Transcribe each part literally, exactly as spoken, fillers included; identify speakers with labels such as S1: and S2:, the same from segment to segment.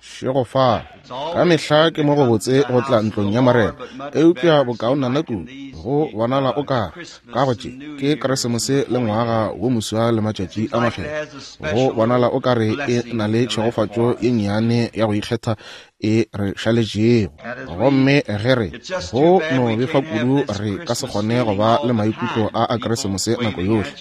S1: Šegofala. Ka mehla ke mo go botse go tla ntlong ya Morena, eupša bokaonana kudu go bonala o kare ka go tše ke Keresemose le ngwaga wo moswa le matšatši a makgethwa. Go bonala o kare e na le tšhegofatšo ye nnyane ya go ikgetha e re šaletšego. Gomme ge re go no befa kudu re ka se kgone go ba le maikutlo a a Keresemose nako yohle.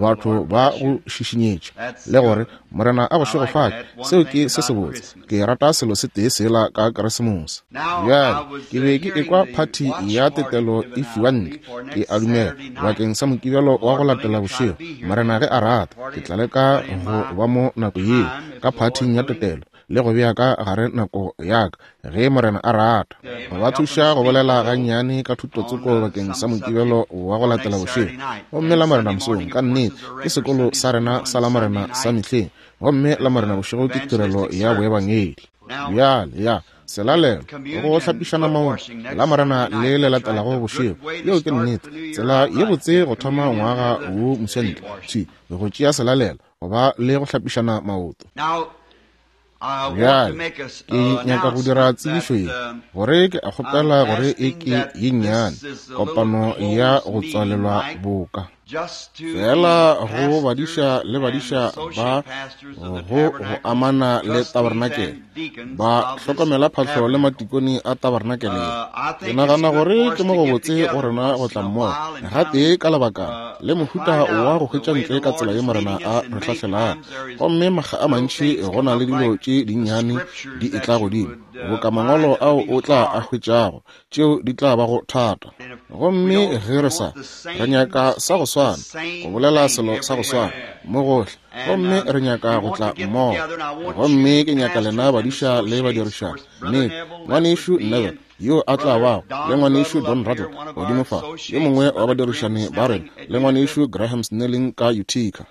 S1: Batho ba go šišinyetša le gore Morena a go šegofatše, seo ke se sebotse. Ke rata selo se tee sela ka Keresemose. Bjale ke be ke ekwa phathi ya tetelo e fiwa ntle, ke a dumela, bakeng sa Mokibelo wa go latela bošego. Morena ge a rata, ke tla leka go ba mo nako yeo ka phathing ya tetelo le go bea ka gare nako ya ka ge Morena a rata. Go ba thuša go bolela gannyane ka thutotsoko bakeng sa Mokibelo wa go latela bošego. Gomme la Morena mosong, ka nnete, ke sekolo sa rena sa la Morena sa mehleng. Gomme la Morena bošego ke tirelo ya boebangedi. Bjale ya selalelo go hlapišana maoto la Morena le le latelago bošego. Yeo ke nnete, tsela ye botse go thoma ngwaga wo moswa ntle thwi go tšea selalelo go ba le go hlapišana maoto. Bjale ke nyaka go dira tsebišo ye gore ke a kgopela gore e ke ye nnyane kopano ya go tswalelwa boka fela go badiša le badiša ba go go amana le tabernakel, ba hlokomela phahlo le matikone a tabernakel. Ke nagana gore ke mo go botse go rena go tla mmogo gatee ka lebaka le mohuta wa go hwetša ntle ka tsela ye Morena a re hlahlelang. Gomme makga a mantši go na le dilo tše dinnyane di etla godimo boka mangwalo ao o tla a hwetšago, tšeo di tla bago thata. Gomme ge re sa re nyaka sa go swana, go bolela selo sa go swana mo gohle, gomme re nyaka go tla mmogo. Gomme ke nyaka lena badiša le badirišana, nnete, ngwanešu Neville yo a tla bago le ngwanešu Don Rattle godimo fa, yo mongwe wa badirišani ba rena, le ngwanešu Graham Snelling ka Utica,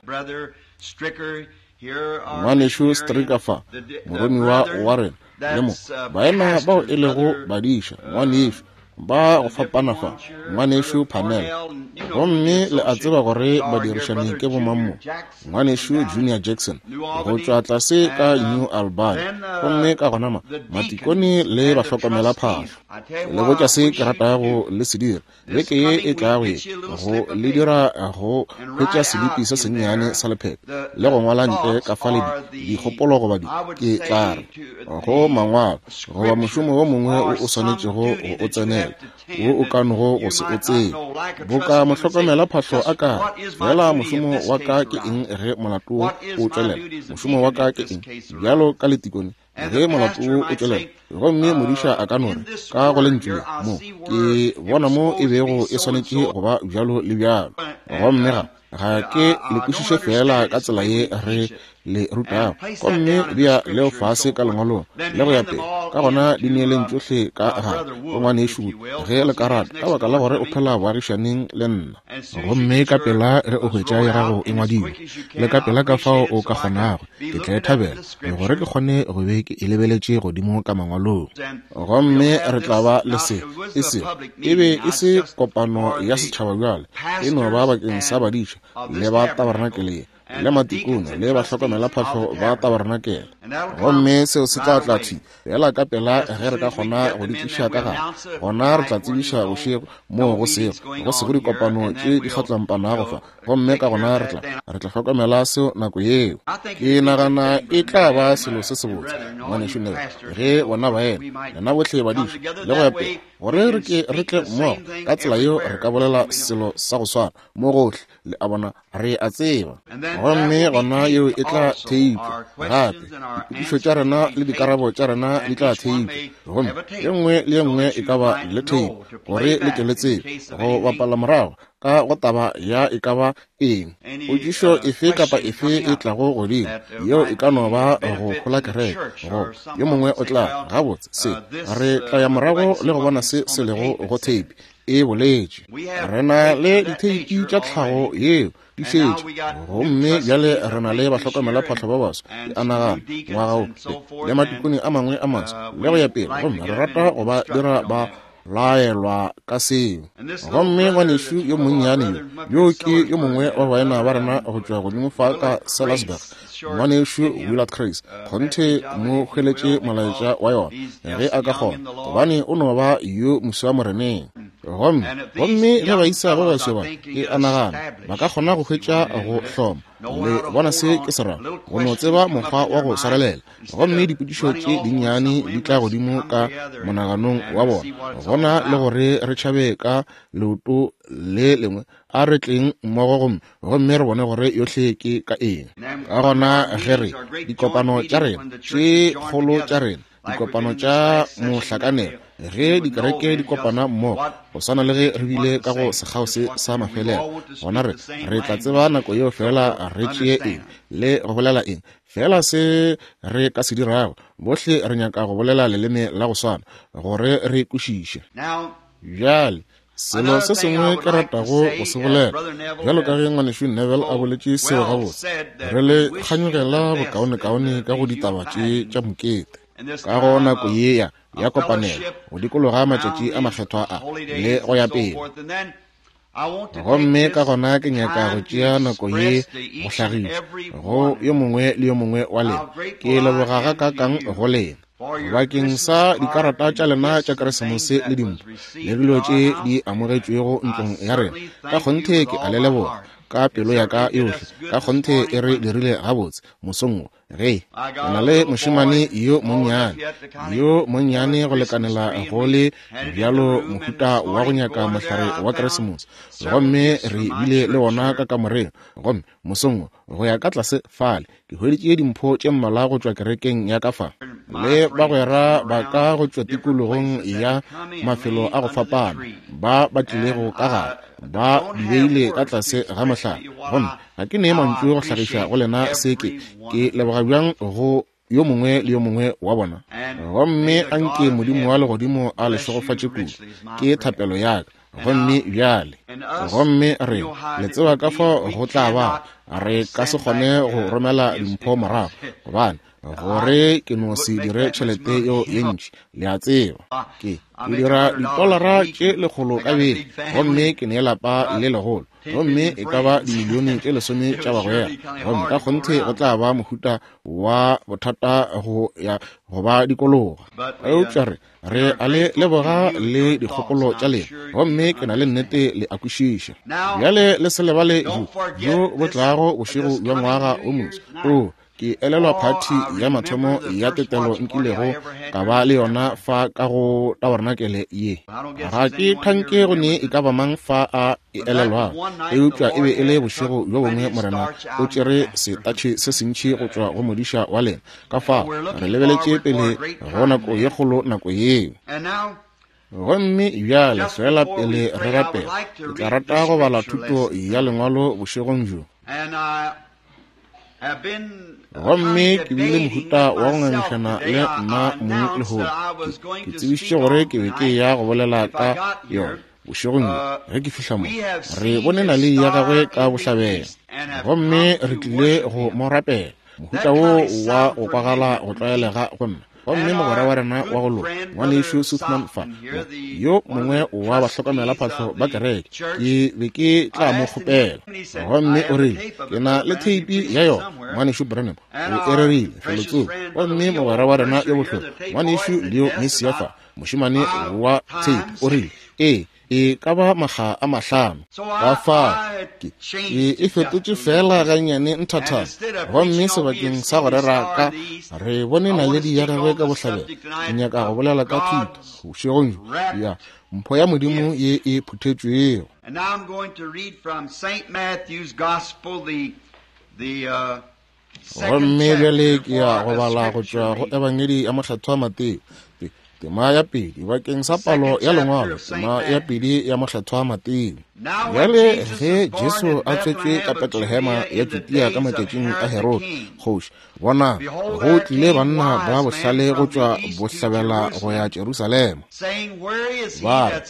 S1: ngwanešu Stricker fa, moromiwa wa rena, le mo baena bao e lego badiša, ngwanešu ba go fapana fa, ngwanešu Panel. Gomme le a tseba gore badirišani ke bomang mo, ngwanešu Junior Jackson go tšwa tlase ka New Albany. Gomme ka gona ma matikone le bahlokomela phahlo. Le botša se ke ratago le se dira beke ye e tlago ye, go le dira go hwetša selipi se sennyane sa lephephe le go ngwala ntle ka fa le dikgopolo goba di ke tla re go mangwalo goba mošomo wo mongwe o o swanetšego go o tsenela wo o ka nogo go se o tsebe. Boka mohlokomela phahlo a ka fela, mošomo wa ka ke eng ge molato wo o tšwelela? Mošomo wa ka ke eng bjalo ka letikone ge molato wo o tšwelela? Gomme modiša a ka no re ka go lentšu le mo ke bona mo e bego e swanetše go ba bjalo le bjalo. Gomme ga ga ke le kwešiše fela ka tsela ye re le rutago. Gomme bea leo fase ka lengwalong le go ya pele, ka gona di neeleng tšohle ka gare go ngwanešu ge le ka rata, ka baka la gore o phela boagišaneng le nna. Gomme ka pela ge o hwetša ya gago e ngwadilwe, le ka pela ka fao o ka kgonago, ke tla e thabela gore ke kgone go be ke e lebeletše godimo ka mangwalong. Gomme re tla ba le se e se e be e se kopano ya setšhaba bjale, e no ba bakeng sa badiša le ba tabernakele le matikone le bahlokomela phahlo ba tabernakele. Gomme seo se tla tla thwi fela ka pela ge re ka kgona go di tliša ka gare. Gona re tla tsebiša bošego moo go sego go sego dikopano tše di kgatlampanago fa. Gomme ka gona re tla re tla hlokomela seo nako yeo. Ke nagana e tla ba selo se sebotse, ngwanešu Neville, ge bona baena lena bohle badiša le go ya pele, gore re ke re tle mmogo ka tsela yeo re ka bolela selo sa go swana mo gohle. Le a bona, re a tseba. Gomme gona yeo e tla theipwa gape, dipotšišo tša rena le dikarabo tša rena di tla theipwa. Gomme ye nngwe le ye nngwe e ka ba le theipo gore le ke le tsebe go bapala morago ka go taba ya e ka ba eng, potšišo efe kapa efe e tlago godimo yeo e ka no ba go hola kereke, go yo mongwe o tla gabotse se re tla ya morago le go bona se se lego go theipi e boletše. Re na le ditheipi tša tlhago yeo di šetše, gomme bjale re na le bahlokomela phahlo ba baswa, ke a nagana ngwaga wo le matikone a mangwe a maswa le go ya pele. Gomme re rata go ba dira ba laelwa ka seo. Gomme ngwanešu yo monnyane yo, yo ke yo mongwe wa baena ba rena go tšwa godimo fa ka Sellersburg, ngwanešu Willard Crace, kgonthe mo hweletše molaetša wa yona ge a ka kgona, gobane o no ba yo moswa moreneng. Gomme gomme ge baisa ba baswa ba, ke a nagana ba ka kgona go hwetša go hloma le bona se ke se rago, go no tseba mokgwa wa go swarelela. Gomme dipotšišo tše dinnyane di tla godimo ka monaganong wa bona, gona le gore re tšhabe ka leoto le lengwe, a re tleng mmogo gomme gomme re bone gore yohle ke ka eng. Ka gona ge re dikopano tša rena tše kgolo tša rena, dikopano tša mohlakanelo, ge dikereke di kopana mmogo go swana le ge re bile ka go sekgao se sa mafelelo, gona re re tla tseba nako yeo fela re tšee eng le go bolela eng, fela se re ka se dirago. Bohle re nyaka go bolela leleme la go swana gore re kwešiše. Bjale selo se sengwe ke ratago go se bolela, bjalo ka ge ngwanešu Neville a boletše seo gabotse, re le kganyogela bokaonekaone ka go ditaba tše tša mokete ka go nako ye ya ya kopanelo go dikologa matšatši a makgethwa a le go ya pele. Gomme ka gona ke nyaka go tšea nako ye go hlagiša go yo mongwe le yo mongwe wa lena. Ke leboga gakaakang go lena bakeng sa dikarata tša lena tša Keresemose le dimpho le dilo tše di amogetšwego ntlong ya rena. Ka kgonthe ke a le leboga ka pelo ya ka yohle. Ka kgonthe e re dirile gabotse mosong wo. Ge ke na le mošemane yo monnyane, yo monnyane go lekanela go le bjalo mohuta wa go nyaka mohlare wa Keresemose, gomme re bile le wona ka kamoreng. Gomme mosong wo go ya ka tlase fale ke hweditše dimpho tše mmalwa go tšwa kerekeng ya ka fa, le bagwera ba ka go tšwa tikologong ya mafelo a go fapana ba ba tlilego ka gare, ba di beile ka tlase ga mohlare. Gomme ga ke nee mantšu go hlagiša go lena se ke ke leboga bjang go yo mongwe le yo mongwe wa bona. Gomme anke Modimo wa legodimo a le šegofatše kudu, ke thapelo ya ka. Gomme bjale, gomme re le tseba ka fao go tla ba, re ka se kgone go romela dimpho morago, gobane gore ke no se dire tšhelete yeo ye ntši, le a tseba. Ke ke dira ditolara tše lekgolo ka beke, gomme ke ne lapa le legolo, gomme e ka ba dimilione tše lesome tša bagwera. Gomme ka kgonthe go tla ba mohuta wa bothata go ya go ba dikologa. Eupša re re a le leboga le dikgopolo tša lena, gomme ke na le nnete le a kwešiša. Bjale le se lebale jo jo bo tlago bošego bja ngwaga o moswa. O ke elelwa phathi ya mathomo ya tetelo nkilego ka ba le yona fa ka go tabernacle ye. Ga ke thanke go ne e ka ba mang fa a e elelwago, eupša e be e le bošego bjo bongwe Morena o tšere setatšhe se sentši go tšwa go modiša wa lena. Ka fao re lebeletše pele go nako ye kgolo nako yeo. Gomme bjale fela pele re rapela, ke tla rata go bala thuto ya lengwalo bošegong bjo. Gomme ke bile mohuta wa go ngangišana le nna mong lehono. Ke tsebišitše gore ke be ke ya go bolela ka yona bošegong bjo ge ke fihla mo. Re bone naledi ya gagwe ka bohlabela, gomme re tlile go mo rapela. Mohuta wo wa go kwagala go tlwaelega go nna. Gomme mogwera wa rena wa go loka, ngwanešu Suthman fa, yo mongwe wa bahlokomelaphahlo ba kereke, ke be ke tla mo kgopela. Gomme o rile, ke na le theipi ya yona, ngwanešu Branham o e rerile felotsoko. Gomme mogwera wa rena yo bohloko, ngwanešu Leo Messia fa, mošemane wa theipi, o rile, ee, e ka ba makga a mahlano. Ka fao ke e fetotše fela gannyane nthathana. Gomme sebakeng sa go rera ka re bone naledi ya gagwe ka bohlabela, ke nyaka go bolela ka thuto bošegong bjo ya mpho ya Modimo ye e phuthetšwego. Gomme bjale ke ya go bala go tšwa go Ebangedi ya Mokgethwa Mateo, tema ya pedi bakeng sa palo ya lengwalo, tema ya pedi ya Mokgethwa Mateo. Bjale ge Jesu a tswetšwe ka Betlehema ya Judea ka matšatšing a Herode kgoši, bona go tlile banna ba bohlale go tšwa bohlabela go ya Jerusalema, ba re,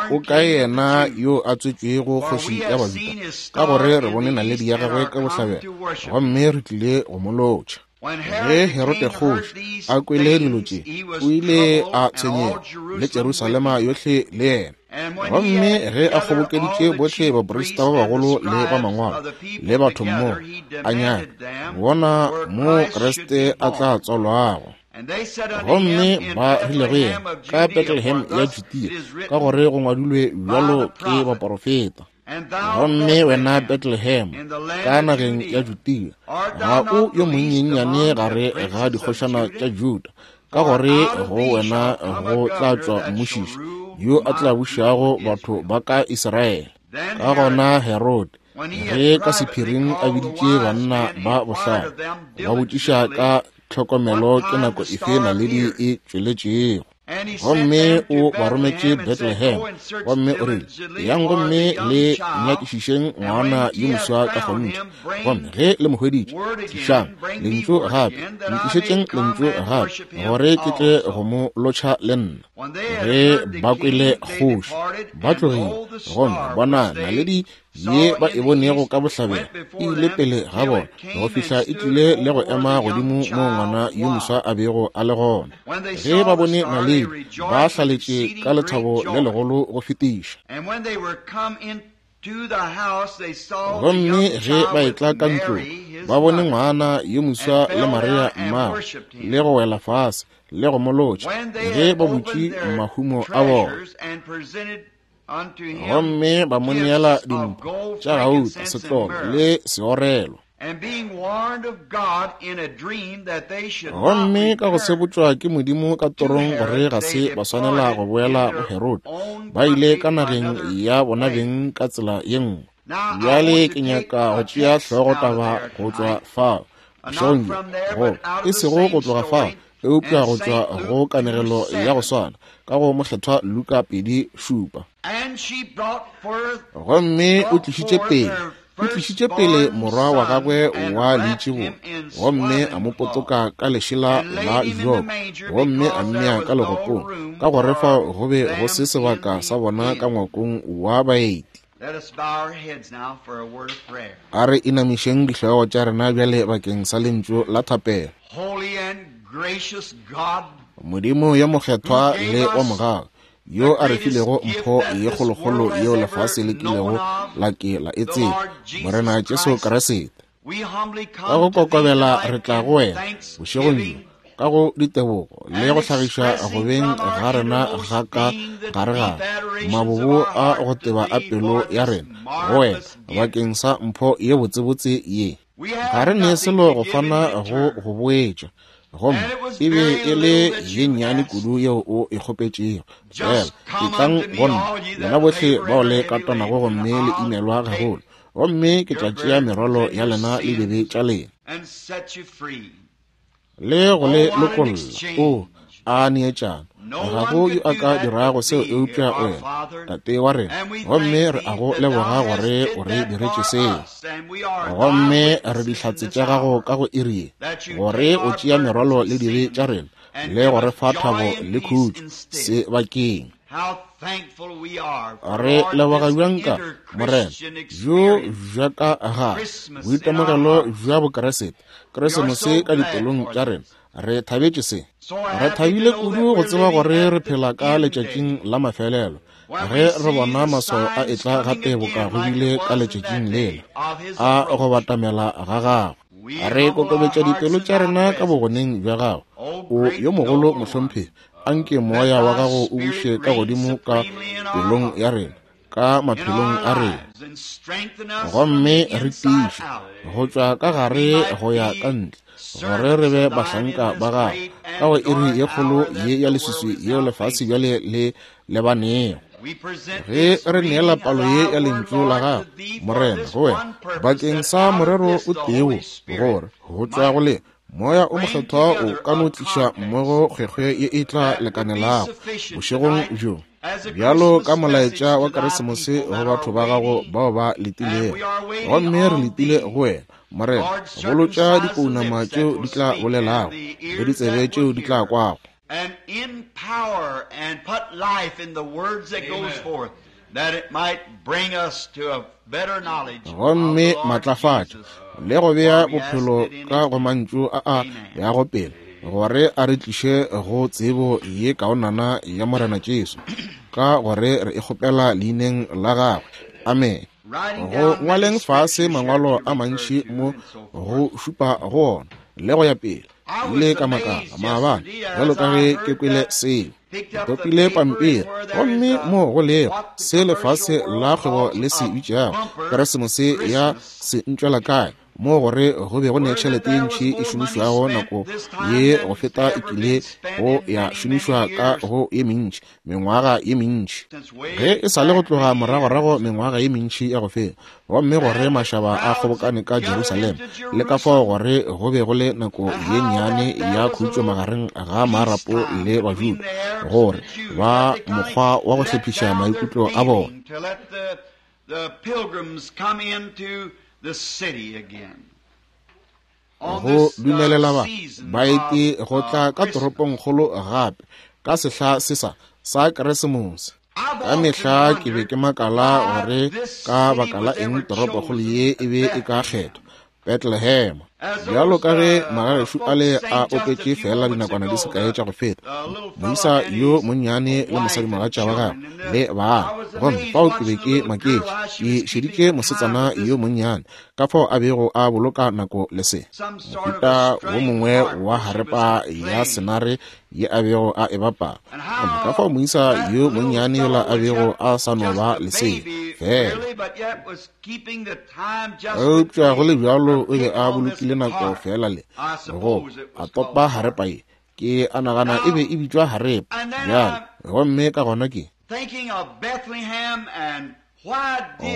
S1: o kae yena yo a tswetšwego kgoši ya Bajuda? Ka gore re bone naledi ya gagwe ka bohlabela, gomme re tlile go mo lotšha. Ge Herode kgoši a kwele dilo tše, o ile a tshwenyega, le Jerusalema yohle le yena. Gomme ge a kgobokeditše bohle baprista ba bagolo le ba mangwalo le batho mmogo, a nyaka bona mo Kriste a tla tswalwago. Gomme ba rile go yena, ka Bethlehem ya Judea, ka gore go ngwadilwe bjalo ke baporofeta. Gomme wena Bethlehem ka nageng ya Judea, ga o yo monyenyane gare ga dikgošana tša Juda, ka gore go wena go tla tšwa mmušiši yo a tla bušago batho ba ka Israele. Ka gona Herode, ge ka sephiring a biditše banna ba bohlale, ba botšiša ka tlhokomelo ke nako efe naledi e tšweletšego. Gomme o ba rometše Bethlehem, gomme o rile, yang gomme le nyakišišeng ngwana yo moswa ka kgonthe, gomme ge le mo hweditše, tlišang lentšu gape, ntlišetšeng lentšu gape, gore ke tle go mo lotšha le nna. Ge ba kwele kgoši, ba tlogile, gomme bona naledi ye ba e bonego ka bohlabela e ile pele ga bona go fihla e tlile le go ema godimo mo ngwana yo moswa a bego a le gona. Ge ba bone naledi, ba hlaletše ka lethabo le legolo go fetiša. Gomme ge ba etla ka ntlong, ba bone ngwana yo moswa le Maria mmagwe, le go wela fase le go mo lotšha, ge ba butše mahumo a bona. Gomme ba mo neela dimpho tša gauta, setlolo le seorelo. Gomme ka go sebotšwa ke Modimo ka torong gore ga se ba swanela go boela go Herode, ba ile ka nageng ya bona beng ka tsela ye nngwe. Bjale ke nyaka go tšea hlogotaba go tšwa fao bošegong bjo, go e sego go tloga fao, eupša go tšwa go kanegelo ya go swana ka go Mokgethwa Luka pedi šupa. Gomme o tlišitše pele o tlišitše pele morwa wa gagwe wa leitšibulo, gomme a mo potoka ka lešela la joko, gomme a mmea ka legopong, ka gore fao go be go se sebaka sa bona ka ngwakong wa baeti. A re inamišeng dihlogo tša rena bjale bakeng sa lentšu la thapelo. Modimo yo mokgethwa le wa mogau, yo a re filego mpho ye kgolokgolo yeo lefase le kilego la ke la e tseba, Morena Jesu Kriste. Ka go kokobela re tla go wena bošegong bjo ka go ditebogo le go hlagiša go beng ga rena ga ka gare gare mabobo a go teba a pelo ya rena go wena bakeng sa mpho ye botsebotse ye. Ga re ne selo go fana go go boetša, gomme e be e le ye nnyane kudu yeo o e kgopetšego. Fela etlang go nna, lena bohle bao le katanago gomme le imelwa gagolo, gomme ke tla tšea merwalo ya lena le dibe tša lena le go le lokolla. O a neetšana, ga go yo a ka dirago seo eupša wena, Tate wa rena, gomme re a go leboga gore o re diretše seo. Gomme re dihlatse tša gago ka go iri ye, gore o tšea merwalo le dibe tša rena le go re fa thabo le khutšo sebakeng. Re leboga bjang ka Morena bjo bja ka ga boitemogelo bja Bokeresete, Keresemose ka dipelong tša rena. Re thabetše se. Re thabile kudu go tseba gore re phela ka letšatšing la mafelelo, ge re bona maswao a etla gape boka go bile ka letšatšing lela a go batamela ga gagwe. Re kokobetša dipelo tša rena ka bogoneng bja gago, o yo mogolo mohlomphegi. Anke moya wa gago o buše ka godimo ka pelong ya rena, ka maphelong a rena, gomme re tiiše go tšwa ka gare go ya ka ntle, gore re be bahlanka ba gago ka go iri ye kgolo ye ya leswiswi yeo lefase bjale le lebanego. Ge re neela palo ye ya lentšu la gago, Morena, go wena bakeng sa morero o tee wo, gore go tšwa go le Moya o mokgethwa o ka no tliša mmogo kgwekgwe ye e tla lekanelago bošegong bjo, bjalo ka molaetša wa Keresemose go batho ba gago bao ba letilego. Gomme re letile go wena, Morena, bolotša dipounama tšeo di tla bolelago le ditsebe tšeo di tla kwago. Gomme matlafatša le go bea bophelo ka go mantšu a a yago pele, gore a re tliše go tsebo ye kaonana ya Morena Jesu, ka gore re e kgopela leineng la gagwe. Amen. Go ngwaleng fase mangwalo a mantši mo go šupa go ona le go ya pele, ile ka makala maabane bjalo ka ge ke kwele seo. Ke topile pampiri, gomme mo go lego se lefase la kgwebo le se bitšago Keresemose ya se ntšwela kae, mo gore go be go ne tšhelete ye ntši e šomišwago nako ye go feta e kile go ya šomišwa ka go ye mentši mengwaga ye mentši, ge e sa le go tloga moragorago mengwaga ye mentši ya go feta, gomme gore mašaba a kgobokane ka Jerusalema, le ka fao gore go be go le nako ye nnyane ya khutšo magareng ga marapo le Bajuda, gore ba mokgwa wa go hlephiša maikutlo a bona. Go dumelela ba baeti go tla ka toropongkgolo gape ka sehla se sa sa Keresemose. Ka mehla ke be ke makala gore ka baka la eng toropokgolo ye e be e ka kgethwa Bethlehem, bjalo ka ge magagešo ale a opetše fela dinakwana di se kae tša go feta, moisa yo monnyane le mosadimogatša wa gagwe le bana. Gomme fao ke be ke maketše, ke šeditše mosetsana yo monnyane ka fao a bego a boloka nako le se mohuta wo mongwe wa harepa ya senare ye a bego a e bapala. Gomme ka fao moisa yo monnyane yola a bego a sa no ba lesea fela, eupša go le bjalo o be a bolokile nako fela le go a topa harepa ye. Ke a nagana e be e bitšwa harepa bjale. Gomme ka gona ke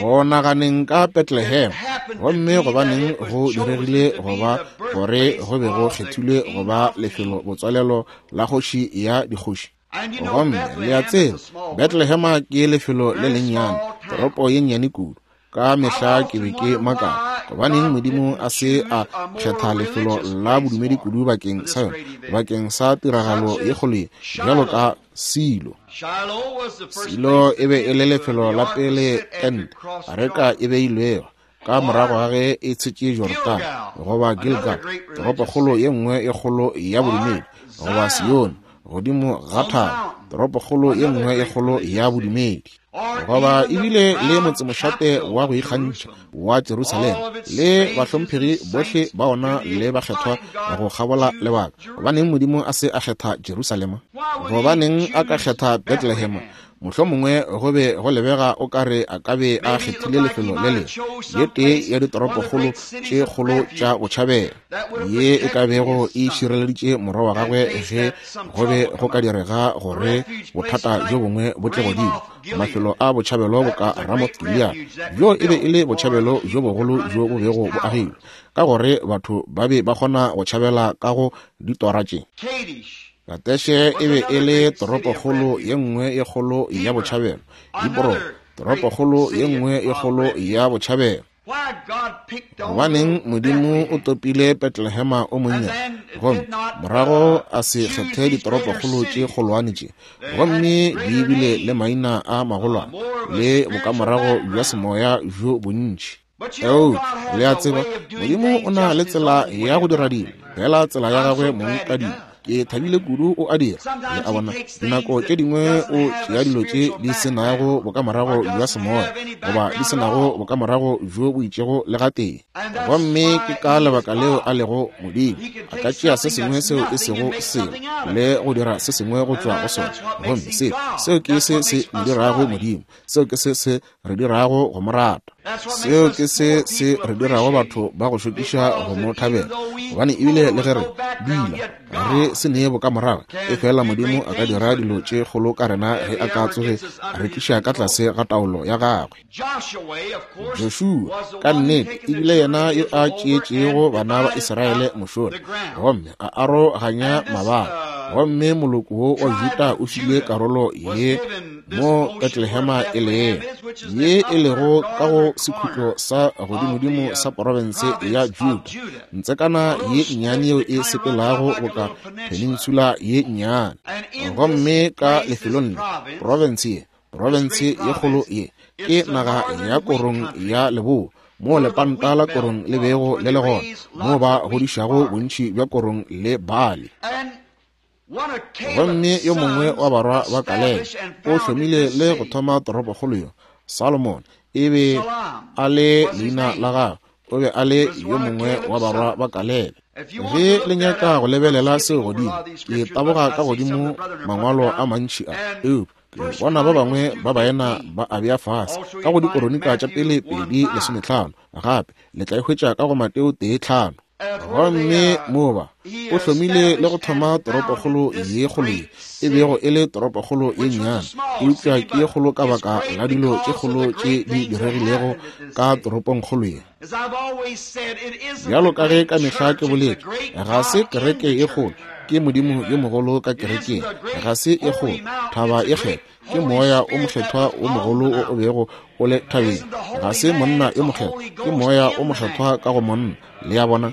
S1: go naganeng ka Bethlehem, gomme gobaneng go diregile goba gore go be go kgethilwe goba lefelo botswalelo la kgoši ya dikgoši. Gomme le a tseba, Bethlehema ke lefelo le lennyane, toropo ye nnyane kudu. Ka mehla ke be ke makala gobaneng Modimo a se a kgetha lefelo la bodumedi kudu bakeng sa yona, bakeng sa tiragalo ye kgolo ye bjalo ka Silo. Silo e be e le lefelo la pele tente areka e beilwego ka morago ga ge e tshetše Jordan, goba Gilgal, toropokgolo ye nngwe e kgolo ya bodumedi, goba Sione godimo ga thaba, toropokgolo ye nngwe e kgolo ya bodumedi, goba ebile le motsemošate wa go ikgantšha wa Jerusalema le bahlomphegi bohle ba ona le bakgethwa go kgabola lebaka. Gobaneng Modimo a se a kgetha Jerusalema? Gobaneng a ka kgetha Bethlehem? Mohlomongwe go be go lebega o kare a ka be a kgethile lefelo le lengwe, ye tee ya ditoropokgolo tše kgolo tša botšhabela, ye e ka bego e šireleditše morwa wa gagwe ge go be go ka direga gore bothata bjo bongwe bo tle godimo. Mafelo a botšhabelo bo ka Ramoth Gilead, bjo e be e le botšhabelo bjo bogolo bjo bo bego bo agilwe, ka gore batho ba be ba kgona go tšhabela ka go ditora tše. Kateše e be e le toropokgolo ye nngwe ye kgolo ya botšhabelo, Hebron toropokgolo ye nngwe ye kgolo ya botšhabelo. Gobaneng Modimo o topile Bethlehema o monnyane, gomme morago a se kgethe ditoropokgolo tše kgolwane tše, gomme di bile le maina a magolwane le bokamorago bja semoya bjo bontši. Eupša le a tseba, Modimo o na le tsela ya go dira dilo, fela tsela ya gagwe mong ka dilo. Ke thabile kudu o a dira. Le a bona, dinako tše dingwe o tšea dilo tše di se nago bokamorago bja semoya, goba di se nago bokamorago bjo bo itšego le gatee. Gomme ke ka lebaka leo a lego Modimo. A ka tšea se sengwe seo e sego selo le go dira se sengwe go tšwa go sona. Gomme seo, seo ke se se mo dirago Modimo. Seo ke se se re dirago go mo rata. Seo ke se se re dirago batho ba go šokiša go mo thabela, gobane ebile le ge re dula re se nee bokamorago, e fela Modimo a ka dira dilo tše kgolo ka rena ge a ka tsoge a re tliša ka tlase ga taolo ya gagwe. Joshua ka nnete ebile yena yo a tšeetšego bana ba Israele mošola, gomme a aroganya mabala, gomme moloko wo wa Juda o filwe karolo ye mo Bethlehema e lego, ye e lego ka go sekhutlo sa godimodimo sa porofense ya Juda, ntsekana ye nnyane yeo e sepelago boka peninsula ye nnyane. Gomme ka lefelong le, porofense ye, Profense ye kgolo ye ke naga ya korong ya leboa, moo lepanta la korong le bego le le gona, moo ba godišago bontši bja korong le bali. Gomme yo mongwe wa barwa ba Kalebe o hlomile le go thoma toropokgolo yo, Solomon e be a le leina la gagwe, o be a le yo mongwe wa barwa ba Kalebe. Ge le nyaka go lebelela seo godimo, ke taboga ka godimo mangwalo a mantši a, eupša ke bona ba bangwe ba baena ba a bea fase ka go dikoronika tša pele pedi lesometlhano, gape le tla e hwetša ka go Mateo tee tlhano. Gomme moba o hlomile le go thoma toropokgolo ye kgolo ye e bego e le toropokgolo ye nnyane, eupša ke ye kgolo ka baka la dilo tše kgolo tše di diregilego ka toropongkgolo ye. Bjalo ka ge ka mehla ke boletše, ga se kereke ye kgolo, ke Modimo yo mogolo ka kerekeng. Ga se e kgolo thaba e kgethwa, ke moya o mokgethwa o mogolo o o bego o le thabeng. Ga se monna yo mokgethwa, ke moya o mokgethwa ka go monna. Le ya bona?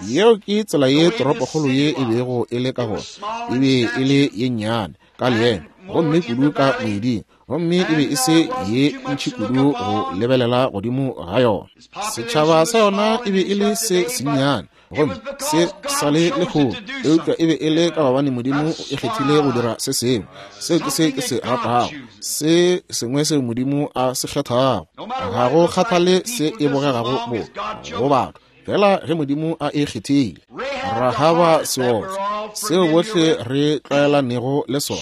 S1: Yeo ke tsela ye toropokgolo ye e bego e le ka gona. E be e le ye nnyane ka leemo, gomme kudu ka moeding, gomme e be e se ye ntši kudu go lebelela godimo ga yona. Setšhaba sa yona e be e le se sennyane, gomme se sa le lekgolo, eupša e be e le ka gobane Modimo o e kgethile go dira se sengwe. Seo ke se ke se ratago, se sengwe seo Modimo a se kgethago. Ga go kgathale se e bogegago bo go batho, fela ge Modimo a e kgethile. Rahaba seotswa, seo bohle re tlwaelanego le sona,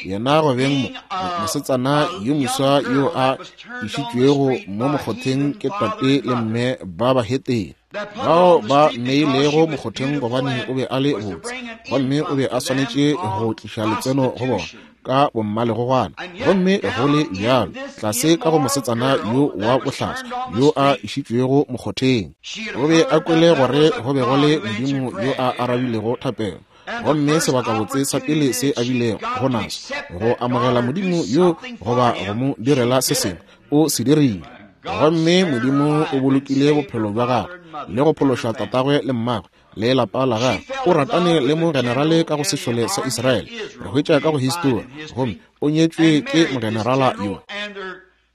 S1: yena go beng mo mosetsana yo moswa yo a išitšwego mo mokgotheng ke tate le mme ba bahetene, bao ba mmeilego mokgotheng gobane o be a le botse, gomme o be a swanetše go tliša letseno go bona ka bommalegogwana. Gomme go le bjalo, tlase ka go mosetsana yo wa bohlaswa yo a išitšwego mokgotheng, o be a kwele gore go be go le Modimo yo a arabilego thapelo, gomme sebakabotse sa pele se a bilego go naso go amogela Modimo yo goba go mo direla se sengwe, o se dirile. Gomme Modimo o bolokile bophelo bja gagwe le go phološa tatagwe le mmagwe le lapa la gagwe. O ratane le mogenerale ka go sešole sa Israele, re hwetša ka go histori, gomme o nyetšwe ke mogenerala yo.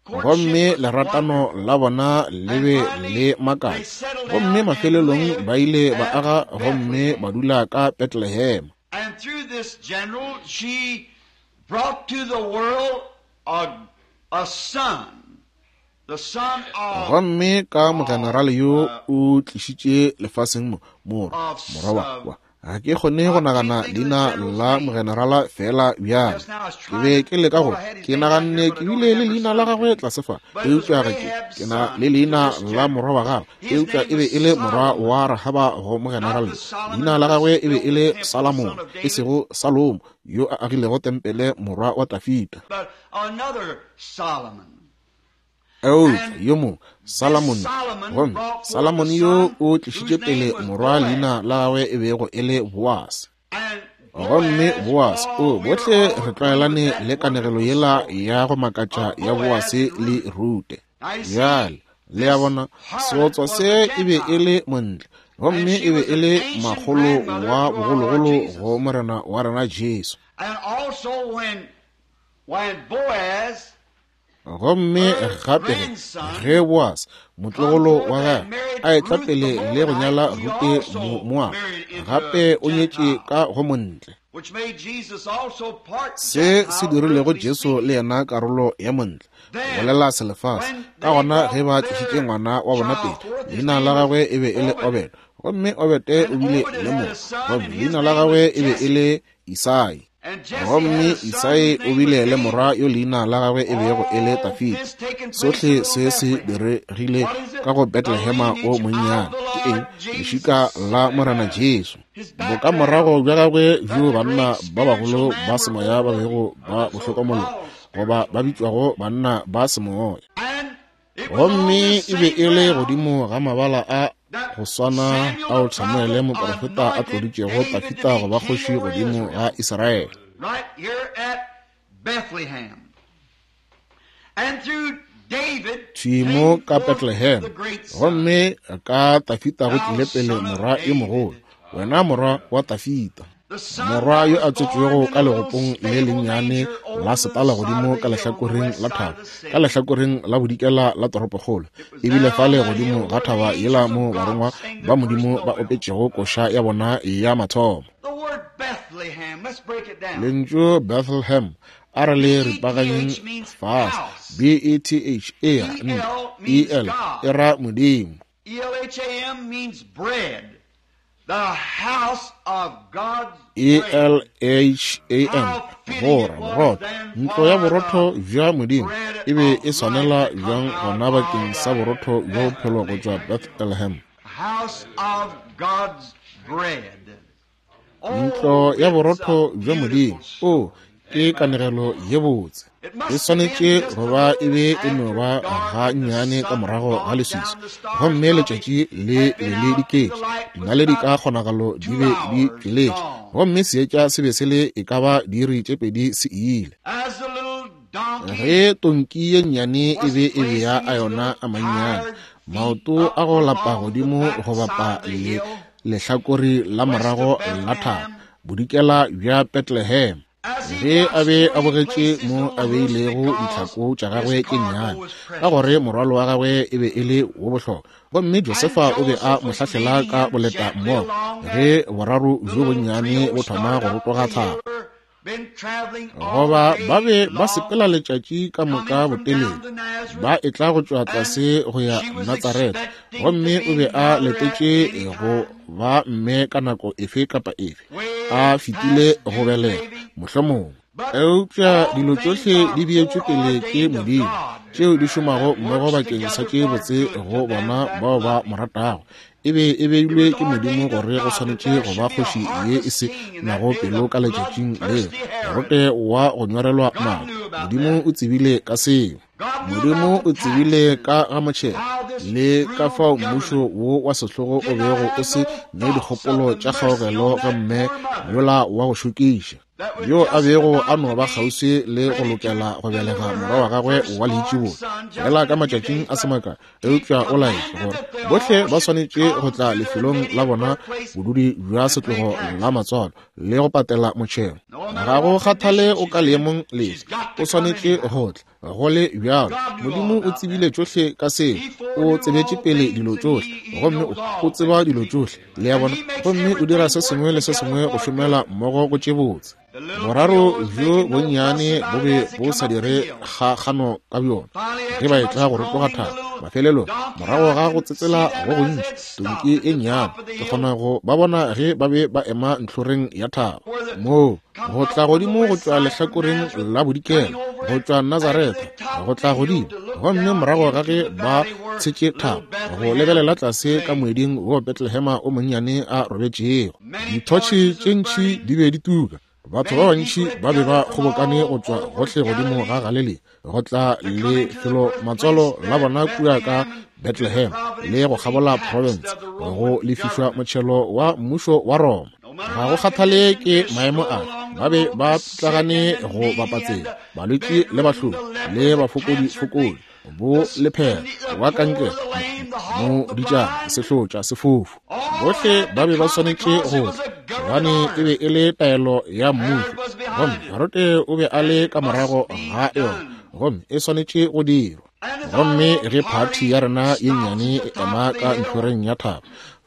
S1: Gomme leratano la bona le be le makatša, gomme mafelelong ba ile ba aga gomme ba dula ka Bethlehem.
S2: And through this general she brought to the world a, a son, the son of
S1: Gomme ka mogenerale yo o tlišitše lefaseng mo morwa, morwa wa wa ga ke kgone go nagana leina la mogenerala fela bjale. Ke be ke leka go ke naganne ke bile le leina la gagwe tlase fa, eupša ga ke ke na le leina la morwa wa gagwe, eupša e be e le morwa wa Rahaba go mogenerale. Leina la gagwe e be e le Salomon, e sego Salomo yo a agilego tempele, morwa wa Dafida,
S2: but another Solomon.
S1: Eupša yo mongwe Salomon. Gomme Salomon yo o tlišitše pele morwa leina la gagwe e bego e le Boase.
S2: And
S1: Gomme Boase, o
S2: we
S1: bohle
S2: are all
S1: re tlwaelane
S2: with that
S1: le kanegelo yela ya go makatša ya Boase le Rute. Bjale le ya bona, seotswa se e be e le montle, gomme e be e le makgolo wa bogologolo go Morena wa rena Jesu.
S2: And also when when Boaz
S1: Gomme gape ge Boase motlogolo wa gagwe a etla pele le go nyala Rute Momoaba, gape o nyetše ka go montle,
S2: which made Jesus also part
S1: se se
S2: Gentile,
S1: dirilego
S2: earthly
S1: Jesu
S2: speaking.
S1: le yena karolo ya montle, go bolela selefase. Ka gona ge ba tlišitše ngwana wa bona pele, leina la gagwe e be e le Obed, gomme Obede o bile le morwa, gomme leina la gagwe e be e le Isai.
S2: And Jesse
S1: Gomme
S2: had a son
S1: Isai
S2: whose
S1: o
S2: name
S1: bile
S2: was
S1: le
S2: David.
S1: morwa yo leina la gagwe e bego e le Dafida. Sohle se se diregile ka go Bethlehema o monnyane. Ke eng? Lešika la Morena Jesu. Bokamorago bja gagwe bjo banna ba bagolo ba semoya ba bego ba bo hlokomologa, goba ba bitšwago banna ba semoya.
S2: And it was on
S1: Gomme
S2: this
S1: e be
S2: same
S1: e le
S2: ground
S1: godimo ga mabala a
S2: that
S1: go swana
S2: Samuel
S1: ao
S2: the
S1: Samuele
S2: prophet
S1: moprofeta a
S2: anointed
S1: tloditšego
S2: David to
S1: Dafida
S2: be
S1: go ba
S2: king
S1: kgoši
S2: over
S1: godimo
S2: Israel,
S1: ga Israele.
S2: right here at Bethlehem. And through David
S1: Thwi mo
S2: came
S1: ka
S2: forth
S1: Bethlehem,
S2: the great son.
S1: gomme ka Dafida go
S2: Thou
S1: tlile pele
S2: son of
S1: morwa yo mogolo,
S2: David.
S1: wena morwa wa Dafida. Morwa yo a tswetšwego ka legopong le lennyane la setala godimo ka lehlakoreng la thaba, ka lehlakoreng la bodikela la toropokgolo, ebile fale godimo ga thaba yela mo barongwa ba Modimo ba opetšego koša ya bona ya mathomo. Lentšu Bethlehem a re le ripaganyeng fase, B E T H E R N E L e ra Modimo.
S2: E L H A M means bread. The house of God's
S1: E L H A M gora borotho, ntlo ya borotho bja Modimo e be e swanela bjang gona bakeng sa borotho bja bophelo go tšwa Bethlehem.
S2: House of God's bread.
S1: Ntlo ya borotho bja Modimo. O ke kanegelo ye botse. E swanetše go ba e be e no ba ga nnyane ka morago ga leswiswi, gomme letšatši le be le diketše, dinaledi ka kgonagalo di be di tšweletše, gomme seetša se be se le e ka ba diiri tše pedi se ile. Ge tonki ye nnyane e be e bea a yona a mannyane, maoto a go lapa godimo go bapa le lehlakore la morago la thaba, bodikela bja Bethlehem, ge a be a bogetše mo a beilego ditlhako tša gagwe tše nnyane, ka gore morwalo wa gagwe e be e le wo bohlokwa, gomme Josefa o be a mo hlahlela ka boleta mmogo ge boraro bjo bonnyane bo thoma go rotoga thaba. Goba ba be ba sepela letšatši ka moka botelele, ba etla go tšwa tlase go ya Natsaretha, gomme o be a letetše go ba mme ka nako efe kapa efe, a fetile go belega mohlomongwe. Eupša dilo tšohle di beetšwe pele ke Modimo, tšeo di šomago mmogo bakeng sa tše botse go bona bao ba mo ratago. E be e beilwe ke Modimo gore go swanetše go ba kgoši ye e se nago pelo ka letšatšing leo, Herote wa go nyorelwa madi. Modimo o tsebile ka seo. Modimo o tsebile ka ga motšhelo le ka fao mmušo wo wa sehlogo o bego o se ne dikgopolo tša kgaogelo gomme yola wa go šokiša, yo a bego a no ba kgauswi le go lokela go belega morwa wa gagwe wa leitšibulo fela ka matšatšing a se makae, eupša o laetše gore bohle ba swanetše go tla lefelong la bona bodudi bja setlogo la matswalo le go patela motšhelo. Ga go kgathale o ka leemong lefe, o swanetše go tla. Go le bjalo, Modimo o tsebile tšohle ka seo, o tsebetše pele dilo tšohle, gomme o tseba dilo tšohle, le a bona, gomme o dira se sengwe le se sengwe go šomela mmogo go tše botse. Boraro bjo bonnyane bo be bo sa dire kgakgano ka bjona ge ba etla go rotoga thaba. Mafelelong, morago ga go tsetsela go gontši, tonki e nnyane, ke kgona go ba bona ge ba be ba ema ntlhoreng ya thaba moo go tla godimo go tšwa lehlakoreng la bodikela, go tšwa Nazaretha go tla godimo, gomme morago ga ge ba tshetše thaba go lebelela tlase ka moeding wo Bethlehema o monnyane a robetšego. Dithotšhe tše ntši di be di tuka, batho ba bantši ba be ba kgobokane go tšwa gohle godimo ga Galilea go tla lefelo matswalo la bona kua ka Bethlehem le go kgabola province go lefišwa motšhelo wa mmušo wa Roma. Ga go kgathale ke maemo a, ba be ba pitlagane go bapatsela balwetši le bahloki le bafokodifokodi, bo lephera wa kankere, moditšana, sehlotša, sefofu, bohle ba be ba swanetše go tla, gobane e be e le taelo ya mmušo, gomme Herote o be a le ka morago ga yona, gomme e swanetše go dirwa. Gomme ge phathi ya rena ye nnyane e ema ka ntlhoreng ya thaba,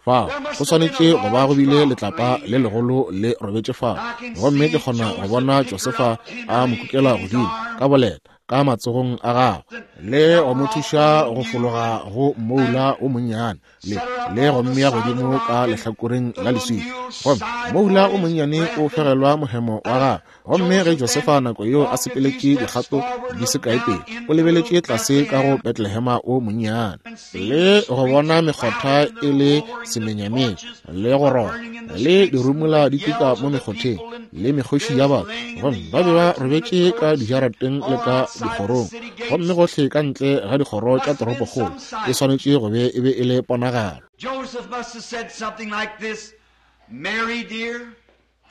S1: fao go swanetše go ba go bile letlapa le legolo le robetše fao, gomme ke kgona go bona Josefa a mo kukela godimo ka boleta ka matsogong a gagwe le go mo thuša go fologa go moula o monnyane le le go mmea godimo ka lehlakoreng la leswika, gomme moula o monnyane o fegelwa mohemo wa gagwe. Gomme ge Josefa nako yeo a sepeletše dikgato di se kae pele, o lebeletše tlase ka go Bethlehema o monnyane le go bona mekgotha e le semenyamenya le go roba le dirumula di tuka mo mekgotheng le mekgoši ya batho, gomme ba be ba robetše ka dijarateng le ka dikgorong, gomme gohle ka ntle ga dikgoro tša toropokgolo. E swanetše go be e be e le ponagalo.
S2: Joseph must have said something like this, Mary dear,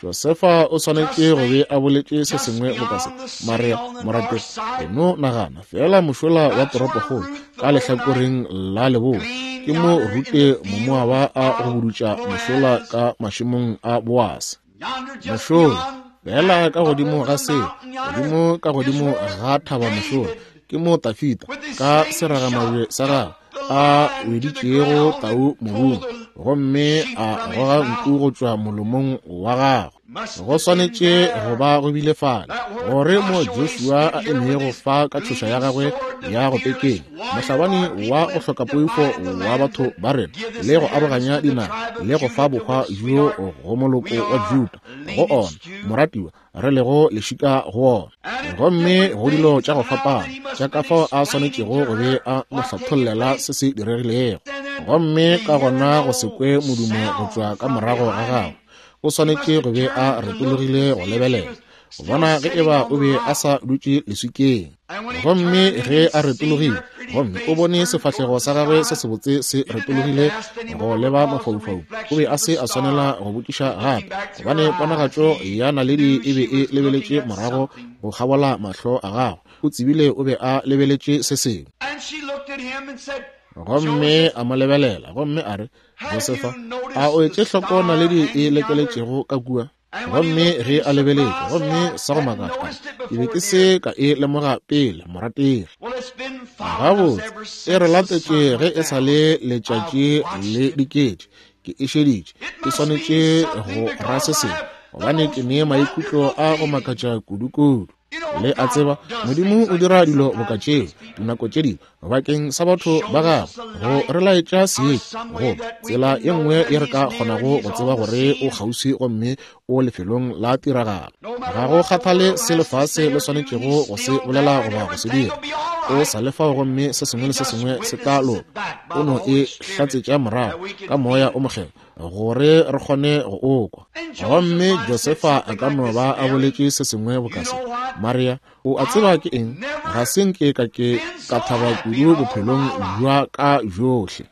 S1: Josefa o swanetše go be a boletše se sengwe boka se, Maria morategi, e no nagana fela mošola wa toropokgolo ka lehlakoreng la leboa, ke mo Rute Momoaba a go budutša mošola ka mašemong a Boase. Mošola, feela ka godimo ga seo, godimo ka godimo ga thaba mošola, ke mo Tafita ka seragamabje sa gagwe a weditšego tau mobung, gomme a goga nku go tšwa molomong wa gagwe. Go swanetše go ba go bile fale gore mo Joshua a emego fa ka tšhoša ya gagwe ya go pekenya, mohlabani wa go hloka poifo wa batho ba rena, le go aroganya dinaga le go fa bohwa bjo go moloko wa Juda, go ona moratiwa re lego lešika go ona. Gomme go dilo tša go fapana tša ka fao a swanetšego go be a mo hlathollela se se diregilego, gomme ka gona go se kwe modumo go tšwa ka morago ga gagwe, o swanetše go be a retologile go lebelela go bona ge eba o be a sa dutše leswikeng. Gomme ge a retologile, gomme o bone sefahlego sa gagwe se sebotse se retologile go leba mafaufau, o be a se a swanela go botšiša gape, gobane ponagatšo ya naledi e be e lebeletše morago go kgabola mahlo a gagwe. O tsebile o be a lebeletše se sengwe. Gomme a mo lebelela, gomme a re, Josefa, a o etše hloko naledi e lekeletšego ka kua? Gomme ge a lebeletše, gomme sa go makatša, ke be ke se ka e lemoga pele, morategi. Gabotse, e re latetše ge e sa le letšatši le diketše, ke e šeditše, ke swanetše go ra se sengwe, gobane ke ne maikutlo a go makatša kudu-kudu. Le a tseba, Modimo o dira dilo boka tšeo dinako tše dingwe bakeng sa batho ba gagwe, go re laetša seetša goba tsela ye nngwe ye re ka kgonago go tseba gore o kgauswi gomme o lefelong la tiragalo. Ga go kgathale se lefase le swanetšego go se bolela goba go se dira, o sa le fao gomme se sengwe le se sengwe se tla loka. O no e hlatsetša morago ka moya o mokgethwa gore re kgone go o kwa. Gomme Josefa a ka no ba a boletše se sengwe boka se, Maria, o a tseba ke eng? Ga se nke ka ke ka thaba kudu bophelong bja ka bjohle.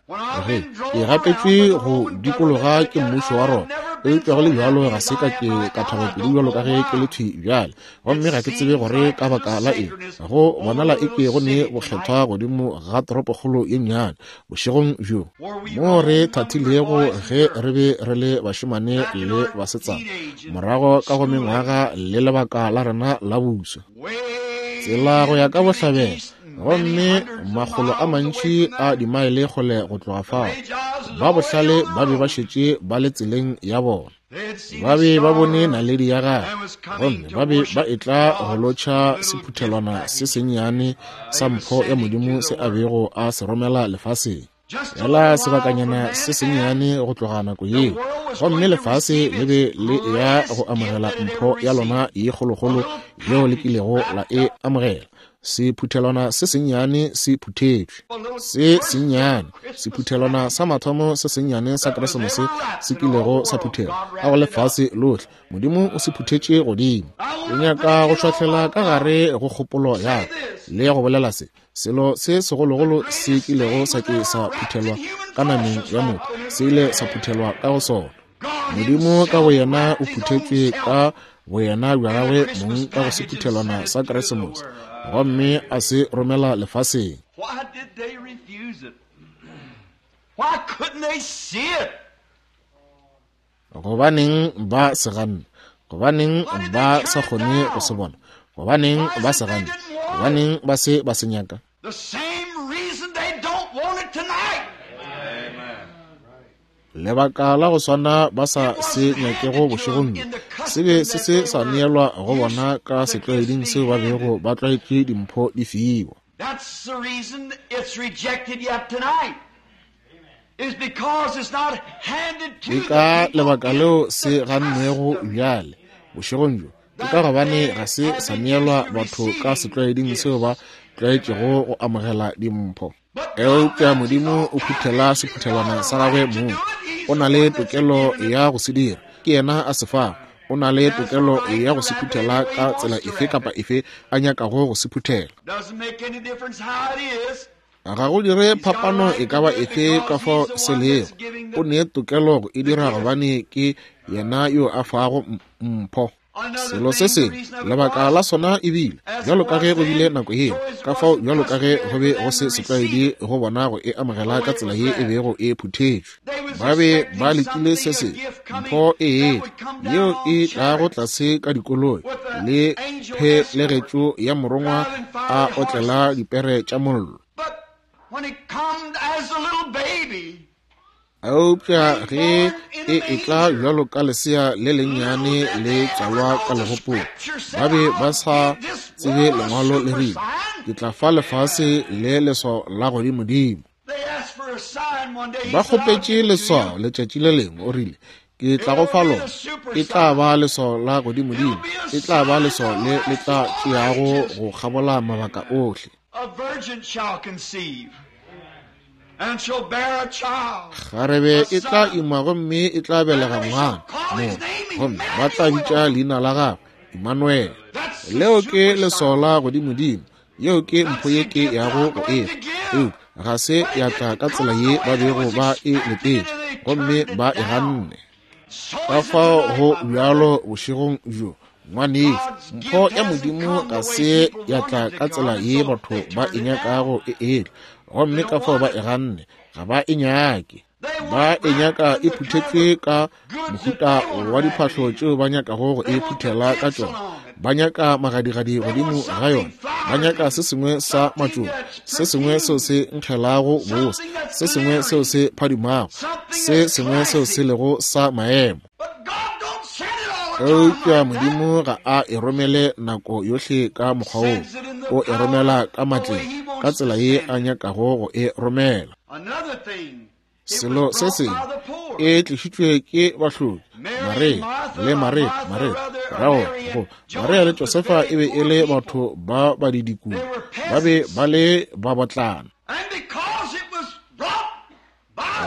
S1: Ge ke gapetšwe go dikologa ke mmušo wa Roma, eupša go le bjalo ga se ka ke ka thaba kudu bjalo ka ge ke le thwi bjale. Gomme ga ke tsebe gore ka baka la eng go bonala eke go ne bokgethwa godimo ga toropokgolo ye nnyane bošegong bjo, mo re thathilego ge re be re le bašemane le basetsana, morago ka go mengwaga le lebaka la rena la buswa, tsela go ya ka bohlabela, gomme makgolo a mantši a dimaele kgole go tloga fao. Ba bohlale ba be ba šetše ba le tseleng ya bona, ba be ba bone naledi ya gagwe, gomme ba be ba etla go lotšha sephuthelwana se sennyane sa mpho ya Modimo se a bego a se romela lefaseng. Fela sebakanyana se sennyane go tloga nako yeo, gomme lefase le be le ya go amogela mpho ya lona ye kgolokgolo yeo le kilego la e amogela. Sephuthelwana se sennyane se phuthetšwe, se sennyane, sephuthelwana sa mathomo se sennyane sa Keresemose se kilego sa phuthelwa ka go lefase lohle. Modimo o se phuthetše godimo. Ke nyaka go šwahlela ka gare go kgopolo ya ka le go bolela se, selo se segologolo se kilego sa ke sa phuthelwa ka nameng ya motho, se ile sa phuthelwa ka go sona. Modimo ka boyena o phuthetšwe ka boyena bja gagwe mong ka go sephuthelwana sa Keresemose, gomme a se romela lefaseng.
S2: Why did they refuse it? Why couldn't they see it?
S1: Gobaneng ba se ganne? Gobaneng ba sa kgone go se bona? Gobaneng ba se ganne? Gobaneng ba se ba se nyaka?
S2: The same reason they don't want it tonight.
S1: Lebaka la go swana ba sa se nyakego bošegong bjo, se be se se sa neelwa go bona ka setlwaeding seo ba bego ba tlwaetše dimpho di fiwa.
S2: That's the reason it's rejected yet tonight. Is because it's not handed to
S1: Ke ka
S2: the people
S1: lebaka
S2: in
S1: leo
S2: the
S1: se gannwego
S2: custom.
S1: bjale bošegong bjo, ke ka gobane ga se sa neelwa batho ka setlwaeding seo ba tlwaetšego go amogela dimpho. Eupša Modimo o phuthela sephuthelwana sa gagwe mong. O na le tokelo ya go se dira, ke yena a se fago. O na le tokelo ya go se phuthela ka tsela efe kapa efe a nyakago go se phuthela.
S2: Doesn't make any difference how it is.
S1: Ga go dire phapano e ka ba efe ka fao se lego. O ne tokelo go e dira gobane ke yena yo a fago mpho. Selo se sengwe, lebaka la sona e bile bjalo ka ge go bile nako yeo, ka fao bjalo ka ge go be go se setlwaedi go bona go e amogela ka tsela ye e bego e phuthetšwe. Ba be ba lekile se se mpho e yeo e tlago tlase ka dikoloi le phelegetšo ya morongwa a otlela dipere tša mollo. Eupša ge e etla bjalo ka lesea le lennyane le tswalwa ka legopong, ba be ba sa tsebe lengwalo le rile, ke tla fa lefase le leswao la godimodimo. Ba kgopetše leswao letšatši le lengwe, o rile, ke tla go fa lona, e tla ba leswao la godimodimo, e tla ba leswao le le tla tšeago go kgabola mabaka ohle. Kgarebe e tla ima gomme e tla belega ngwana mo, gomme ba tla bitša leina la gagwe Emmanuel. Leo ke leswao la godimodimo, yeo ke mpho ye ke yago go efa. Eupša ga se ya tla ka tsela ye ba bego ba e letetše, gomme ba e ganne. Ka fao go bjalo bošegong bjo, ngwanešu, mpho ya Modimo ga se ya tla ka tsela ye batho ba e nyakago e etla, gomme ka fao ba e ganne, ga ba e nyake. Ba e nyaka e phuthetšwe ka mohuta wa diphahlo tšeo ba nyakago go e phuthela ka tšona. Ba nyaka magadigadi godimo ga yona. Ba nyaka se sengwe sa matšoba, se sengwe seo se nkgelago bose, se sengwe seo se phadimago, se sengwe seo se lego sa maemo. Eupša Modimo ga a e romele nako yohle ka mokgwa woo, o e romela ka matleng, ka tsela ye a nyakago go e romela. Selo se sengwe e tlišitšwe ke bahloki, Maria le Maria, Maria rao go Maria le Josefa e be e le batho ba badidikudu, ba be ba le babotlana.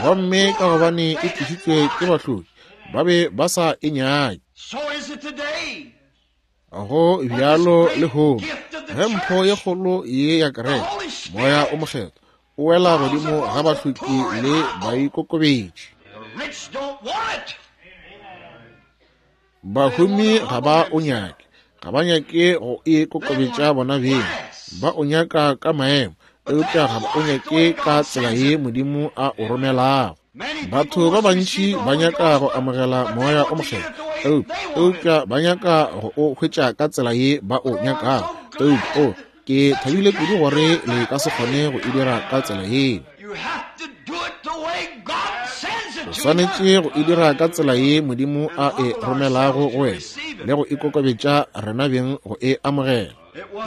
S1: Gomme ka gobane e tlišitšwe ke bahloki, ba be ba sa e nyake. Go bjalo lehono, ge mpho ye kgolo ye ya kereke, Moya o Mokgethwa, o wela godimo ga bahloki le baikokobetši. Bahumi ga ba o nyake, ga ba nyake go ikokobetša bona beng, ba o nyaka ka maemo, eupša ga ba o nyake ka tsela ye Modimo a o romelago. Batho ba bantši ba nyaka go amogela Moya o Mokgethwa, eupša ba nyaka go o hwetša ka tsela ye ba o nyakago. Eupša o, ke thabile kudu gore le ka se kgone go e dira ka tsela yeo. O swanetše go e dira ka tsela ye Modimo a e romelago go wena, le go ikokobetša rena beng go e amogela.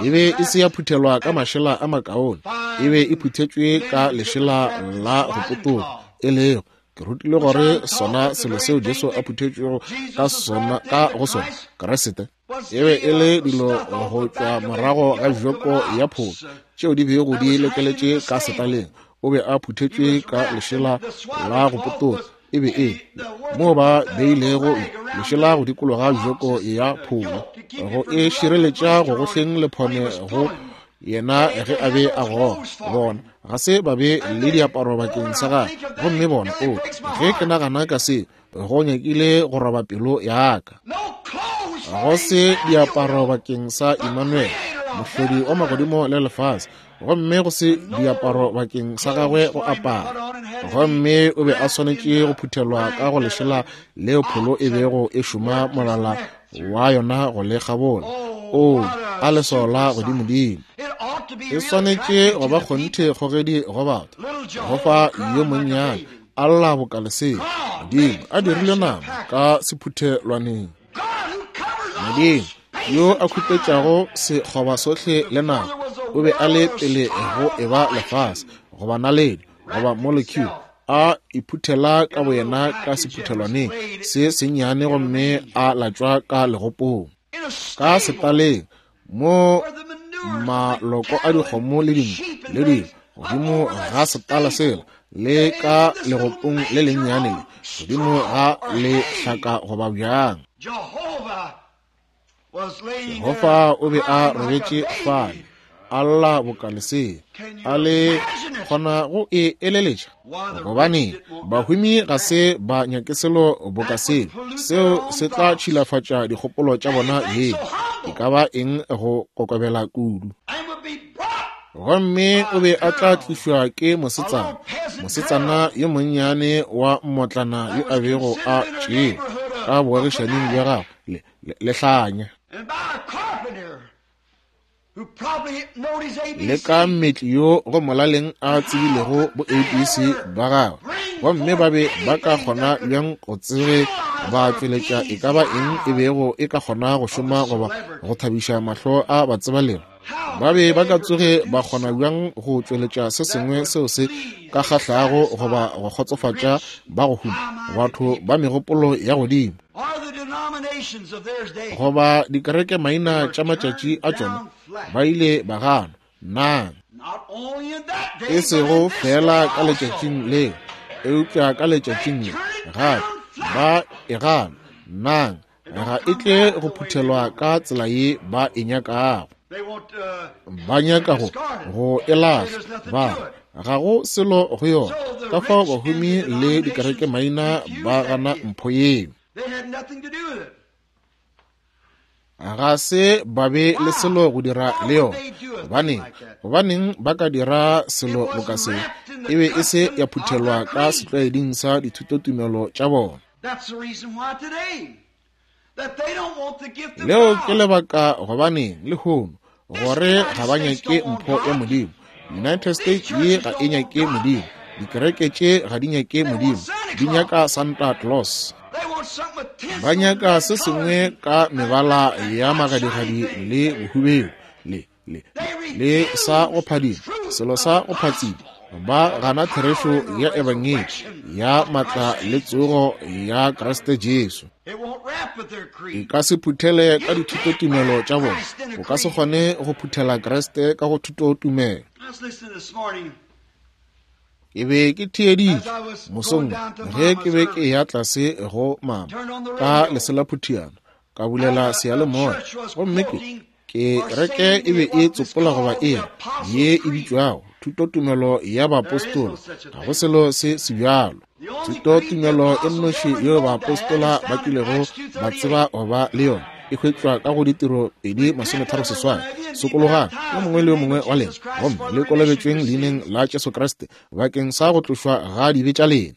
S1: E be e se ya phuthelwa ka mašela a makaone, e be e phuthetšwe ka lešela la go potoga, e lego ke rutile gore sona selo seo Jesu a phuthetšwego ka sona ka go sona Kriste e be e le dilo go tšwa morago ga joko ya pholo tšeo di bego di lekeletše ka setaleng. O be a phuthetšwe ka lešela la go potoga, e be e moo ba beilego lešela go dikologa joko ya pholo go e šireletša go gohleng lephone go yena ge a be a goga. Bona ga se ba be le diaparo bakeng sa gagwe, gomme bona o, ge ke nagana ka se, go nyakile go roba pelo ya ka. Go se diaparo bakeng sa Emmanuel, mohlodi wa magodimo le lefase, gomme go se diaparo bakeng sa gagwe go apara. Gomme o be a swanetše go phuthelwa ka go lešela leo pholo e bego e šoma molala wa yona go le kgabola. O, a leswao la godimodimo! E swanetše go ba kgonthe kgogedi go batho, go fa yo monnyane a lla boka lesea, Modimo a dirile nama ka sephuthelwaneng. Modimo yo a khupetšago sekgoba sohle le nama, o be a le pele go eba lefase goba naledi goba molecule, a iphuthela ka boyena ka sephuthelwaneng se sennyane gomme a latšwa ka legopong, ka setaleng mo maloko a dikgomo le dinku le dingwe godimo ga setala sela le ka legopong le lennyane le godimo ga lehlaka goba bjang. Jehofa o be a robetše fale, a lla boka lesea. A le kgona go e eleletša? Gobane bahumi ga se ba nyake selo boka seo, seo se tla tšhilafatša dikgopolo tša bona beng. E ka ba eng go kokobela kudu. Gomme o be a tla tlišwa ke mosetsana, mosetsana yo monnyane wa mmotlana yo a bego a tšewa ka boagišaning bja gagwe le, le, lehlanya, le ka mmetli yo go molaleng a tsebilego bo A B C ba gagwe. Gomme ba be ba ka kgona bjang go tsebe ba tšweletša e ka ba eng e bego e ka kgona go šoma goba go thabiša mahlo a batsebalego? Ba be ba ka tsoge ba kgona bjang go tšweletša se sengwe seo se ka kgahlago goba go kgotsofatša ba go huma, batho ba megopolo ya godimo, goba dikereke maina tša matšatši a tšona? Ba ile ba gana. Nang e sego fela ka letšatšing leo, eupša ka letšatšing le gape ba e gana. Nang ga e tle go phuthelwa ka tsela ye ba e nyakago. Ba nyaka go go e lahla, ba ga go selo go yona. Ka fao bahumi le dikereke maina ba gana mpho yeo. Ga se ba be le selo go dira le yona. Gobaneng? Gobaneng ba ka dira selo boka seo? E be e se ya phuthelwa ka setlwaeding sa dithutotumelo tša bona. Leo ke lebaka gobaneng lehono gore ga ba nyake mpho ya Modimo. United States ye ga e nyake Modimo. Dikereke tše ga di nyake Modimo, di nyaka Santa Claus. Ba nyaka se sengwe ka mebala ya magadigadi le bohubedu le, le, le sa go phadima, selo sa go phatsima. Ba gana therešo ya ebangedi ya matla le tsogo ya Kriste Jesu. E ka se phuthele ka dithutotumelo tša bona. O ka se kgone go phuthela Kriste ka go thutotumelo. Ke be ke theeditše mosong ge ke be ke ya tlase go mama ka leselaphutiana, ka bulela seyalemoya, gomme ke kereke e be e tsopola goba e ye e bitšwago thutotumelo ya baapostola. Ga go selo se se bjalo. Thutotumelo e nnoši yeo baapostola ba kilego ba tseba goba le yona e hwetšwa ka go Ditiro pedi masometharo seswai. Sokologang yo mongwe le yo mongwe wa lena, gomme le kolobetšweng leineng la Jesu Kriste bakeng sa go tlošwa ga dibe tša lena,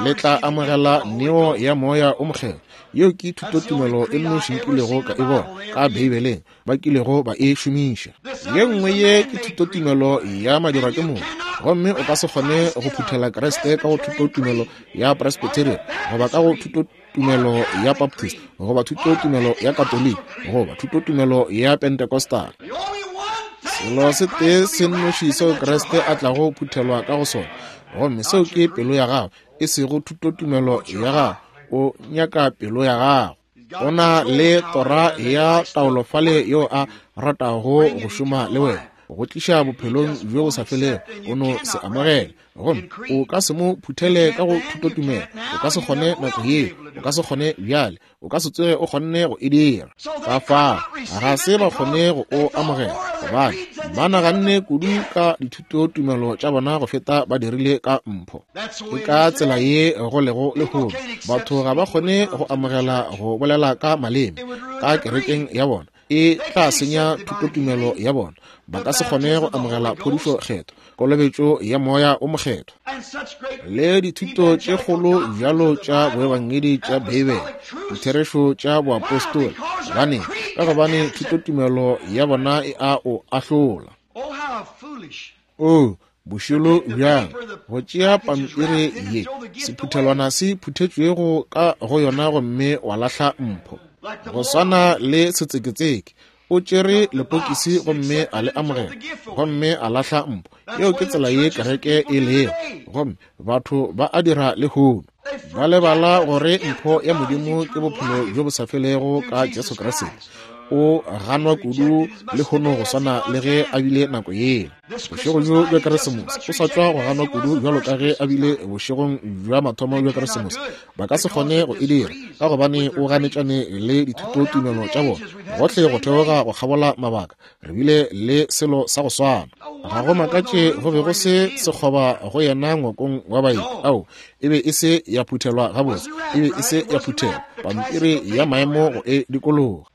S1: le tla amogela neo ya Moya o Mokgethwa. Yeo ke thutotumelo e nnoši nkilego ka e bona ka Beibeleng ba kilego ba e šomiša. Ye nngwe ye ke thutotumelo ya madirwa ke motho, gomme o ka se kgone go phuthela Kriste ka go thutotumelo ya Presbyterian goba ka go thutotumelo ya Baptist goba thutotumelo ya Katoliki goba thutotumelo ya Pentecostal. Selo se tee se nnoši seo Kriste a tlago phuthelwa ka go sona, gomme seo ke pelo ya gago, e sego thutotumelo ya gago. O nyaka pelo ya gago. O na le tora ya taolofale yeo a ratago go šoma le wena, go tliša bophelong bjo bo sa felego. O no se amogele, gomme o ka se mo phuthele ka go thutotumelo. O ka se kgone nako yeo, o ka se kgone bjale, o ka se tsoge o kgonne go e dira. Ka fao ga se ba kgone go o amogela, gobane ba naganne kudu ka dithutotumelo tša bona go feta ba dirile ka mpho. Ke ka tsela ye go lego lehono. Batho ga ba kgone go amogela go bolela ka maleme ka kerekeng ya bona, e tla senya thutotumelo ya bona. Ba ka se kgone go amogela phodišo kgetho, kolobetšo ya Moya o Mokgethwa, le dithuto tše kgolo bjalo tša boebangedi tša Beibele, ditherešo tša boapostola. Gobane ka gobane thutotumelo ya bona e a o ahlola. O bošilo bjang go tšea pampiri ye sephuthelwana se phuthetšwego ka go yona gomme wa lahla mpho. Go swana le setseketseke, o tšere lepokisi gomme a le amogela gomme a lahla mpho. Yeo ke tsela ye kereke e lego, gomme batho ba a dira lehono. Ba lebala gore mpho ya Modimo ke bophelo bjo bo sa felego ka Jesu Kriste. O ganwa kudu lehono go swana le ge a bile nako yela. Bošego bjo bja Keresemose o sa tšwa go ganwa kudu bjalo ka ge a bile bošegong bja mathomo bja Keresemose. Ba ka se kgone go e dira ka gobane o ganetšane le dithutotumelo tša bona. Gohle go theoga go kgabola mabaka re bile le selo sa go swana. Ga go makatše go be go se sekgoba go yena ngwakong wa baeti. Ao, e be e se ya phuthelwa gabotse, e be e se ya phuthelwa pampiri ya maemo go e dikologa.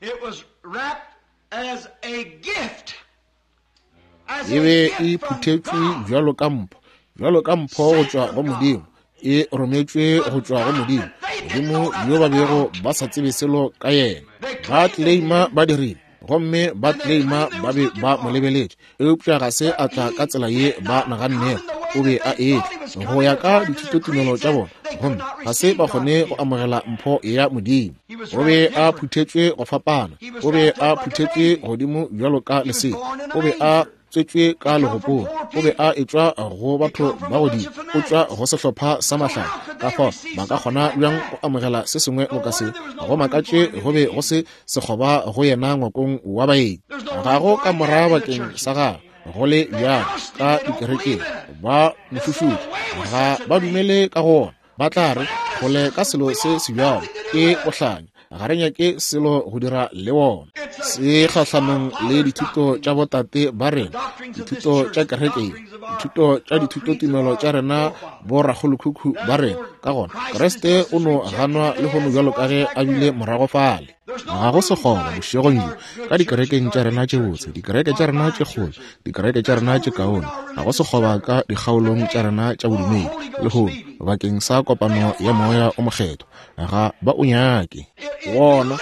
S1: E be e phuthetšwe bjalo ka mpho, bjalo ka mpho go tšwa go Modimo, e rometšwe go tšwa go Modimo, Modimo yo ba bego ba sa tsebe selo ka yena. Ba tleleima ba dirile, gomme ba tleleima ba be ba mo lebeletše, eupša ga se a tla ka tsela ye ba nagannego o be a etla go ya ka dithutotumelo tša bona, gomme ga se ba kgone go amogela mpho ya Modimo. O be a phuthetšwe go fapana, o be a phuthetšwe godimo bjalo ka lesea, o be a tswetšwe ka legopong, o be a etšwa go batho ba godimo, o tšwa go sehlopha sa mahlale. Ka fao ba ka kgona bjang go amogela se sengwe boka se? Go makatše go be go se sekgoba go yena ngwakong wa baeti. Ga go ka mora bakeng sa gagwe go le bjalo ka dikerekeng. Ba mošušutše, ga ba dumele ka go ona. Ba tla re kgole ka selo se se bjalo ke bohlanya, ga re nyake selo go dira le wona. Se kgahlanong le dithuto tša botate ba rena, dithuto tša kereke, dithuto tša dithutotumelo tša rena, borakgolokhukhu ba rena. Ka gona Kriste o no ganwa lehono bjalo ka ge a bile morago fale. Ga go sekgoba bošegong bjo ka dikerekeng tša rena tše botse, dikereke tša rena tše kgolo, dikereke tša rena tše kaone. Ga go sekgoba ka dikgaolong tša rena tša bodumedi lehono bakeng sa kopano ya Moya o Mokgethwa. Ga ba o nyake wona.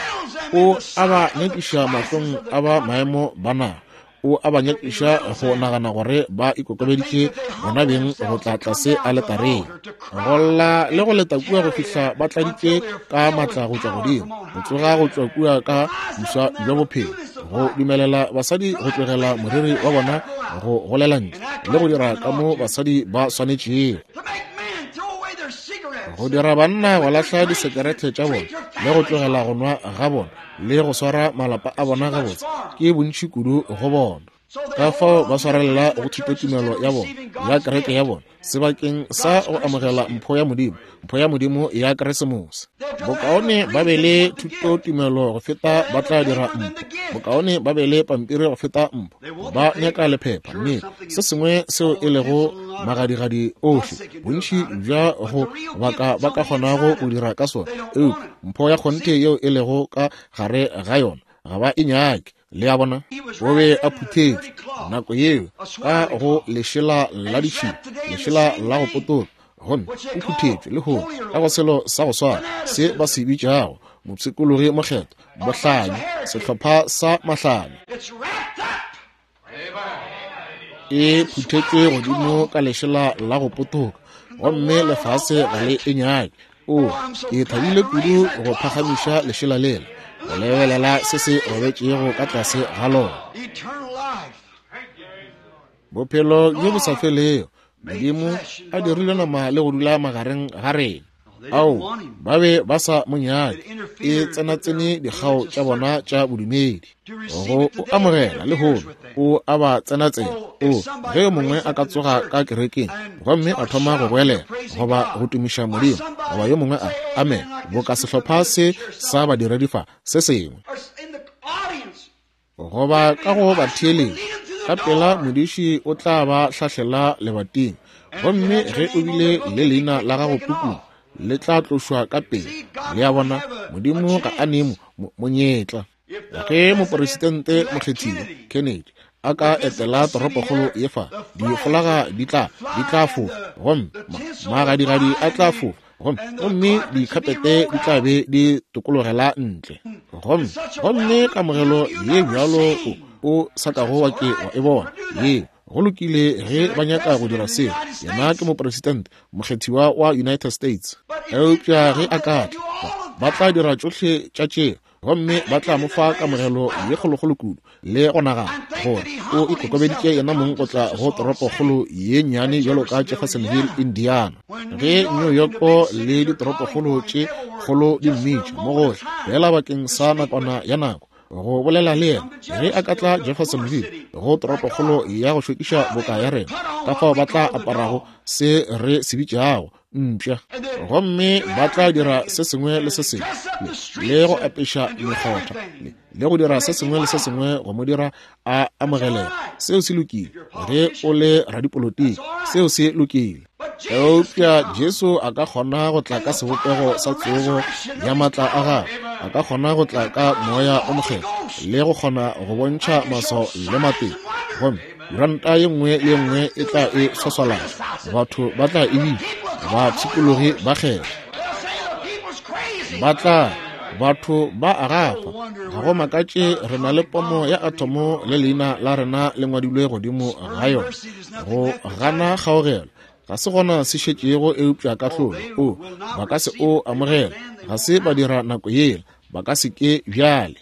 S1: O a ba nyakiša mahlong a ba maemo ba naga. O a ba nyakiša go nagana gore ba ikokobeditše bona beng go tla tlase aletareng, go lla le go leta kua go fihla ba tladitše ka matla go tšwa godimo, go tsoga go tšwa kua ka boswa bja bophelo, go dumelela basadi go tlogela moriri wa bona go golela ntle le go dira ka mo basadi ba swanetšego, go dira banna go lahla disekerete tša bona le go tlogela go nwa ga bona le go swara malapa a bona gabotse. Ke bontši kudu go bona. Ka fao ba swarelela go thutotumelo ya bona ya kereke ya bona sebakeng sa go amogela mpho ya Modimo, mpho ya Modimo ya Keresemose. Bokaone ba be le thutotumelo go feta ba tla dira mpho, bokaone ba be le pampiri go feta mpho. Ba nyaka lephepha, nnete, se sengwe seo e lego magadigadi ohle, bontši bja go baka ba ka kgonago go dira ka sona, eupša mpho ya kgonthe yeo e lego ka gare ga yona ga ba e nyake. Le a bona, o be a phuthetšwe nako yeo ka go lešela la ditšhila, lešela la go potoka, gomme o phuthetšwe lehono ka go selo sa go swana se ba se bitšago mopshikologi mokgethwa, bohlanya, sehlopha sa mahlanya. E phuthetšwe godimo ka lešela la go potoka, gomme lefase ga le e nyake. O, ke thabile kudu go phagamiša lešela lela, go lebelela se se robetšego ka tlase ga lona. Bophelo bjo bo sa felego, Modimo a dirile nama le go dula magareng ga rena. Ao, ba be ba sa mo nyake. E tsenatsene dikgao tša bona tša bodumedi. Go o amogela lehono, o a ba tsenatsena. O, ge yo mongwe a ka tsoga ka kerekeng gomme a thoma go goelela goba go tumiša Modimo, goba yo mongwe a amen, boka sehlopha se sa badiredi fa se sengwe, goba ka go batheeletši, ka pela modiši o tla ba hlahlela lebating, gomme ge o bile le leina la gago pukung, le tla tlošwa ka pele. Le a bona, Modimo ga a nee monyetla. Ge moporesidente mokgethiwa Kennedy a ka etela toropokgolo ye fa, difolaga di tla di tla fofa, gomme magadigadi a tla fofa, gomme gomme dikhapete di tla be di tokologela ntle, gomme gomme kamogelo ye bjalo o sa kago wa ke wa e bona ye. Go lokile ge ba nyaka go dira seo, yena ke moporesidente mokgethiwa wa United States. Eupša ge a ka tla, ba tla dira tšohle tša tšeo, gomme ba tla mo fa kamogelo ye kgolokgolo kudu le go nagana gore o ikokobeditše yena mong go tla go toropokgolo ye nnyane bjalo ka Jeffersonville, Indiana. Ge New York le ditoropokgolo tše kgolo di mmitša mo gohle fela bakeng sa nakwana ya nako, go bolela le yena ge a ka tla Jeffersonville, go toropokgolo ya go šokiša boka ya rena, ka fao ba tla aparago se re se bitšago mpša, gomme ba tla dira se sengwe le se sengwe, le go apeša mekgotha, le go dira se sengwe le se sengwe go mo dira a amogelega. Seo se lokile ge o le radipolotiki, seo se lokile. Eupša Jesu a ka kgona go tla ka sebopego sa tsogo ya matla a gagwe, a ka kgona go tla ka moya o mokgethwa le go kgona go bontšha maswao le matete, gomme kuranta ye nngwe le ye nngwe e tla e swaswalatša, batho ba tla e bitša bapshikologi ba kgetha, ba tla batho ba agafa. Ga go makatše re na le pomo ya atomo le leina la rena le ngwadilwe godimo ga yona. Go gana kgaogelo ga se gona se šetšego eupša kahlolo. O ba ka se o amogela, ga se ba dira nako yela, ba ka se ke bjale.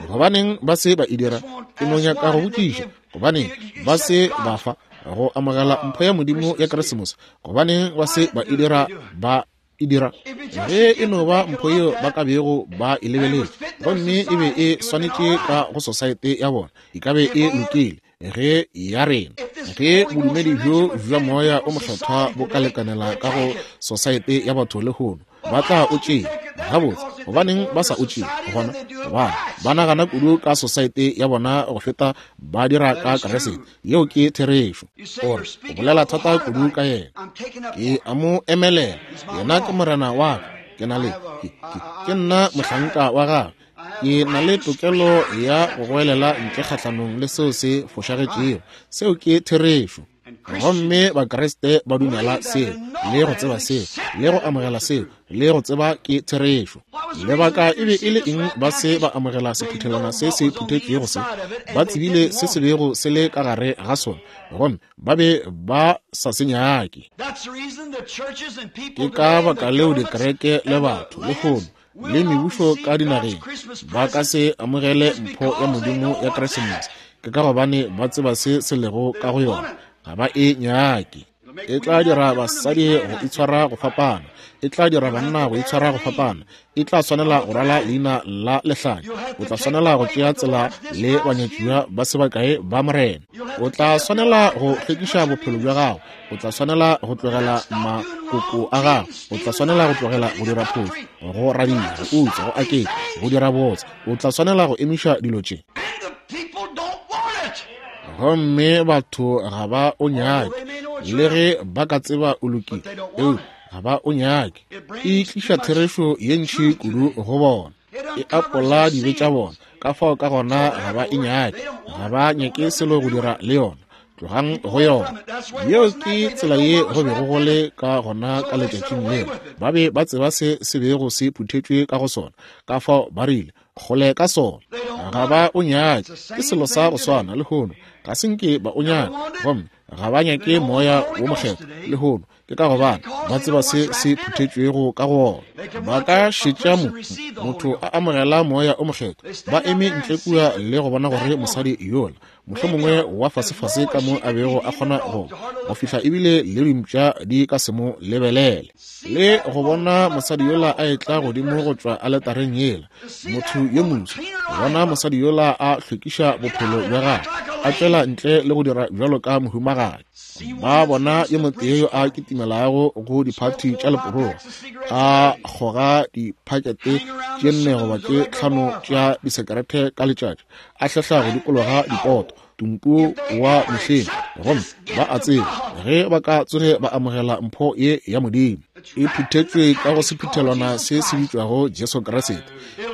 S1: Gobaneng ba se ba e dira? Ke no nyaka go botšiša, gobaneng ba se ba fa go amogela mpho ya Modimo ya Keresemose? Gobaneng ba se ba e dira? Ba e dira ge e no ba mpho yeo ba ka bego ba e lebeletše, gomme e be e swanetše ka go sosaete ya bona, e ka be e lokile ge ya rena. Ge bodumedi bjo bja moya o mokgethwa bo ka lekanela ka go sosaete ya batho lehono, ba tla o tšea. Gabotse, gobaneng ba sa o tšee gona? Gobane ba nagana kudu ka sosaete ya bona go feta ba dira ka Keresete. Yeo ke therešo. Ore o bolela thata kudu ka yena. Ke a mo emelela, yena ke morena wa ka, ke na le ke, ke, ke nna mohlanka wa gagwe. Ke na le tokelo ya go goelela ntle kgahlanong le seo se fošagetšego. Seo ke therešo. Gomme Bakriste ba dumela seo, le go tseba seo, le go amogela seo, le go tseba ke therešo. Lebaka e be e le eng ba se ba amogela sephuthelwana se se phuthetšwego se? Ba tsebile se se bego se le ka gare ga sona, gomme ba be ba sa se nyake. Ke ka baka leo dikereke le batho lehono le mebušo ka dinageng ba ka se amogele mpho ya Modimo ya Keresemose. Ke ka gobane ba tseba se se lego ka go yona, ga ba e nyake. E tla dira basadi go itshwara go fapana, e tla dira banna go itshwara go fapana, e tla swanela go rwala leina la lehlanya, o tla swanela go tšea tsela le banyatšiwa ba se bakae ba morena, o tla swanela go hlwekiša bophelo bja gago, o tla swanela go tlogela makoko a gago, o tla swanela go tlogela go dira phošo, go radia, go utswa, go aketša, go dira botse, o tla swanela go emiša dilo tše. Gomme batho ga ba o nyake, le ge ba ka tseba o lokile, eupša ga ba o nyake. E tliša therešo ye ntši kudu go bona, e apola dibe tša bona, ka fao ka gona ga ba e nyake, ga ba nyake selo go dira le yona. Tlogang go yona. Yeo ke tsela ye go bego go le ka gona ka letšatšing leo. Ba be ba tseba se se bego se phuthetšwe ka go sona, ka fao ba rile kgole ka sona. Ga ba o nyake. Ke selo sa go swana lehono. Ga se nke ba o nyaka, gomme ga ba nyake moya wo mokgethwa lehono. Ke ka gobane ba tseba se se phuthetšwego ka go ona. Ba ka šetša mo motho a amogela moya o mokgethwa, ba eme ntle kua le go bona gore mosadi yola mohlomongwe wa fasefase ka mo a bego a kgona go go fihla ebile le dimpša di ka se mo lebelele, le go bona mosadi yola a etla godimo go tšwa aletareng yela, motho yo moso, bona mosadi yola a hlwekiša bophelo bja gagwe, a tšwela ntle le go dira bjalo ka mohumagadi. Ba bona yo motee yo a kitimelago go diphathi tša leporogo, a kgoga diphakete tše nne goba tše tlhano tša disekerete ka letšatši, a hlehla go dikologa dipoto tumpu wa mehleng, gomme ba a tseba ge ba ka tsoge ba amogela mpho ye ya Modimo e phuthetšwe ka go sephuthelwana se se bitšwago Jesu Kriste,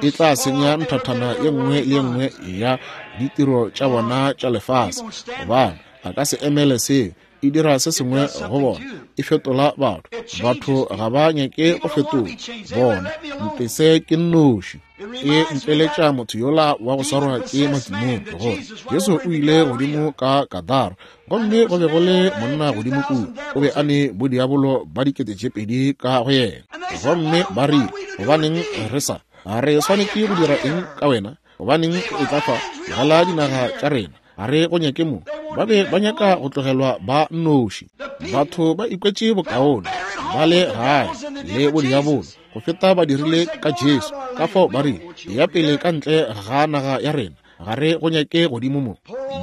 S1: e tla senya nthathana ye nngwe le ye nngwe ya ditiro tša bona tša lefase, gobane a ka se emele seo. E dira se sengwe go bona, e fetola batho. Batho ga ba nyake go fetola bona, mpese ke nnoši. E mpeletša motho yola wa go swarwa ke matimone gore Jesu o ile godimo ka Gadara, gomme go be go le monna godimo kua, o be a ne bodiabolo ba dikete tše pedi ka go yena. Gomme ba rile, gobaneng re sa re swanetše go dira eng ka wena? Gobaneng o tla fa tlogela dinaga tša rena? A re go nyake mo. Ba be ba nyaka go tlogelwa ba nnoši. Batho ba ikwetše bokaone ba le gae le bodiabolo go feta ba dirile ka Jesu. Ka fao ba rile, ya pele ka ntle ga naga ya rena, ga re go nyake godimo mo.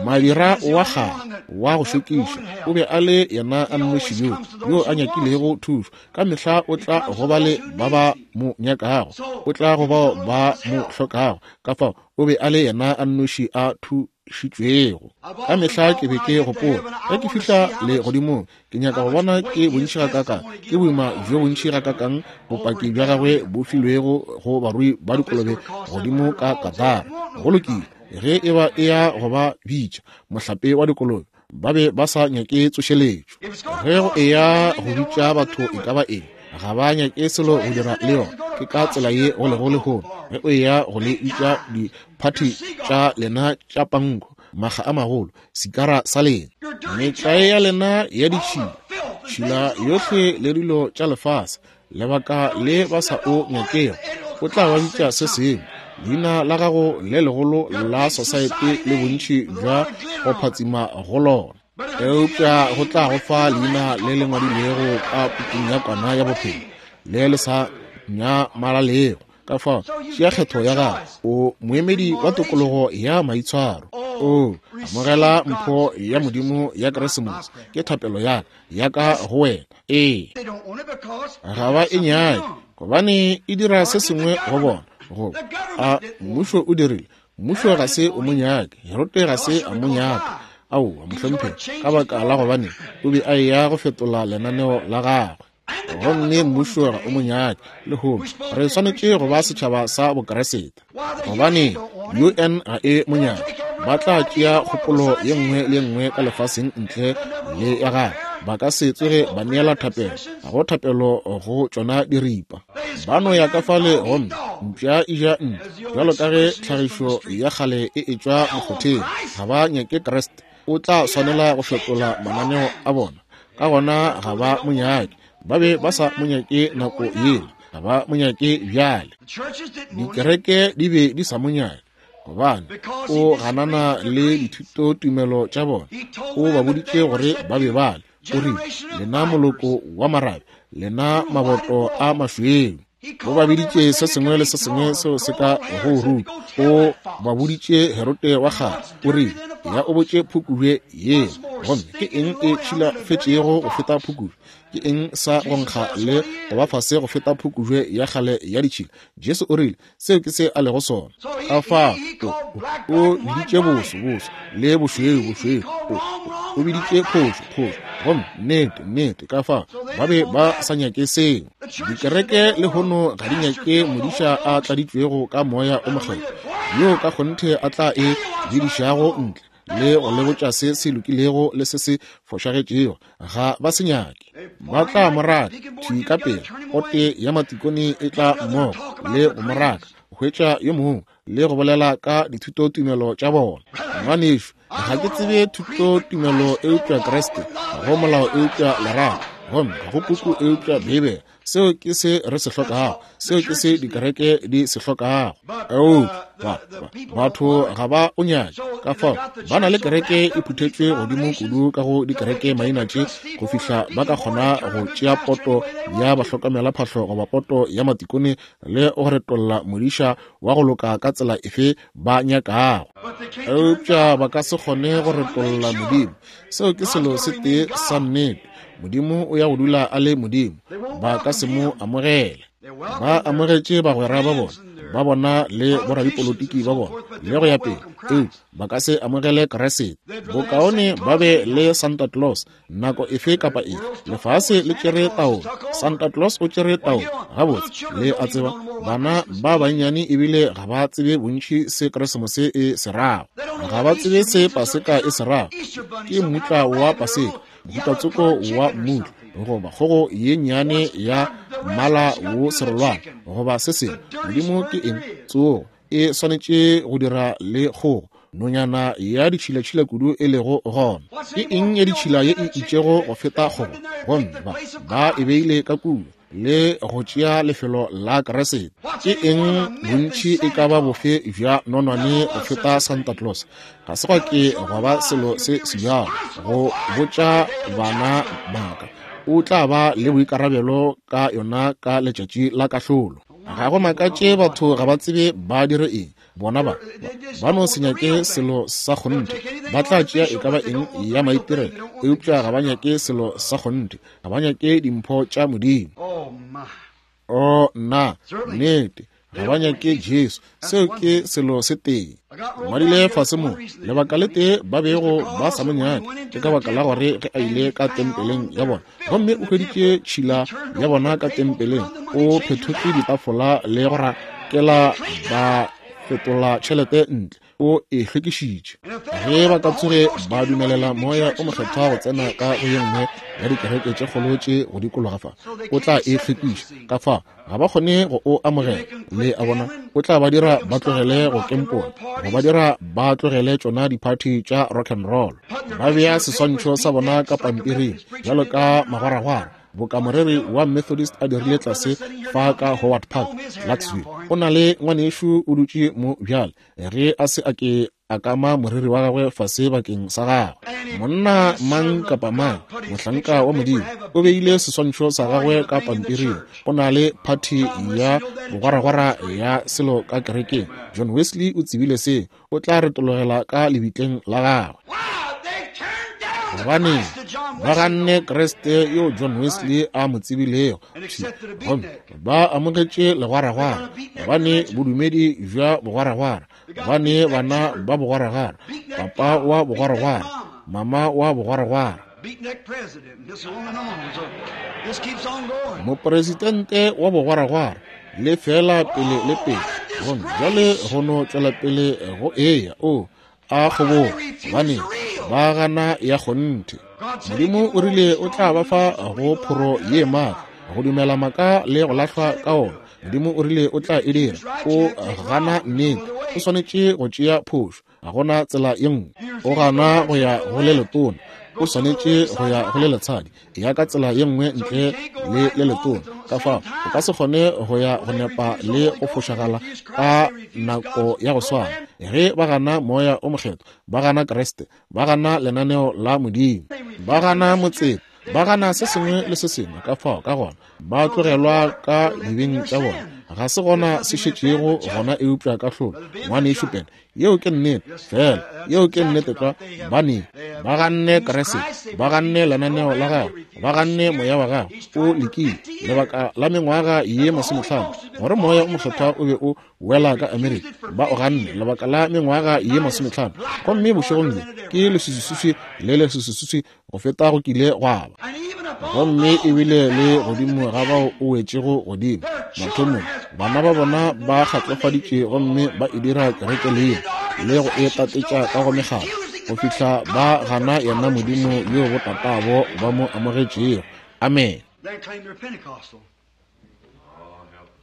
S1: Madira wa kgale wa go šokiša o be a le yena a nnoši yo yo a nyakilego thušo. Ka mehla o tla go ba le ba ba mo nyakago, o tla go bao ba mo hlokago. Ka fao o be a le yena a nnoši a thušitšwego. Ka mehla ke be ke gopola ge ke fihla le godimong, ke nyaka go bona ke bontši gakakang, ke boima bjo bontši gakakang bopaki bja gagwe bo filwego go barui ba dikolobe godimo ka Katara. Go lokile, ge e ba e ya go ba bitša mohlape wa dikolobe, ba be ba sa nyake tsošeletšo. Ge go e ya go bitša batho e ka ba eng, ga ba nyake selo go dira le yona. Ke ka tsela ye go lego lehono. Ge o ya go le bitša diphathi tša lena tša panko, maga a magolo, sikara sa lena, metlae ya lena ya ditšhila, tšhila yohle le dilo tša lefase, lebaka le ba sa o nyakego, o tla ba bitša se sengwe. Leina la gago le legolo la society le bontši bja go phatsima go lona, eupša go tla go fa leina le le ngwadilwego ka pukung ya kwana ya bophelo le le sa nyamalalego. Ka fao tšea kgetho ya gago. O moemedi wa tokologo ya maitshwaro. O amogela mpho ya Modimo ya Keresemose. Ke thapelo ya ya ka go wena. Ee, ga ba e nyake gobane e dira se sengwe go bona. Go a mmušo o dirile, mmušo ga se o mo nyake, Herode ga se a mo nyaka. Aowa mohlomphegi, ka baka la gobane o be a eya go fetola lenaneo la gagwe, gomme mmušo ga o mo nyake. Lehono re swanetše go ba setšhaba sa Bokeresete, gobane U N ga e mo nyake. Ba tla tšea kgopolo ye nngwe le nngwe ka lefaseng ntle le ya gagwe. Ba ka se tsoge ba neela thapelo, ga go thapelo go tšona diripa. Ba no ya ka fale gomme mpša e ja ntlo, bjalo ka ge tlhagišo ya kgale e etšwa mokgotheng. Ga ba nyake Kriste. O tla swanela go fetola mananeo a bona, ka gona ga ba mo nyake. Ba be ba sa mo nyake nako yela, ga ba mo nyake bjale. Dikereke di be di sa mo nyake gobane o ganana le dithutotumelo tša bona. O ba boditše gore ba be ba le. O rile, lena moloko wa marabe, lena maboto a mašweu. O ba biditše se sengwe le se sengwe seo se ka go ruta. O ba boditše Herode wa kgale, o rile, ya o botše phukubje yela. Gomme ke eng e tšhilafetšego go feta phukubje? Ke eng sa go nkga le go ba fase go feta phukubje ya kgale ya ditšhila? Jesu o rile, seo ke se a lego sona. Ka fao o biditše boso boso le bošweu bošweu, o o biditše phošo phošo, gomme nnete nnete. Ka fao ba be ba sa nyake seo. Dikereke lehono ga di nyake modiša a tladitšwego ka moya o mokgethwa, yo ka kgonthe a tla e bidišago ntle le go le botša se se lokilego le se se fošagetšego. Ga ba se nyake. Ba tla mo raka thwi ka pele. Pote ya matikone e tla mmogo le go mo raka, go hwetša yo mongwe le go bolela ka dithutotumelo tša bona. Ngwanešu, ga ke tsebe thutotumelo eupša Kriste, ga go molao eupša lerato, gomme ga go puku eupša Beibele. Seo ke se re se hlokago, seo ke se dikereke di se hlokago. Eupša batho ga ba o nyake. Ka fao ba na le kereke e phuthetšwe godimo kudu ka go dikereke maina tše go fihla ba ka kgona go tšea poto ya bahlokomelaphahlo goba poto ya matikone le go retolla modiša wa go loka ka tsela efe ba nyakago. Eupša ba ka se kgone go retolla Modimo. Seo ke selo se tee sa nnete. Modimo o ya go dula a le Modimo. Ba ka se mo amogele. Ba amogetše bagwera ba bona, ba bona le boradipolotiki ba bona le go ya pele, eupša ba ka se amogele Kriste. Bokaone ba be le Santa Claus nako efe kapa efe. Lefase le tšere taolo. Santa Claus o tšere taolo. Gabotse, le a tseba, bana ba bannyane ebile ga ba tsebe bontši se Keresemose e se rago. Ga ba tsebe se Paseka e se rago. Ke mmutla wa Paseka, mohutatsoko wa mmutla, goba kgogo ye nnyane ya mmala wo serolwana, goba se sengwe. Modimo ke eng? Tsogo e swanetše go dira le kgogo, nonyana ya ditšhilatšhila kudu e lego gona. Ke eng ya ditšhila ye e itšego go feta kgogo? Gomme ba ba e beile ka kua le go tšea lefelo la Kriste. Ke eng bontši e ka ba bofe bja nonwane go feta Santa Claus? Ga se gwa ke gwa ba selo se sebjalo go botša bana baka. O tla ba le boikarabelo ka yona ka letšatši la kahlolo. Ga go makatše batho ga ba tsebe ba dire eng. Bona ba ba no se nyake selo sa kgonthe. Ba tla tšea e ka ba eng ya maitirelo, eupša ga ba nyake selo sa kgonthe. Ga ba nyake dimpho tša Modimo. O nna, nnete, ga ba nyake Jesu. Seo ke selo se tee. Ngwadile fase mo, lebaka le tee ba bego ba sa mo nyake ke ka baka la gore ge a ile ka tempeleng ya bona, gomme o hweditše tšhila ya bona ka tempeleng, o phethotše ditafola le go rakela ba fetola tšhelete ntle, o e hlwekišitše. Ge ba ka tsoge ba dumelela Moya o Mokgethwa go tsena ka go ye nngwe ya dikereke tše kgolo tše go dikologa fa, o tla e hlwekiša. Ka fa ga ba kgone go o amogela. Le a bona, o tla ba dira ba tlogele go kempola, go ba dira ba tlogele tšona diphathi tša rock and roll. Ba bea seswantšho sa bona ka pampiring bjalo ka magwaragwara, boka moreri wa Methodist a dirile tlase fa ka Howard Park, Larksville. O na le ngwanešu o dutše mo bjale, ge a se a ke a kama moriri wa gagwe fase bakeng sa gagwe. Monna mang kapa mang, mohlanka wa Modimo, o beile seswantšho sa gagwe ka pampiring. O na le phathi ya bogwaragwara ya selo ka kerekeng. John Wesley o tsebile se, o tla retologela ka lebitleng la gagwe. Gobane ba ganne Kriste yo John Wesley a mo tsebilego, gomme ba amogetše legwaragwara, gobane bodumedi bja bogwaragwara, gobane bana ba bogwaragwara, papa wa bogwaragwara, mama wa bogwaragwara, mopresidente wa bogwaragwara, le fela pele le pele. Gomme bjale go no tšwela pele go eya o a kgobogo, gobane ba gana ya kgonthe. Modimo o rile o tla ba fa go phoro ye maatla, go dumela maka le go lahlwa ka ona. Modimo o rile o tla e dira. O gana nnete, o swanetše go tšea phošo. Ga gona tsela ye nngwe. O gana go ya go le letona, o swanetše go ya go le letshadi. Ya ka tsela ye nngwe ntle le le letona. Ka fao o ka se kgone go ya go nepa le go fošagala ka nako ya go swana. Ge ba gana Moya o Mokgethwa, ba gana Kriste, ba gana lenaneo la Modimo, ba gana motseta, ba gana se sengwe le se sengwe. Ka fao ka gona ba tlogelwa ka dibeng tša bona. Ga se gona se šetšego gona eupša kahlolo. Ngwanešu Pene, yeo ke nnete fela, yeo ke nnete tlwa. Bane ba ganne Kriste, ba ganne lenaneo la gagwe, ba ganne moya wa gagwe. O lekile lebaka la mengwaga ye masomehlano gore Moya o Mokgethwa o be o wela ka Amerika. Ba o ganne lebaka la mengwaga ye masomehlano, gomme bošegong bjo ke leswiswiswi le leswiswiswi go feta go kile gwa ba. Gomme ebile le godimo ga bao o wetšego godimo mathomong, bana ba bona ba kgatlofaditše gomme ba e dira kereke leina le go e tatetša ka go mekgatlo, go fihla ba gana yena Modimo yo botatabo ba mo amogetšego. Amen.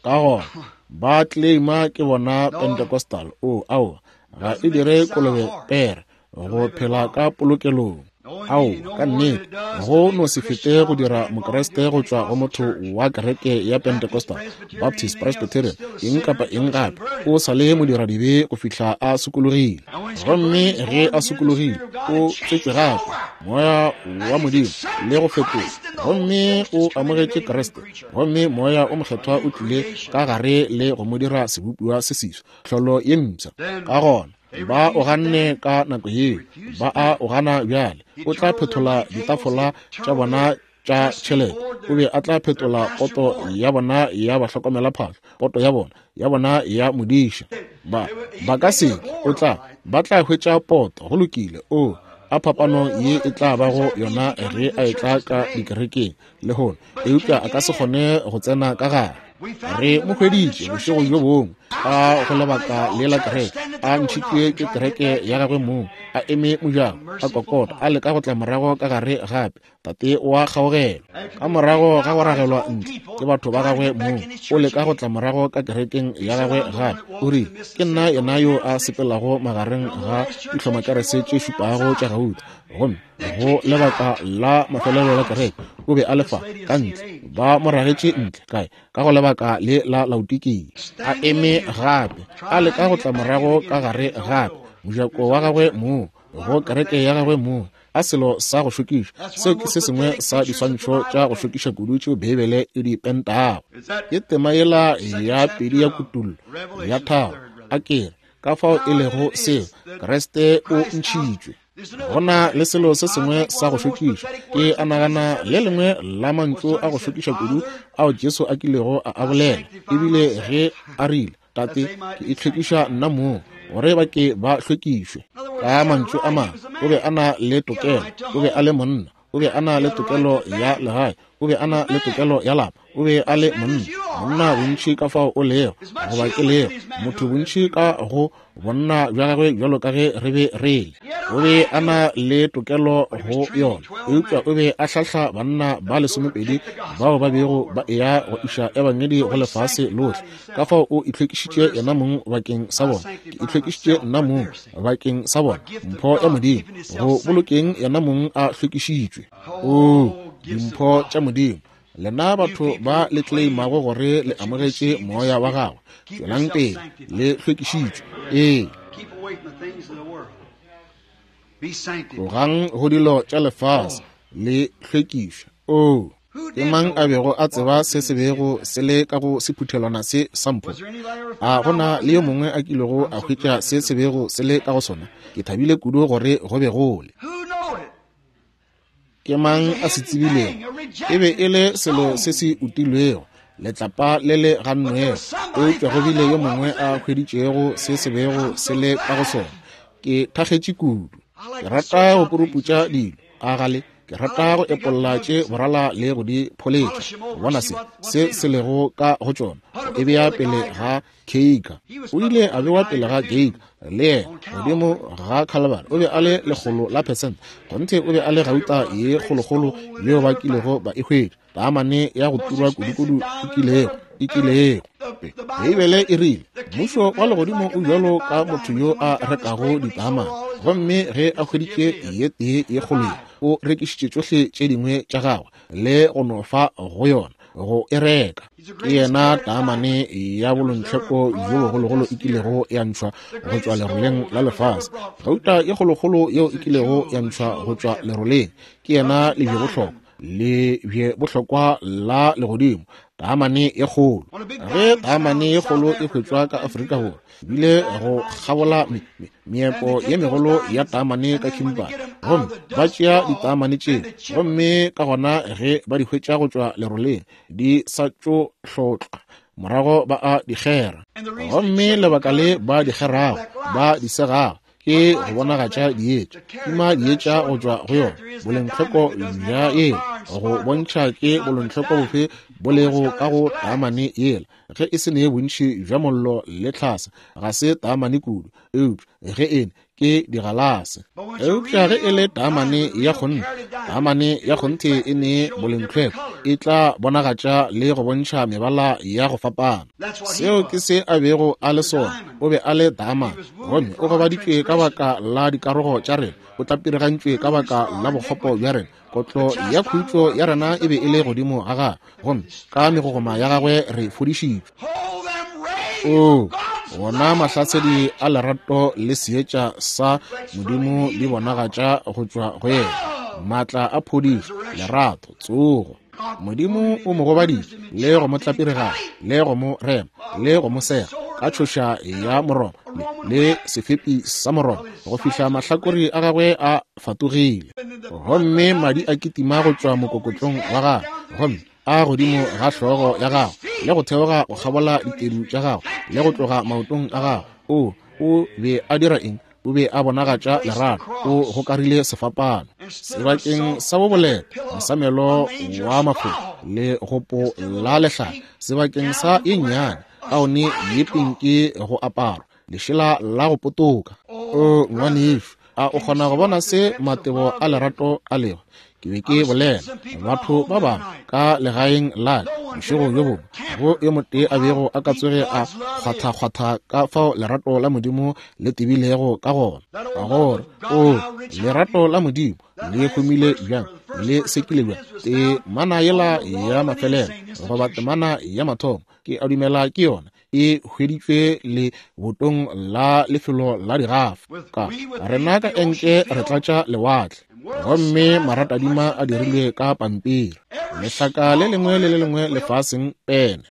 S1: Ka gona ba claima ke bona Pentecostal. O aowa, ga e dire kolobe pere go phela ka polokelong. Ao, ka nnete, go no se fete go dira Mokriste go tšwa go motho wa kereke ya Pentecostal, Baptist, Presbyterian, eng kapa eng gape. O sa le modiradibe go fihla a sokologile. Gomme ge a sokologile, o tswetšwe gape, Moya wa Modimo le go fetola, gomme o amogetše Kriste, gomme Moya o Mokgethwa o tlile ka gare le go mo dira sebopiwa se seswa, tlholo ye mpsha. Ka gona ba o ganne ka nako yeo, ba a o gana bjale. O tla phetola ditafola tša bona tša tšhelete, o be a tla phetola poto ya bona ya bahlokomela phahlo, poto ya bona ya bona ya modiša. Ba ba ka se, o tla ba tla hwetša poto. Go lokile. O a phapano ye e tla bago yona ge a e tla ka dikerekeng lehono, eupša a ka se kgone go tsena ka gare. Re mo hweditše bošego bjo bongwe ka go lebaka le la kereke, a ntšhitšwe ke kereke ya gagwe mong, a eme mojako, a kokota, a leka go tla morago ka gare gape. Tate wa kgaogelo, ka morago ga go ragelwa ntle ke batho ba gagwe mong, o leka go tla morago ka kerekeng ya gagwe gape. O rile, ke nna yena yo a sepelago magareng ga dihlomakerese tše šupago tša gauta. Gomme go lebaka la mafelelo la kereke o be a lefa ka ntle, ba mo ragetše ntle kae ka go lebaka le la Laodikia. A eme gape, a leka go tla morago ka gare gape, mojako wa gagwe mong, go kereke ya gagwe mong. A selo sa go šokiša. Seo ke se sengwe sa diswantšho tša go šokiša kudu tšeo Beibele e di pentago. Ke tema yela ya pedi ya Kutullo ya tharo, a kere ka fao e lego seo Kriste o ntšhitšwe. Go na le selo se sengwe sa go šokiša. Ke a nagana le lengwe la mantšu a go šokiša kudu ao Jesu a kilego a a bolela, ebile ge a rile, Tate, ke itlhwekiša nna mong, gore ba ke ba hlwekišwe. Ka mantšu a mangwe, o be a na le tokelo, o be a le monna, o be a na le tokelo ya legae, o be a na le tokelo ya lapa, o be a le monna. Monna bontši ka fao o lego, goba ke lego, motho bontši ka go bonna bja gagwe bjalo ka ge re be re le. O be a na le tokelo go yona, eupša o be a hlahla banna ba lesomepedi bao ba bego ba eya go iša ebangedi go lefase lohle. Ka fao o itlhwekišitše yena mong bakeng sa bona. Ke itlhwekišitše nna mong bakeng sa bona. Mpho ya Modimo go bolokeng yena mong a hlwekišitšwe. Oo, dimpho tša Modimo. Lena batho ba le tleimago gore le amogetše moya wa gagwe, tšwelang pele le hlwekišitšwe. Ee, tlogang go dilo tša lefase, le hlwekišwe. Oo, ke mang a bego a tseba se se bego se le ka go sephuthelwana se sa mpho? A gona le yo mongwe a kilego a hwetša se se bego se le ka go sona? Ke thabile kudu gore go be go le. Ke mang a se tsebilego? E be e le selo se se utilwego, letlapa le le gannwego, eupša go bile yo mongwe a hweditšego se se bego se le ka go sona. Ke thakgetše kudu. Ke rata go puruputša dilo, a gale. Ke rata go epolla tše borala le go di pholetša, go bona se se se lego ka go tšona, go e bea pele ga Keika. O ile a bewa pele ga Keika le yena godimo ga Calvary. O be a le lekgolo la percent. Kgonthe o be a le gauta ye kgolokgolo yeo ba kilego ba e hwetša, taamane ya go turwa kudukudu e kilego e kilego. Beibele e rile, mmušo wa legodimo o bjalo ka motho yo a rekago ditaamane, gomme ge a hweditše ye tee ye kgolo ye, o rekišitše tšohle tše dingwe tša gagwe le go no fa go yona go e reka. Ke yena taamane ya bolontlheko bjo bogologolo e kilego ya ntšhwa go tšwa leroleng la lefase, gauta ye kgolokgolo yeo e kilego ya ntšhwa go tšwa leroleng. Ke yena lebjebohlokwa, lebjebohlokwa la legodimo, taamane ye kgolo. Ge taamane ye kgolo e hwetšwa ka Afrika Borwa, bile go kgabola meepo ye megolo ya taamane ka Kimberley, gomme ba tšea ditaamane tšeo, gomme ka gona ge ba di hwetša go tšwa leroleng di sa tšo hlotlwa, morago ba a di kgera. Gomme lebaka le ba di kgerago, ba di segago, ke go bonagatša dietša, tima dietša go tšwa go yona, bolenghloko bja yela, go bontšha ke bolenghloko bofe bo lego ka go taamane yela. Ge e se ne bontši bja mollo le tlhase, ga se taamane kudu, eupša ge ene ke digalase. Eupša ge e le taamane ya kgonthe, taamane ya kgonthe e ne bolenghloko, e tla bonagatša le go bontšha mebala ya go fapana. Seo ke se a bego a le sona. O be a le taamane, gomme o gobaditšwe ka baka la dikarogo tša rena, o tlapirigantšwe ka baka la bokgopo bja rena. Kotlo ya khutšo ya rena e be e le godimo ga gagwe, gomme ka megogoma ya gagwe re fodišitšwe. Oo, wona mahlasedi a lerato le seetša sa Modimo di bonagatša go tšwa go yena, maatla a phodišo, lerato, tsogo. Modimo o mo gobaditše le go mo tlapiriganya le go mo rema le go mo sega ka tšhoša ya moroba le sefepi sa moroba go fihla mahlakore a gagwe a fatogile, gomme madi a kitima go tšwa mokokotlong wa gagwe, gomme a godimo ga hlogo ya gagwe le go theoga go kgabola ditedu tša gagwe le go tloga maotong a gagwe. O o be a dira eng? O be a bonagatša lerato. O gokarile sefapano sebakeng sa boboleta, mosamelo wa mafoko le gopo la lehlare, sebakeng sa ye nnyane kaone ye pinki go aparwa, lešela la go potoka. O ngwanešu, a o kgona go bona se matebo a lerato a lego? Ke be ke bolela batho ba bangwe ka legaeng la ka bošego bjo bongwe, go yo motee a bego a ka tsoge a kgwathakgwatha ka fao lerato la Modimo le tebilego ka gona, gore o lerato la Modimo le humile bjang, le sekile bjang. Temana yela ya mafelelo goba temana ya mathomo, ke a dumela ke yona, e hweditšwe le botong la lefelo la digafa. Ka rena ka enke re tlatša lewatle. Gomme maratadima a dirilwe ka pampiri, lehlaka le lengwe le le lengwe lefaseng pene.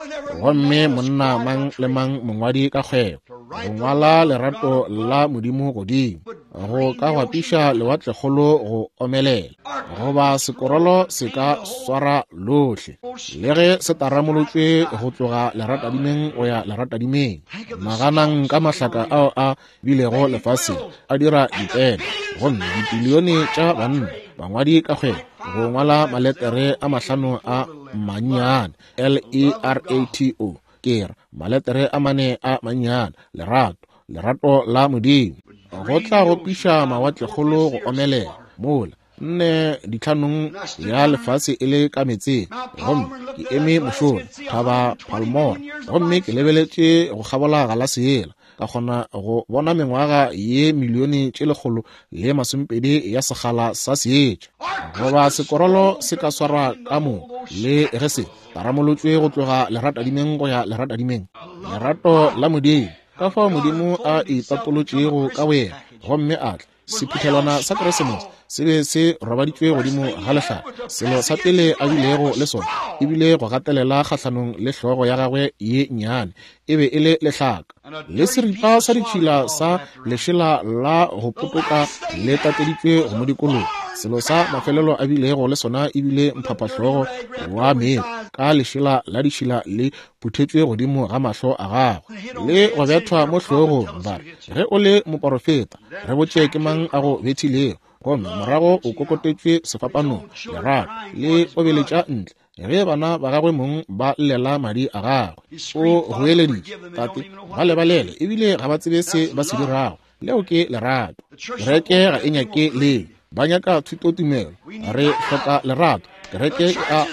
S1: Gomme monna mang le mang mongwadi ka kgwebo, go ngwala lerato la Modimo godimo, go ka gwapiša lewatlekgolo go omelela, goba sekorolo se ka swara lohle, le ge se taramolotšwe go tloga leratadimeng go ya leratadimeng. Naganang ka mahlaka ao a bilego lefaseng a dira dipene, gomme dipilione tša banna bangwadi ka kgwebo go ngwala maletere a mahlano a mannyane L E R A T O, ke re maletere a mane a mannyane, lerato, lerato la Modimo, go tla gopiša mawatlekgolo go omelela mola nne ditlhanong ya lefase e le ka meetseng. Gomme ke eme mošola thaba Palmore, gomme ke lebeletše go kgabola galase yela, ka kgona go bona mengwaga ye milione tše lekgolo le masomepedi ya sekgala sa seetša. Goba sekorolo se ka swara ka mo le ge se taramolotšwe go tloga leratadimeng go ya leratadimeng. Lerato la Modimo, ka fao Modimo a itapolotšego ka boyena gomme a tla. Sephuthelwana sa Keresemose se be se robaditšwe godimo ga lehlaka. Selo sa pele a bilego le sona e bile go gatelela kgahlanong le hlogo ya gagwe ye nnyane, e be e le lehlaka. Le seripa sa ditšhila sa lešela la go potoka le tateditšwe go mo dikologa. Selo sa mafelelo a bilego le sona e bile mphaphahlogo wa meetse ka lešela la ditšhila le phuthetšwe godimo ga mahlo a gagwe, le go bethwa mo hlogong. Ba re, ge o le moporofeta, re botše ke mang a go bethilego. Gomme morago o kokotetšwe sefapanong, lerato le obeletša ntle ge bana ba gagwe mong ba llela madi a gagwe. O goeleditše, Tate, ba lebalele, ebile ga ba tsebe se ba se dirago. Leo ke lerato. Kereke ga e nyake leo, ba nyaka thutotumelo. Re hloka lerato. Kereke e a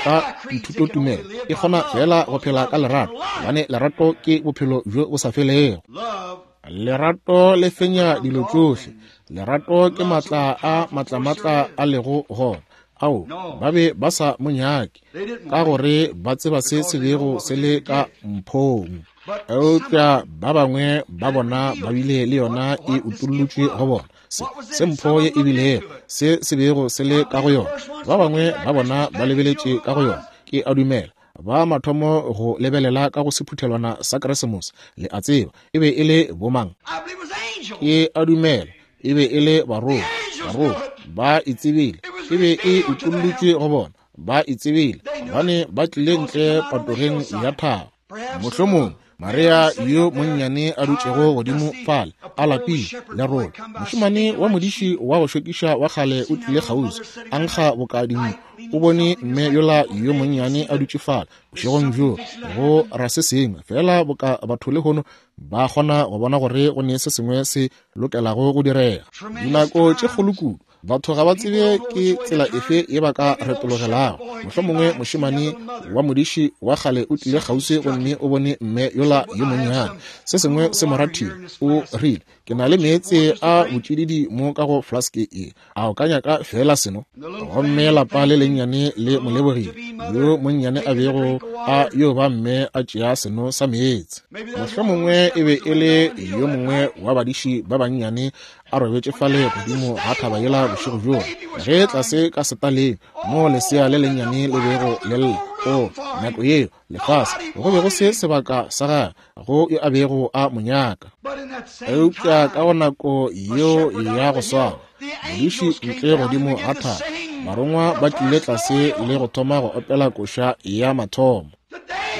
S1: ka dithutotumelo, e kgona fela go phela ka lerato, gobane lerato ke bophelo bjo bo sa felego. Lerato le fenya dilo tšohle. Lerato ke matla a matlamatla a lego gona. Ao, ba be ba sa mo nyake, ka gore ba tseba se se bego se le ka mphong. Eupša ba bangwe ba bona ba bile le yona e utollotšwe go bona, se, se mpho ye e bilego, se se bego se le ka go yona. Ba bangwe ba bona ba lebeletše ka go yona. Ke a dumela ba mathomo go lebelela ka go sephuthelwana sa Keresemose, le a tseba, e be e le bomang? Ke a dumela e be e le barongwa. Barongwa ba e tsebile, e be e utollotšwe go bona, ba e tsebile, gobane ba tlile ntle patogeng ya thaba. Mohlomong Maria yo monnyane a dutšego godimo fale a lapile lerole, mošemane wa modiši wa go šokiša wa kgale o tlile kgauswi, a nkga boka dinku. O bone mme yola yo monnyane a dutše fale bošegong bjo, go ra se sengwe fela boka batho lehono ba kgona go bona gore go ne se sengwe se lokelago go direga. Dinako tše kgolo kudu batho ga ba tsebe ke tsela efe ye ba ka retologelago. Mohlomongwe mošemane wa modiši wa kgale o tlile kgauswi gomme o bone mme yola yo monnyane, se sengwe se mo rathile. O rile, ke na le meetse a botšididi mo ka go flaske e, a o ka nyaka fela seno? Gomme lapa le lennyane le mo lebogile, yo monnyane a bego a yo ba mme a tšea seno sa meetse. Mohlomongwe e be e le yo mongwe wa badiši ba bannyane a robetše fale godimo ga thaba yela bošego bjoo, ge tlase ka setaleng mo lesea le lennyane le bego le lla. O nako yeo lefase go be go se sebaka sa gagwe go yo a bego a mo nyaka. Eupša ka go nako yeo ya go swana, modiši ntle godimo ga thaba, barongwa ba tlile tlase le go thoma go opela koša ya mathomo.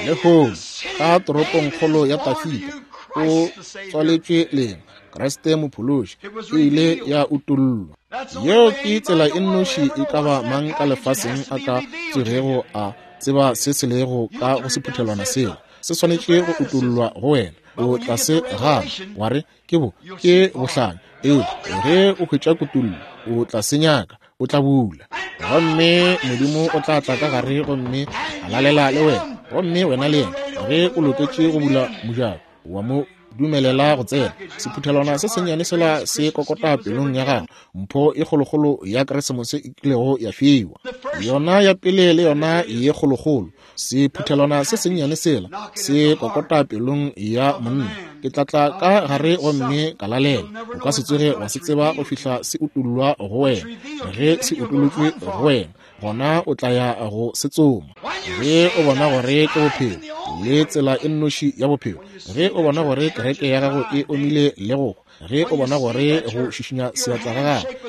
S1: Lehono ka toropongkgolo ya Tafita o tswaletšwe lena Kriste Mophološi, e ile ya utollwa. Yeo ke tsela e nnoši e ka ba mang ka lefaseng a ka tsogego a tseba se se lego ka go sephuthelwana seo. Se swanetše go utollwa go wena. O tla se gana, wa re ke bo ke bohlanya, eupša ge o hwetša kutollo o tla se nyaka, o tla bula. Gomme Modimo o tla tla ka gare gomme a lalela le wena, gomme wena le yena ge o loketše go bula mojako wa mo dumelela go tsena. Sephuthelwana se sennyane sela se kokota pelong ya gago, mpho e kgolokgolo ya Keresemose e kilego ya fiwa, yona ya pele le yona ye kgolokgolo. Sephuthelwana se sennyane sela se kokota pelong ya monna, Ke tla tla ka gare gomme ka lalela. O ka se tsoge wa se tseba go fihla se utollwa go wena. Ge se utolotšwe go wena, gona o tla ya go se tsoma. Ge o bona gore ke bophelo le tsela e nnoši ya bophelo, ge o bona gore kereke ya gago e omile le go, ge o bona gore go šišinya seatla ga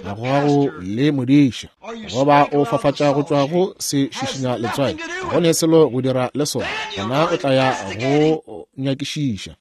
S1: gago ga go le modiša, goba o fafatša go tšwa go se šišinya letswai, go ne selo go dira le sona, gona o tla ya go nyakišiša.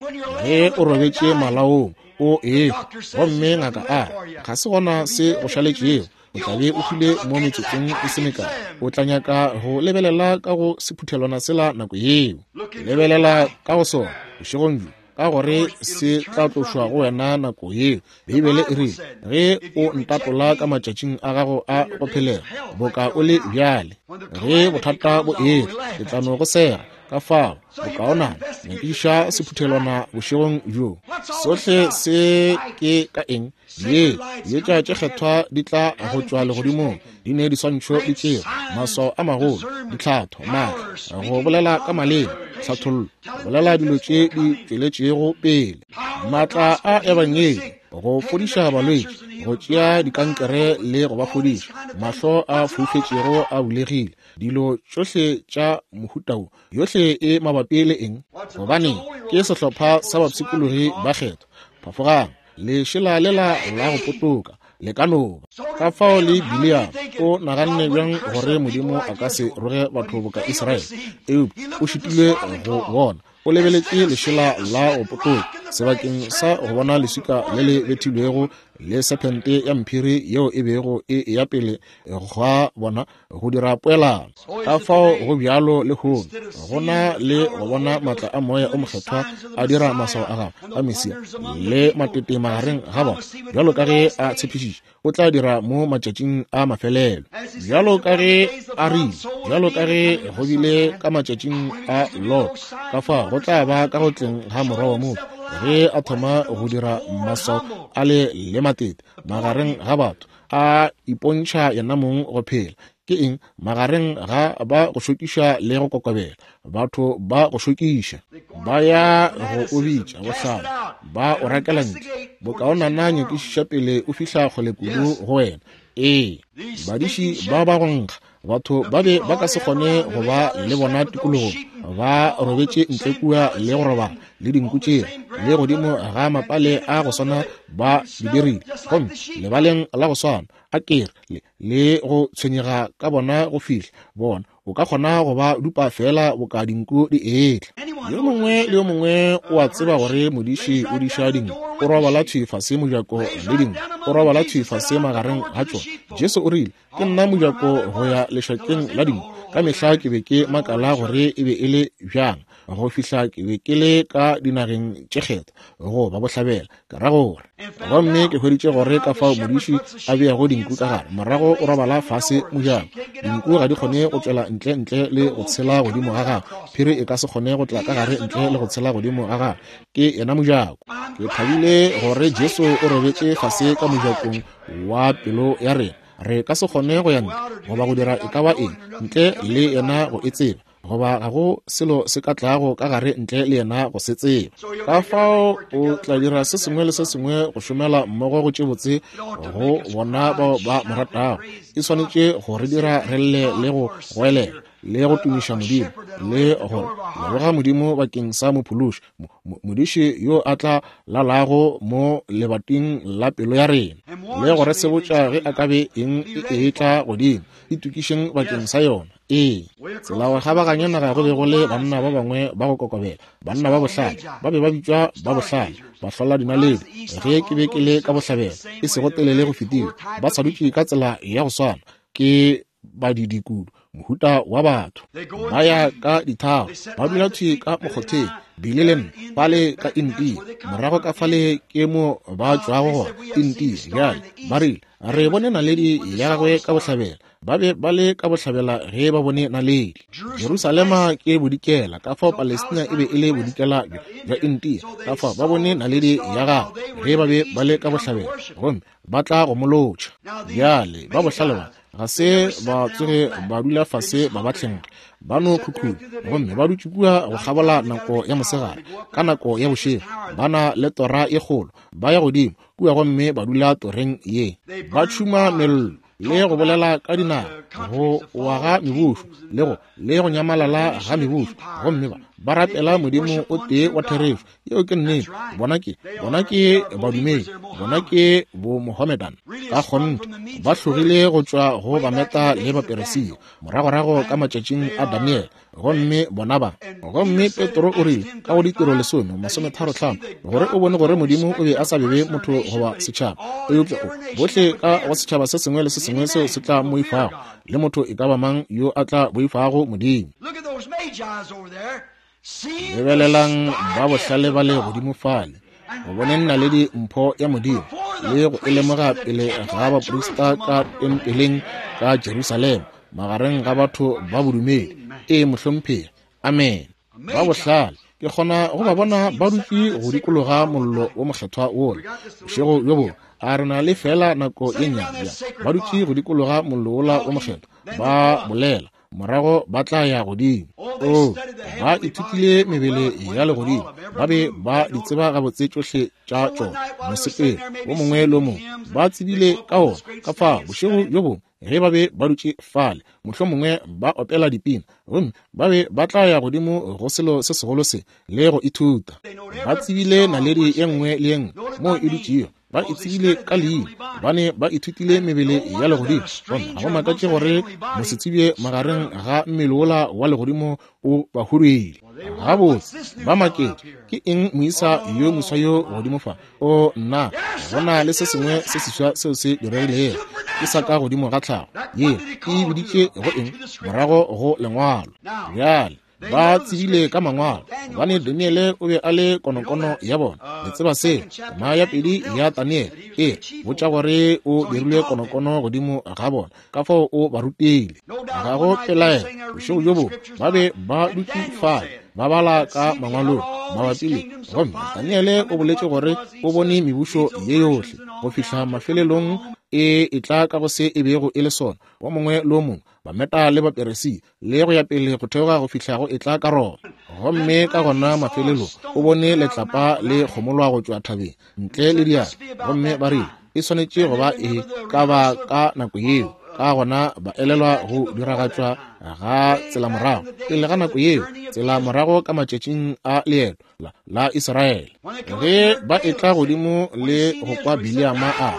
S1: Ge o robetše malaong o ehwa, gomme ngaka a ga se gona se go šaletšego, o tla be o hwile mo metsotsong e se mekae. O tla nyaka go lebelela ka go sephuthelwana sela nako yeo. Lebelela ka go sona bošegong bjo, ka gore se tla tlošwa go wena nako yeo. Beibele e rile, ge o ntatola ka matšatšing a gago a go phelega boka o le bjale, ge bothata bo etla, ke tla no go sega. Ka fao bokaonana nyakiša sephuthelwana bošegong bjo. Sohle se ke ka eng? Ye dietša tše kgethwa di tla go tšwa legodimong, di ne diswantšho di tšeo, maswao a magolo, ditlhatho, maatla, go bolela ka maleme, tlhathollo, bolela dilo tše di tšweletšego pele, maatla a ebangedi, go fodiša balwetši, go tšea dikankere le go ba fodiša, mahlo a foufetšego a bulegile, dilo tšohle tša mohuta wo yohle e mabapi le eng? Gobane ke sehlopha sa bapshikologi ba kgethwa. Phafogang, lešela lela la go potoka le ka no ba. Ka fao le Bileam o naganne bjang gore Modimo a ka se roge batho boka Israele, eupša o šitilwe go bona. O lebeletše lešela la go potoka sebakeng sa go bona leswika le le bethilwego le sephente ya mphiri yeo e bego e eya pele gwa bona go dira poelano. Ka fao go bjalo lehono, go na le go bona maatla a moya o mokgethwa a dira maswao a gagwe a Mesia le matete magareng ga bona, bjalo ka ge a tshepišitše o tla dira mo matšatšing a mafelelo, bjalo ka ge a rile, bjalo ka ge go bile ka matšatšing a Lot, ka fao go tla ba ka go tleng ga morwa wa motho, ge a thoma go dira maswao a le le matete magareng ga batho, a ipontšha yena mong go phela. Ke eng? Magareng ga ba go šokiša le go kokobela, batho ba go šokiša, ba ya go o bitša bohlale, ba o rakela ntle. Bokaonana nyakišiša pele o fihla kgole kudu go wena. Ee, badiši ba ba go nkga, batho ba be ba ka se kgone go ba le bona tikologong, ba robetše ntle kua le go robala le dinku tšela le godimo ga mapale a go swana ba di dirile, gomme lebaleng la go swana a kere le, le go tshwenyega ka bona go fihla bona o ka kgona go ba dupa fela boka dinku di etla. Yo mongwe le yo mongwe o a tseba gore modiši o diša dinku, o robala thwi fase mojako le dinku, o robala thwi fase magareng ga tšona. Jesu o rile, ke nna mojako go ya lešakeng la dinku. Ka mehla ke be ke makala gore e be e le bjang go fihla ke be ke le ka dinageng tše kgethwa go ba bohlabela, ke ra gore, gomme ke hweditše gore ka fao modiši a beago dinku ka gare, morago o robala fase mojako. Dinku ga di kgone go tšwela ntle ntle le go tshela godimo ga gagwe, phiri e ka se kgone go tla ka gare ntle le go tshela godimo ga gagwe. Ke yena mojako. Ke thabile gore Jesu o robetše fase ka mojakong wa pelo ya rena. Re ka se kgone go ya ntle goba go dira e ka ba eng ntle le yena go e tseba, goba ga go selo se ka tlago ka gare ntle le yena go se tseba. Ka fao o tla dira se sengwe le se sengwe go šomela mmogo go tše botse go bona bao ba mo ratago. E swanetše go re dira re lle le go goelela le go tumiša Modimo le go leboga Modimo bakeng sa mophološi, modiši yo a tla lalago mo lebating la pelo ya rena le go re sebotša ge a ka be eng e etla godimo. Itokišeng bakeng sa yona. Ee, tsela go kgabaganya naga go be go le banna ba bangwe ba go kokobela, banna ba bohlale, ba be ba bitšwa ba bohlale, bahlola dinaledi. Ge ke be ke le ka bohlabela, e sego telele go fetile, ba sa dutše ka tsela ya go swana, ke badidi kudu, mohuta wa batho, ba ya ka dithaba, ba dula thwi ka mokgotheng, bile le nna fale ka India, morago ka fale ke mo ba tšwago gona India. Bjale ba rile, re bone naledi ya gagwe ka bohlabela. Ba be ba le ka bohlabela ge ba bone naledi. Jerusalema ke bodikela, ka fao Palestina e be e le bodikela bja India, ka fao ba bone naledi ya gagwe ge ba be ba le ka bohlabela, gomme ba tla go molotšha. Bjale ba bohlale ba ga se ba tsoge ba dula fase ba ba tlhenga, Ba no khukhuna gomme ba dutše kua go kgabola nako ya mosegare. Ka nako ya bošego ba na le tora ye kgolo, ba ya godimo kua gomme ba dula toreng ye. Ba tšhuma mello le go bolela ka dinaga, go wa ga mebušo le go le go nyamalala ga mebušo, gomme ba ba rapela Modimo o tee wa therešo. Yeo ke nnete. Bona ke bona ke badumedi, bona ke bo Mohammedan. Ka kgonthe ba hlogile go tšwa go Bameta le Baperesia moragorago ka matšatšing a Daniel, gomme bona ba. Gomme Petro o rile ka go ditiro lesome masometharo hlano gore o bone gore Modimo o be a sa bebe motho goba setšhaba, eupša o bohle ka go setšhaba se sengwe le se sengwe seo se tla moifago, le motho e ka ba mang yo a tla boifago Modimo. Lebelelang ba bohlale ba le godimo fale, go boneng naledi mpho ya Modimo le go e lemoga pele ga baprista ka tempeleng ka Jerusalema magareng ga batho ba bodumedi. Ee, mohlomphegi. Amen. Ba bohlale ke kgona go ba bona ba dutše go dikologa mollo wo mokgethwa wola bošego bjo bongwe. A re na le fela nako ye nnyane ba dutše go dikologa mollo wola wo mokgethwa ba bolela, morago ba tla ya godimo. O, ba ithutile mebele ya legodimo, ba be ba di tseba gabotse tšohle tša tšona, mosepelo wo mongwe le mongwe ba tsebile ka ona. Ka fao bošego bjo bongwe ge ba be ba dutše fale, mohlomongwe ba opela dipina, gomme ba be ba tla ya godimo go selo se segolo se le go ithuta. Ba tsebile naledi ye nngwe le ye nngwe moo e dutšego, ba e tsebile ka leina, bane ba ithutile mebele ya legodimo. Gomme ga go makatše gore mosetsebje magareng ga mmele wola wa legodimo o ba huduile. Gabotse ba maketše, ke eng moisa yo moswa yo godimo fa? O nna, go na le se sengwe se seswa seo se diregilego, ke sa ka godimo ga tlhago ye e biditše go eng morago go lengwalo. Bjale ba tsebile ka mangwalo, gobane Daniele o be a le konokono ya bona. Le tseba seo, tema ya pedi ya Daniele e botša gore o dirile konokono godimo ga bona, ka fao o ba rutile. Ga go pelaelo bošego bjo bongwe ba be ba dutše fale ba bala ka mangwalong mabapi le, gomme Daniele o boletše gore o bone mebušo ye yohle go fihla mafelelong e etla ka go se e bego e le sona, wo mongwe le wo mongwe, Bameta le Baperesia le go ya pele go theoga go fihla go etla ka Roma. Gomme ka gona mafelelong o bone letlapa le kgomolwa go tšwa thabeng ntle le diatla, gomme ba rile e swanetše go ba e ka ba ka nako yeo. Ka gona ba elelwa go diragatšwa ga tsela morago pele ga nako yeo, tsela morago ka matšatšing a leeto la, la Israele. Ge ba etla godimo le go kwa Bileama a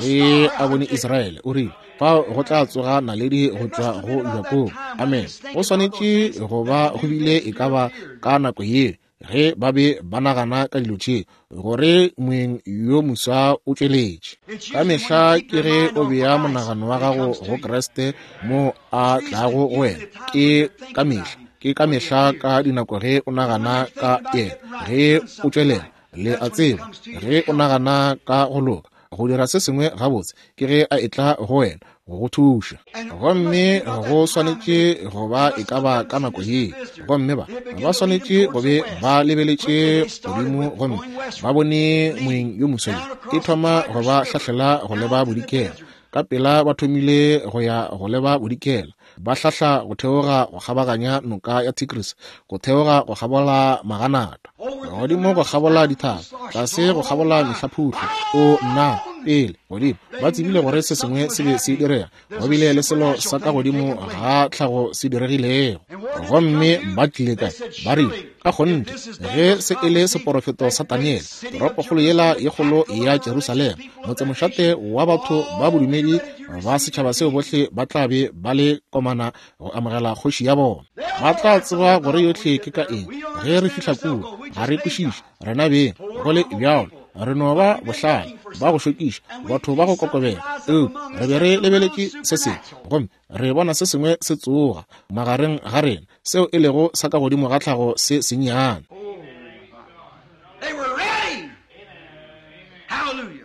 S1: ge a bone Israele, o rile fao go tla tsoga naledi go tšwa go Jakobo. Amen. Go swanetše go ba go bile e ka ba ka nako yeo ge ba be ba nagana ka dilo tše gore moeng yo moswa o tšweletše. Ka mehla ke ge o bea monagano wa gago go Kriste mo a tlago go wena. Ke ka mehla, ke ka mehla ka dinako ge o nagana ka yena, ge o tšwelela, le a tseba, ge o nagana ka go loka, go dira se sengwe gabotse, ke ge a etla go wena go go thuša. Gomme go swanetše go ba e ka ba ka nako ye, gomme ba ba swanetše go be ba lebeletše godimo gomme ba bone moeng yo moswa yo e thoma go ba hlahlela go leba bodikela. Ka pela ba thomile go ya go leba bodikela, ba hlahla go theoga go kgabaganya noka ya Tigris, go theoga go kgabola maganata, godimo go kgabola dithaba, tlase go kgabola mehlaphuhlo. O nna, pele godimo ba tsebile gore se sengwe se be se direga, go bile le selo sa ka godimo ga tlhago se diregilego. Gomme ba tlile kae? Ba rile ka kgonthe ge se e le seporofeto sa Daniele, toropokgolo yela ye kgolo ya Jerusalema, motsemošate wa batho ba bodumedi ba setšhaba seo bohle ba tla be ba le komana go amogela kgoši ya bona. Ba tla tseba gore yohle ke ka eng ge re fihla kua. Ga re kwešiše rena beng, go le bjalo re no ba bohlale ba go šokiša, batho ba go kokobela, eupša re be re lebeletše se sengwe gomme re bona se sengwe se tsoga magareng ga rena seo e lego sa ka godimo ga tlhago se sennyane.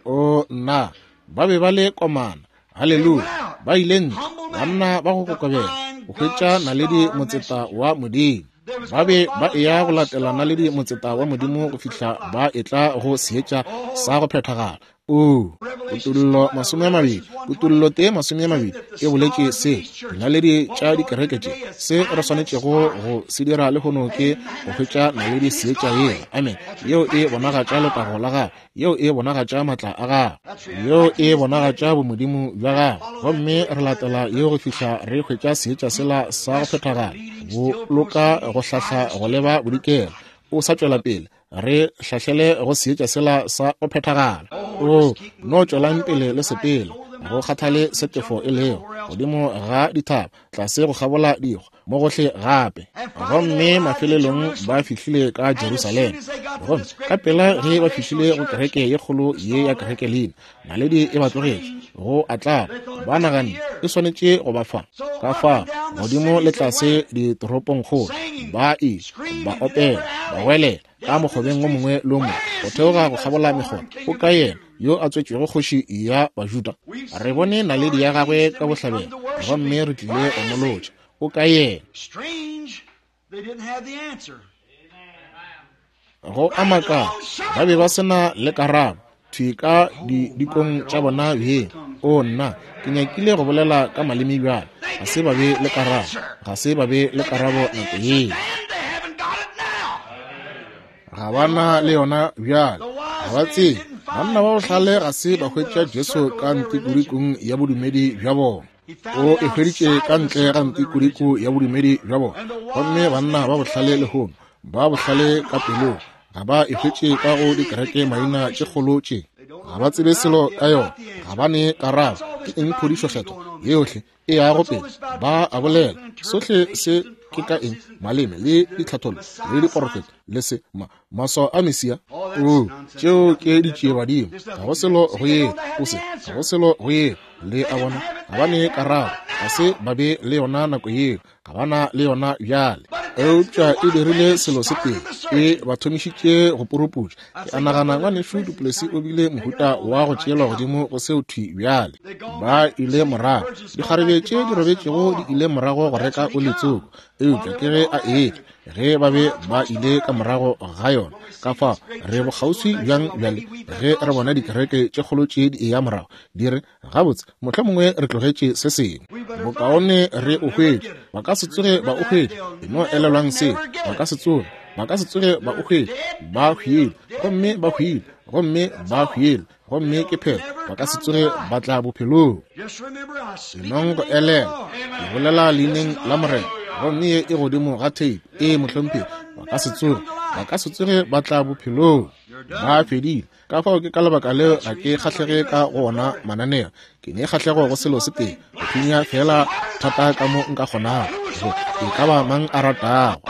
S1: O nna, ba be ba le komana. Haleluya. Ba ile ntle, banna ba go kokobela, go hwetša naledi motseta wa Modimo. Ba be ba eya go latela naledi motseta wa Modimo go fihla ba etla go seetša sa go phethagala. O Kutullo masome a mabedi, Kutullo tee masome a mabedi e boletše se, dinaledi tša dikereke tše. Se re swanetšego go se dira lehono ke go hwetša naledi seetša yela, amen, yeo e bonagatša letago la gagwe, yeo e bonagatša maatla a gagwe, yeo e bonagatša bomodimo bja gagwe. Gomme re latela yeo go fihla re hwetša seetša sela sa go phethagala, boloka go hlahla go leba bodikela, o sa tšwela pele re hlahlele go seetša sela sa go phethagala. O no tšwelang pele le sepele, go kgathale setefo e lego godimo ga dithaba, tlase go kgabola dikgwa, mo gohle gape. Gomme mafelelong ba fihlile ka Jerusalema. Gomme ka pela ge ba fihlile go kereke ye kgolo ye ya kereke leina, naledi e ba tlogetše go atlaba. Ba naganne e swanetše go ba fa ka fa godimo le tlase ditoropongkgolo, ba ile ba opela, ba welela ka mokgobeng o mongwe le o mongwe, go theoga go kgabola mekgoba. O ka yena yo a tswetšwego kgoši ya Bajuda? Re bone naledi ya gagwe ka bohlabela, gomme re tlile go mo lotša. O ka yena? Go a makala, ba be ba se na le karabo thwi ka didikong tša bona bjeng. O nna, ke nyakile go bolela ka maleme bjale. Ga se ba be le karabo, ga se ba be le karabo nako yeo. Ga ba na le yona bjale, ga ba tsebe. Banna ba bohlale ga se ba hwetša Jesu ka ntikodikong ya bodumedi bja bona. O e hweditše ka ntle ga ntikodiko ya bodumedi bja bona. Gomme banna ba bohlale lehono, ba bohlale ka pelong, ga ba e hwetše ka go dikereke maina tše kgolo tše. Ga ba tsebe selo ka yona, ga ba ne karabo. Ke eng phodišo kgethwa yohle e yago pele? Ba a bolela sohle se ke ka eng? Maleme le ditlhathollo le diporofeto le se ma maswao a Mesia. O tšeo ke ditšiebadimo, ga go selo go yeo, o se ga go selo go yeo. Le a bona, ga ba ne karabo, ga se ba be le yona nako yeo, ga ba na le yona bjale. Eupša e dirile selo se tee, e ba thomišitše go puruputša. Ke a nagana ngwanešu Duplessis o bile mohuta wa go tšeelwa godimo go seo thwi bjale. Ba ile morago, dikgarebe tše di robetšego di ile morago go reka oli tsoko, eupša ke ge a etla ge ba be ba ile ka morago ga yona. Ka fao re bokgauswi bjang bjale ge re bona dikereke tše kgolo tše di eya morago, di re gabotse mohlomongwe re tlogetše se sengwe, bokaone re o hwetše. Ba ka se tsoge ba o hwetše, e no elelwang seo. Ba ka se tsoge, ba ka se tsoge ba o hwetše. Ba hwile, gomme ba hwile, gomme ba hwile, gomme ke phela, ba ka se tsoge ba tla bophelong. Enong go elela, ke bolela leineng la Morena, gomme ye e godimo ga theipi. Ee, mohlomphegi, ba ka se tsoge, ba ka se tsoge ba tla bophelong. Ba fedile. Ka fao ke ka lebaka leo ga ke kgahlege ka go ona mananeo. Ke ne kgahlego go selo se tee, go thunya fela thata ka mo nka kgonago, go e ka ba mang a ratago.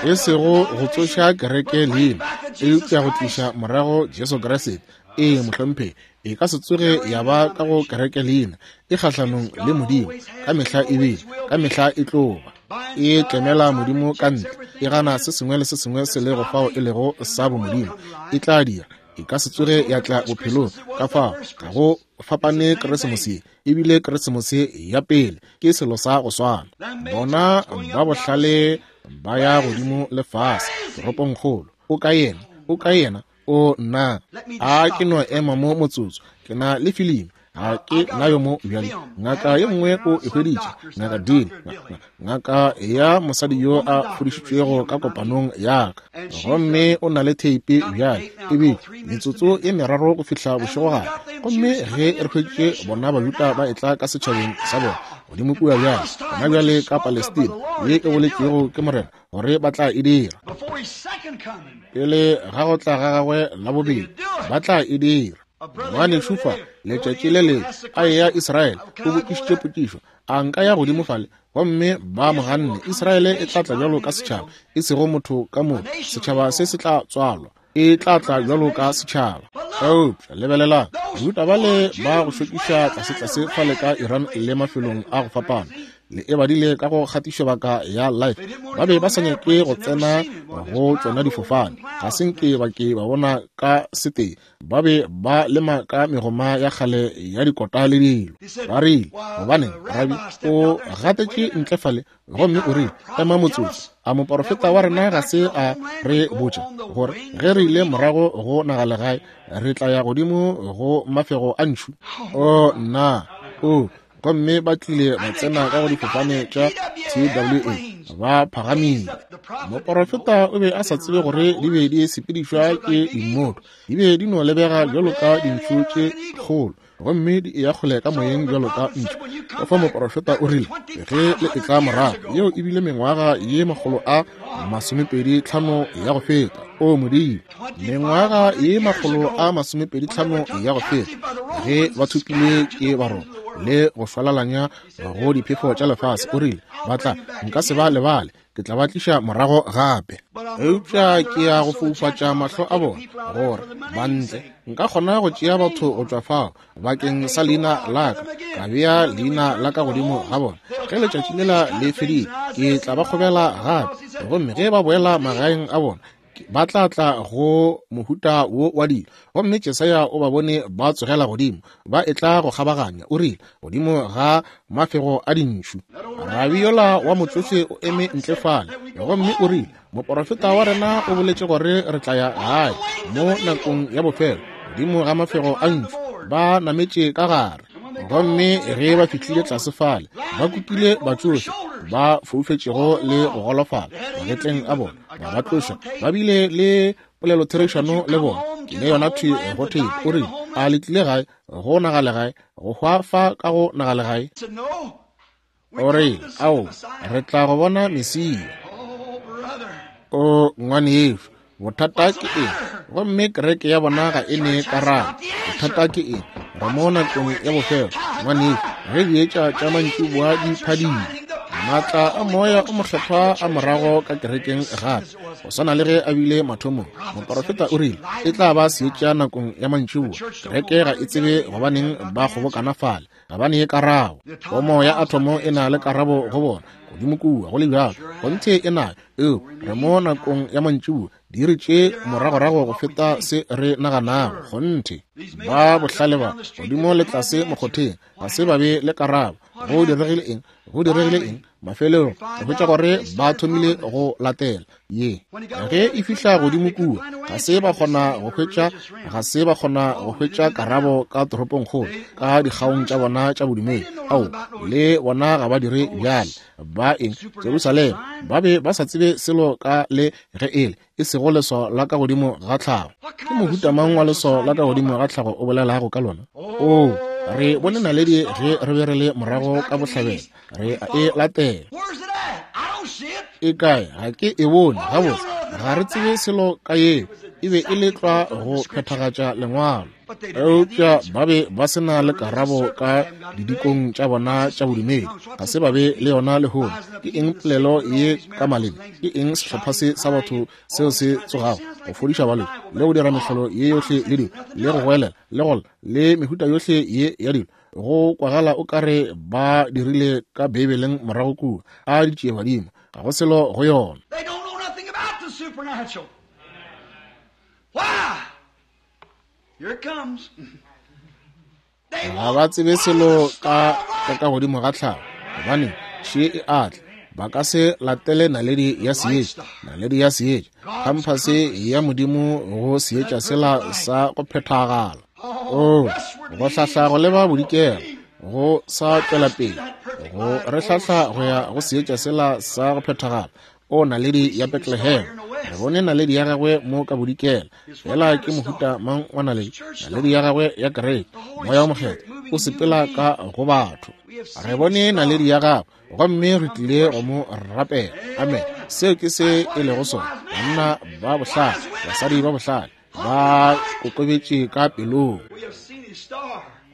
S1: E sego go tsoša kereke leina, eupša go tliša morago Jesu Kriste. Ee, mohlomphegi, e ka se tsoge ya ba ka go kereke leina, e kgahlanong le Modimo ka mehla e bile, ka mehla e tlo ba. E tlemela Modimo ka ntle, e gana se sengwe le se sengwe se lego fao e lego sa bomodimo. E tla dira, e ka se tsoge ya tla bophelong. Ka fao ga go fapane Keresemose ebile Keresemose ya pele ke selo sa go swana. Bona ba bohlale ba ya godimo le fase toropongkgolo. O ka yena, o ka yena, o nna. A ke no ema mo motsotso, ke na le filimi. Ga ke nayo mo bjale. Ngaka ye nngwe o e hweditše, Ngaka Dean, ngaka ya mosadi yo a fodišitšwego ka kopanong ya ka, gomme o na le theipi bjale. Ebile metsotso ye meraro go fihla bošegogare. Gomme ge re hweditše bona Bajuda ba etla ka setšhabeng sa bona godimo kua bjale, gona bjale ka Palestina ye e boletšwego ke Morena gore ba tla e dira pele ga go tla ga gagwe la bobedi, ba tla e dira. Ngwanešu fa letšatši le lengwe a eya Israele, o botšišitše potšišo, a nka ya godimo fale? Gomme ba mo ganne. Israele e tla tla bjalo ka setšhaba, e sego motho ka motho. Setšhaba se se tla tswalwa, e tla tla bjalo ka setšhaba. Eupša lebelelang, Bajuda bale ba go šokiša tlasetlase fale ka Iran le mafelong a go fapana, Le e badile ka go kgatišobaka ya Life. Ba be ba sa nyake go tsena go tšona difofane. Ga se nke ba ke ba bona ka setee. Ba be ba lema ka megoma ya kgale ya dikota le dilo. Ba rile, gobaneng, rabi o gatetše ntle fale, gomme o rile, ema motsotso. A moporofeta wa rena ga se a re botša gore ge re ile morago go nagalegae re tla ya godimo go mafego a ntšhu? O nna, o gomme ba tlile ba tsena ka go difofane tša T W A, ba phagamile. Moporofeta o be a sa tsebe gore di be di sepedišwa ke dimmoto, di be di no lebega bjalo ka dintšhu tše kgolo, gomme di eya kgole ka moyeng bjalo ka ntšhu. Ka fa moporofeta o rile, ge le etla morago, yeo e bile mengwaga ye makgolo a masomepedi tlhano ya go feta. O Modimo, mengwaga ye makgolo a masomepedi tlhano ya go feta, ge ba thopilwe ke Baroma le go šwalalanya go diphefo tša lefase, o rile, ba tla, nka se ba lebale, ke tla ba tliša morago gape. Eupša ke ya go foufatša mahlo a bona gore ba ntle nka kgona go tšea batho go tšwa fao bakeng sa leina la ka, ka bea leina la ka godimo ga bona. Ge letšatši lela le fedile, ke tla ba kgobela gape, gomme ge ba boela magaeng a bona, ba tla tla go mohuta wo wa dilo. Gomme Jesaya o ba bone ba tsogela godimo, ba etla go kgabaganya, o rile, godimo ga mafego a dintšhu. Rabi yola wa motsofe o eme ntle fale, gomme o rile, moporofeta wa rena o boletše gore re tla ya gae mo nakong ya bofelo, godimo ga mafego a ntšhu. Ba nametše ka gare, gomme ge ba fihlile tlase fale, ba kukile batsofe ba foufetšego le go golofala magetleng a bona, ba ba tloša. Ba bile le polelotherišano le bona, ke ne yona thwi go thei. O rile, a le tlile gae go nagalegae, go hwa fa ka go nagalegae? O rile, ao, re tla go bona Mesia. O ngwanešu, bothata ke eng? Gomme kereke ya bona ga e ne karabo. Bothata ke eng? Re mo nakong ya bofelo, ngwanešu, ge dietša tša mantšiboa di phadima, maatla a moya o mokgethwa a morago ka kerekeng gape, go swana le ge a bile mathomong. Moporofeta o rile, e tla ba seetša nakong ya mantšiboa. Kereke ga e tsebe gobaneng ba kgobokana fale, ga ba ne karabo. Pomo ya athomo e na le karabo go bona godimo kua, go le bjalo kgonthe e nayo. Eo re mo nakong ya mantšiboa, diiri tše moragorago go feta se re naganago. Kgonthe ba bohlale ba godimo le tlase mokgotheng ga se ba be le karabo. Go diregile eng? Go diregile eng? Mafelelong re hwetša gore ba thomile go latela ye. Ge e fihla godimo kua, ga se ba kgona go hwetša, ga se ba kgona go hwetša karabo ka toropongkgolo, ka dikgaong tša bona tša bodumedi. Ao, le bona ga ba dire bjale. Ba eng? Jerusalema ba be ba sa tsebe selo ka le ge ele e sego leswao la ka godimo ga tlhago. Ke mohuta mang wa leswao la ka godimo ga tlhago o bolelago ka lona? O, re bone naledi ge re be re le morago ka bohlabela, re a e latela. E kae? Ga ke e bone. Gabotse, ga re tsebe selo ka yeo. E be e le tlwa go phethagatša lengwalo. Eupša ba be ba se na le karabo ka didikong tša bona tša bodumedi. Ga se ba be le yona lehono. Ke eng polelo ye ka maleme? Ke eng sehlopha se sa batho seo se tsogago go fodiša balwetši le go dira mehlolo ye yohle le dilo, le go goelela le go lla le mehuta yohle ye ya dilo? Go kwagala o kare ba dirile ka Beibeleng morago kua, a ditšie badimo, ga go selo go yona.
S2: They don't know nothing about the supernatural. Why? Here it comes.
S1: Ga ba tsebe selo ka ka ka godimo ga tlhago, gobane še e atla. Ba ka se latele naledi ya seetša, naledi ya seetša, khamphase ya Modimo go seetša sela sa go phethagala. O, go hlahla go leba bodikela, go sa tšwela pele, go re hlahla go ya go seetša sela sa go phethagala. O naledi ya Bethlehem, re bone naledi ya gagwe mo ka bodikela. Fela ke mohuta mang wa naledi? Naledi ya gagwe ya kereke, moya o mokgethwa o sepela ka go batho. Re bone naledi ya gagwe, gomme re tlile go mo rapela. Amen. Seo ke se e lego sona. Banna ba bohlale, basadi ba bohlale, ba kokobetše ka pelong.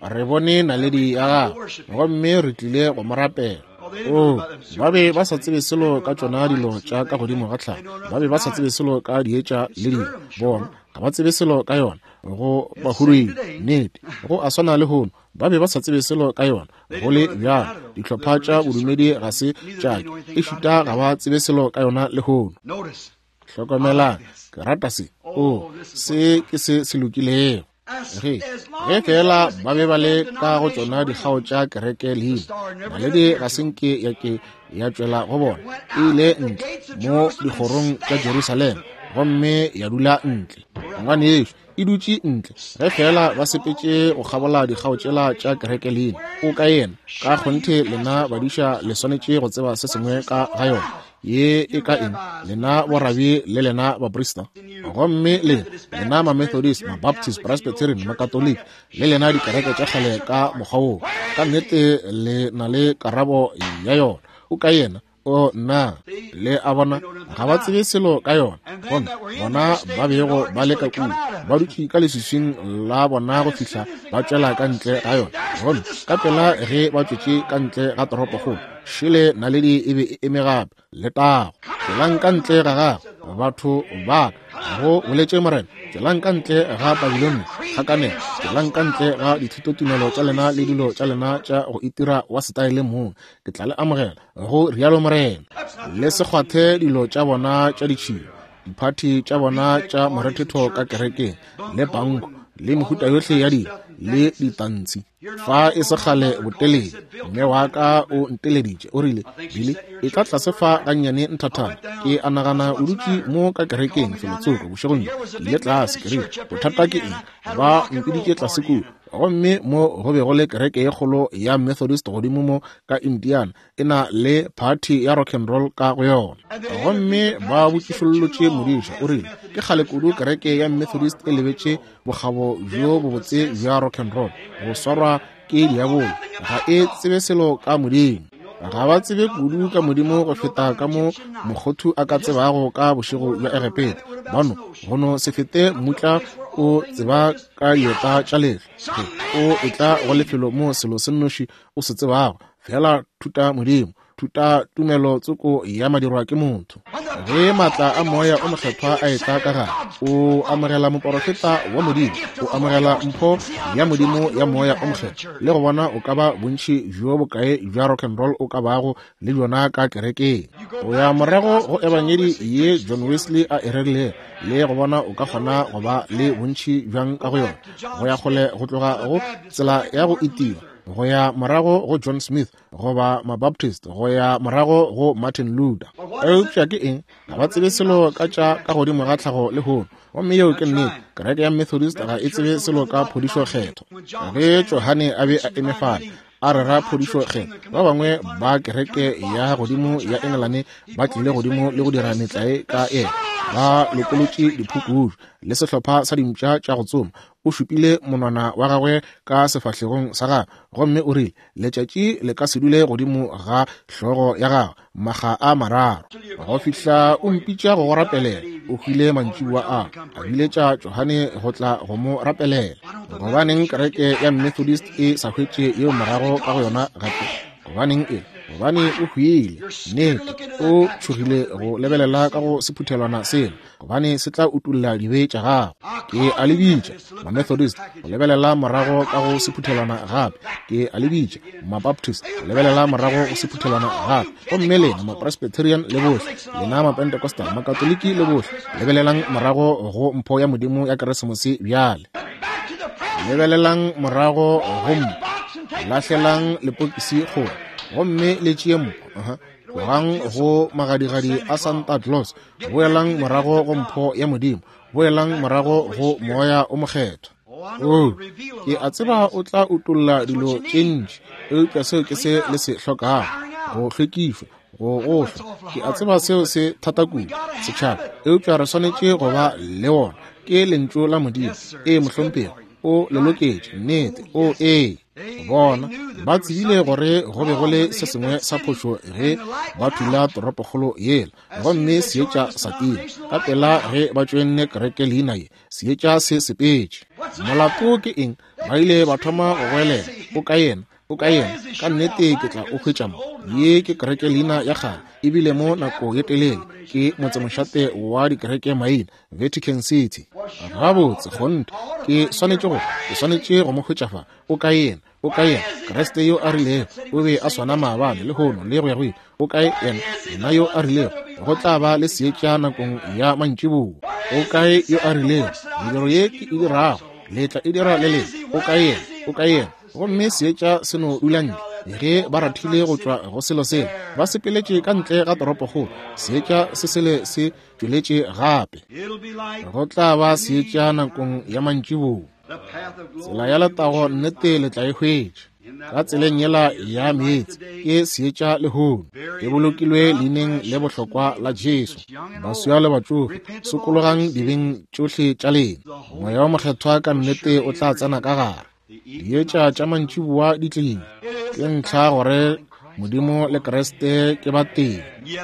S1: Re bone naledi ya gagwe, gomme re tlile go mo rapela. O, ba be ba sa tsebe selo ka tšona dilo tša ka godimo ga tlhago. Ba be ba sa tsebe selo ka dietša le dilo. Bona ga ba tsebe selo ka yona. Go ba huruile nnete, go a swana le hono. Ba be ba sa tsebe selo ka yona. Go le bjalo, dihlopha tša bodumedi ga se tša ke, ešita ga ba tsebe selo ka yona lehono. Hlokomelang, ke rata se. O, se ke se se lokilego. Ge, ge fela ba be ba le ka go tšona dikgao tša kereke leina, naledi ga se nke ya ke ya tšwela go bona, e ile ntle mo dikgorong tša Jerusalema gomme ya dula ntle. Ngwanešu, e dutše ntle. Ge fela ba sepetše go kgabola dikgao tšela tša kereke leina, o ka yena. Ka kgonthe lena badiša le swanetše go tseba se sengwe ka ga yona. Ye e ka eng, lena borabi le lena baprista, gomme le lena ma-Methodist, ma-Baptist, Presbyterian, ma-Catholic, le lena dikereke tša kgale ka mokgwa woo, ka nnete le na le karabo ya yona. O ka yena. O nna, le a bona, ga ba tsebe selo ka yona. Gomme bona ba bego ba le ka kua, ba dutše ka leswiswing la bona go fihla ba tšwela ka ntle ga yona. Gomme ka pela ge ba tšwetše ka ntle ga toropokgolo, šele naledi e be e eme gape. Letago. Tšwelang ka ntle ga gagwe, batho ba ka, go boletše Morena. Tšwelang ka ntle ga Babilone, kgakanelo. Tšwelang ka ntle ga dithutotumelo tša lena le dilo tša lena tša go itira wa setaele mong. Ke tla le amogela, go rialo Morena. Le se kgwathe dilo tša bona tša ditšhila, diphathi tša bona tša morethetho ka kerekeng, le panko, le mehuta yohle ya dilo, le ditantshi. Fa e se kgale botelele, mme wa ka o nteleditše, o rile, Billy, e tla tlase fa gannyane nthathana. Ke a nagana o dutše mo ka kerekeng felotsoko bošegong bjo. Ke ile tlase, ke rile, bothata ke eng? Ba mpiditše tlase kua. Gomme mo go be go le kereke ye kgolo ya Methodist godimo mo ka Indiana, e na le party ya rock and roll ka go yona. Gomme ba botšišollotše modiša, o rile, ke kgale kudu kereke ya Methodist e lebetše bokgabo bjo bobotse bja rock and roll, go swarwa ke diabolo, ga e tsebe selo ka Modimo. Ga ba tsebe kudu ka Modimo go feta ka mo mokgothu a ka tsebago ka bošego bja Egepeta. Bano go no se fete mmutla o tseba ka dieta tša lehlwa. O etla go lefelo mo selo se nnoši o se tsebago, fela thuta Modimo, thuta tumelo tsoko ya madirwa ke motho. Ge maatla a moya o mokgethwa a etla ka gare, o amogela moporofeta wa Modimo, o amogela mpho ya Modimo ya moya o mokgethwa, le go bona o ka ba bontši bjo bokae bja rock and roll o ka bago le bjona ka kerekeng. O ya morago go ebangedi ye John Wesley a e rerilego, le go bona o ka kgona go ba le bontši bjang ka go yona, go ya kgole go tloga go tsela ya go itiwa, go ya morago go John Smith goba ma-Baptist, go ya morago go Martin Luther. Eupša ke eng? Ga ba tsebe selo ka tša ka godimo ga tlhago lehono. Gomme yeo ke nnete. Kereke ya Methodist ga e tsebe selo ka phodišo kgetho. Ge Johane a be a eme fale a rera phodišo kgetho, ba bangwe ba kereke ya godimo ya Engelane ba tlile godimo le go dira metlae ka yena. Ba lokolotše diphukudu le sehlopha sa dimpša tša go tsoma. O šupile monwana wa gagwe ka sefahlegong sa gagwe gomme o rile, letšatši le ka se dule godimo ga hlogo ya gagwe makga a mararo go fihla o mpitša go go rapelela. O hwile mantšiboa a, a biletša Johane go tla go mo rapelela. Gobaneng kereke ya Methodist e sa hwetše yeo morago ka go yona gape? Gobaneng e? Gobane o hwile. Nnete, o tšhogile go lebelela ka go sephuthelwana sela, gobane se tla utolla dibe tša gago. Ke a le bitša ma-Methodist go lebelela morago ka go sephuthelwana gape. Ke a le bitša ma-Baptist go lebelela morago go sephuthelwana gape. Gomme lena ma-Presbyterian le bohle, lena ma-Pentecostal, ma-Katoliki le bohle, lebelelang morago go mpho ya Modimo ya Keresemose bjale. Lebelelang morago go mpho. Lahlelang lepokisi kgole gomme le tšee mpho. Uh-huh. Tlogang go magadigadi a Santa Claus, boelang morago go mpho ya Modimo, boelang morago go moya o mokgethwa. Oh, ke a tseba o tla utolla dilo tše ntši, eupša seo ke se le se hlokago, go hlwekišwa, go gohlwa. Ke a tseba seo se thata kudu, setšhaba, eupša re swanetše go ba le wona. Ke lentšu la Modimo. Ee, mohlomphegi, o le loketše, nnete. O ee. Bona ba tsebile gore go be go le se sengwe sa phošo ge ba thula toropokgolo yela, gomme seetša sa tima. Ka pela ge ba tšoenne kereke leina ye, seetša se sepetše. Molato ke eng? Ba ile ba thoma go goelela, o ka yena. O kae yena? Ka nnete ke tla o hwetša mo. Ye ke kereke leina ya kgale, ebile mo nako ye telele ke motsemošate wa dikereke maina, Vatican City. Gabotse, kgonthe ke swanetše go ke swanetše go mo hwetša fa. O kae yena? O kae yena? Kriste yo a rilego o be a swana maabane, lehono le go ya go ile. O kae yena? Yena yo a rilego go tla ba le seetša nakong ya mantšiboa. O kae yo a rilego mediro ye ke e dirago le tla e dira le lena? O kae yena? O kae yena? Gomme seetša se no dula ntle. Ge ba rathile go tšwa go selo sela, ba sepeletše ka ntle ga toropokgolo, seetša se sele se tšweletše gape. Go tla ba seetša nakong ya mantšiboa. Tsela ya letago nnete le tla e hwetša. Ka tseleng yela ya meetse ke seetša lehono, e bolokilwe leineng le bohlokwa la Jesu. Baswa le batšofe, sokologang dibeng tšohle tša lena. Moya wa Mokgethwa ka nnete o tla tsena ka gare. Dietša tša mantšiboa di tlile. Ke ntlha gore Modimo le Kriste ke ba tee.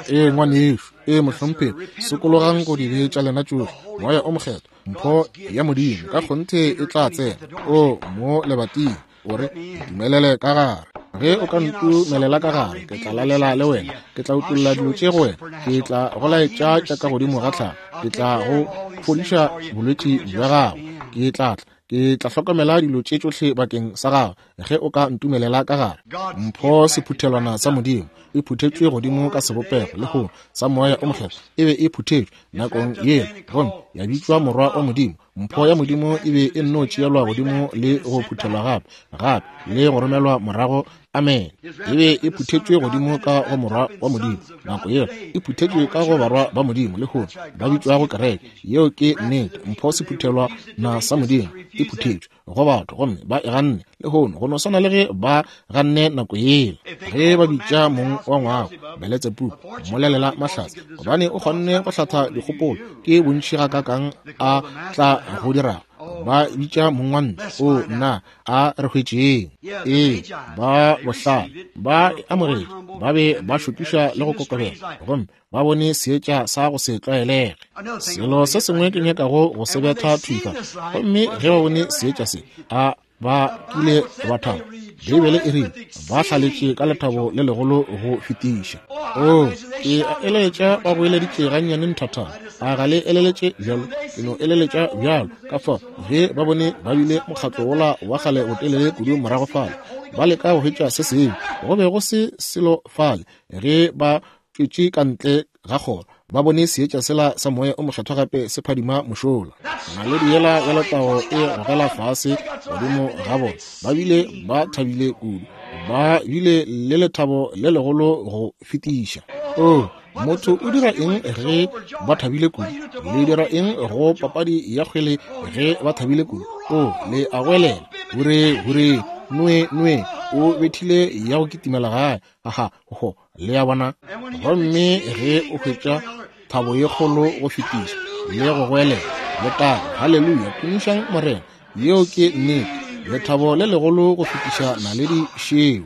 S1: Ee ngwanešu, ee mohlomphegi, sokologang go dibe tša lena tšohle. Moya o Mokgethwa, mpho ya Modimo ka kgonthe e tla tsena. O mo lebating, o re ntumelele ka gare. Ge o ka ntumelela ka gare, ke tla lalela le wena, ke tla utolla dilo tše go wena, ke tla go laetša tša ka godimo ga tlhago, ke tla go fodiša bolwetši bja gago, ke tla tla ke tla hlokomela dilo tše tšohle bakeng sa gago ge o ka ntumelela ka gare. Mpho sephuthelwana sa Modimo e phuthetšwe godimo ka sebopego lehono sa Moya o Mokgethwa. E be e phuthetšwe nakong yela gomme ya bitšwa Morwa wa Modimo. Mpho ya Modimo e be e nno tšeelwa godimo le go phuthelwa gape gape le go romelwa morago. Amen. E be e phuthetšwe godimo ka go Morwa wa Modimo nako yela, e phuthetšwe ka go barwa ba Modimo lehono ba bitšwago kereke. Yeo ke nnete. Mpho sephuthelwa na sa Modimo e phuthetšwe go batho gomme ba e ganne lehono, go no swana le ge ba ganne nako yela. Ge ba bitša mong wa ngwako Beletsebubu, mmolelela mahlatse, gobane o kgonne go hlatha dikgopolo ke bontši gakakang a tla go dirago. Ba bitša mong wa ntlo, o nna a re hwetšeng. Ee, ba bohlale ba e amogetše, ba be ba šokiša le go kokobela, gomme ba bone seetša sa go se tlwaelege. Selo se sengwe ke nyakago go se betha thwi fa. Gomme ge ba bone seetša se, a ba kile ba thaba. Beibele e rile ba hlaletše ka lethabo le legolo go fetiša. O, ke a eleletša ba boeleditše gannyane nthathana. A ga le eleletše bjalo? Ke no eleletša bjalo. Ka fao ge ba bone ba bile mokgatlo wola wa kgale botelele kudu morago fale, ba leka go hwetša se sengwe, go be go se selo fale. Ge ba tšwetše ka ntle ga kgoro, ba bone seetša sela sa Moya o Mokgethwa gape se phadima mošola. Naledi yela ya letago e gogela fase godimo ga bona. Ba bile ba thabile kudu, ba bile le lethabo le legolo go fetiša. O, motho o dira eng ge ba thabile kudu? Le dira eng go papadi ya kgwele ge ba thabile kudu? O, le a goelela, hure hure, nwe nwe, o bethile ya go kitimela gae. Aha, ho, le a bona. Gomme ge o hwetša thabo ye kgolo go fetiša le go goelela, letago, haleluya, tumišang Morena. Yeo ke nnete. Lethabo le legolo go fetiša naledi šeo.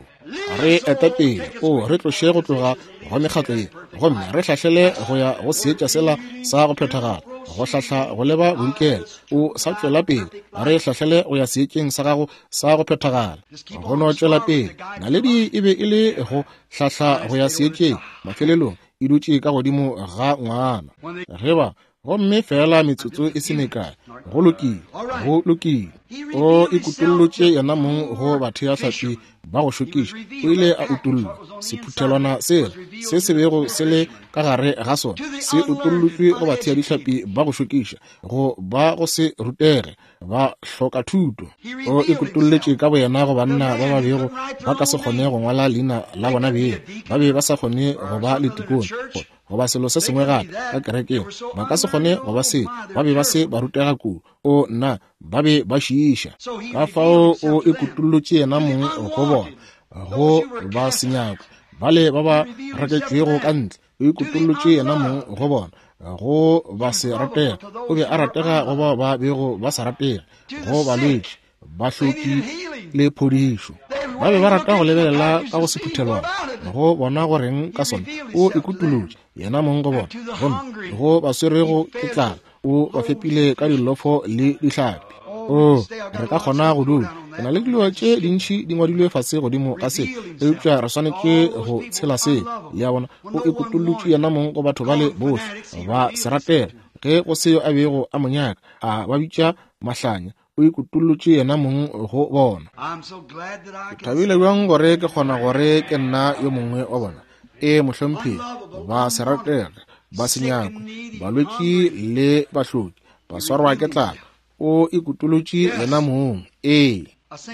S1: Re ete pele, o re tloše go tloga go mekgatlo ye, gomme re hlahlele go ya go seetša sela sa go phethagala, go hlahla go leba bodikela. O sa tšwela pele, re hlahlele go ya seetšeng sa gago sa go phethagala. Go no tšwela pele. Naledi e be e le go hlahla go ya seetšeng, mafelelong e dutše ka godimo ga ngwana. Ge ba gomme fela metsotso e se mekae, go lokile, go lokile. O ikutollotše yena mong go batheahlapi ba go šokiša. O ile a utollwa sephuthelwana sela se se bego se le ka gare ga sona, se utollotšwe go batheadihlapi ba go šokiša, go ba go se rutege, ba hloka thuto. O ikutolletše ka boyena go banna ba ba bego ba ka se kgone go ngwala leina la bona beng, ba be ba sa kgone go ba le tikone goba selo se sengwe gape ka kerekeng, ba ka se kgone go ba se, ba be ba se ba rutega kudu. O nna, ba be ba šiiša. Ka fao o ikutollotše yena mong go bona, go ba senyakwa bale ba ba raketšwego ka ntle. O ikutollotše yena mong go bona, go ba se ratega. O be a ratega go bao ba bego ba sa ratege, go balwetši, bahloki le phodišo. Ba be ba rata go lebelela ka go sephuthelwana go bona goreng ka sona. O ikutolotše yena mong go bona, gomme go ba swerego ke tlala o ba fepile ka dilofo le dihlapi. O, re ka kgona go dula. Ke na le dilo tše dintši di ngwadilwe fase godimo ga se, eupša re swanetše go tshela se. Le a bona, o ikutollotše yena mong go batho bale bohle ba se ratela. Ge go se yo a bego a mo nyaka, a ba bitša mahlanya, o ikutollotše yena mong go bona. Ke thabile bjang gore ke kgona gore ke nna yo mongwe wa bona. E mohlomphegi, ba se ratege, ba se nyakwe, balwetši le bahloki, ba swarwa ke tlala. O ikutollotše yena mong. Ee,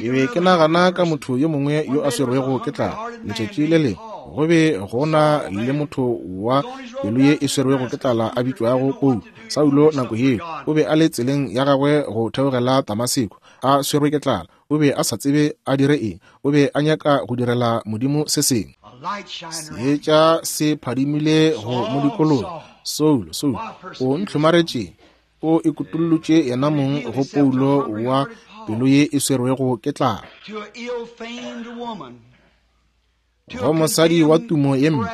S1: ke be ke nagana ka motho yo mongwe yo a swerwego ke tlala. Letšatši le lengwe go be go na le motho wa pelo ye e swerwego ke tlala a bitšwago Paulo. Saulo nako yeo o be a le tseleng ya gagwe go theogela Damaseko, a swerwe ke tlala. O be a sa tsebe a dire eng. O be a nyaka go direla Modimo se sengwe. Seetša se phadimile go mo dikologa. Saulo, Saulo, o ntlhomaretšeng? O ikutollotše yena mong go Paulo wa pelo ye e swerwego ke tlala. Go mosadi wa tumo ye mpe,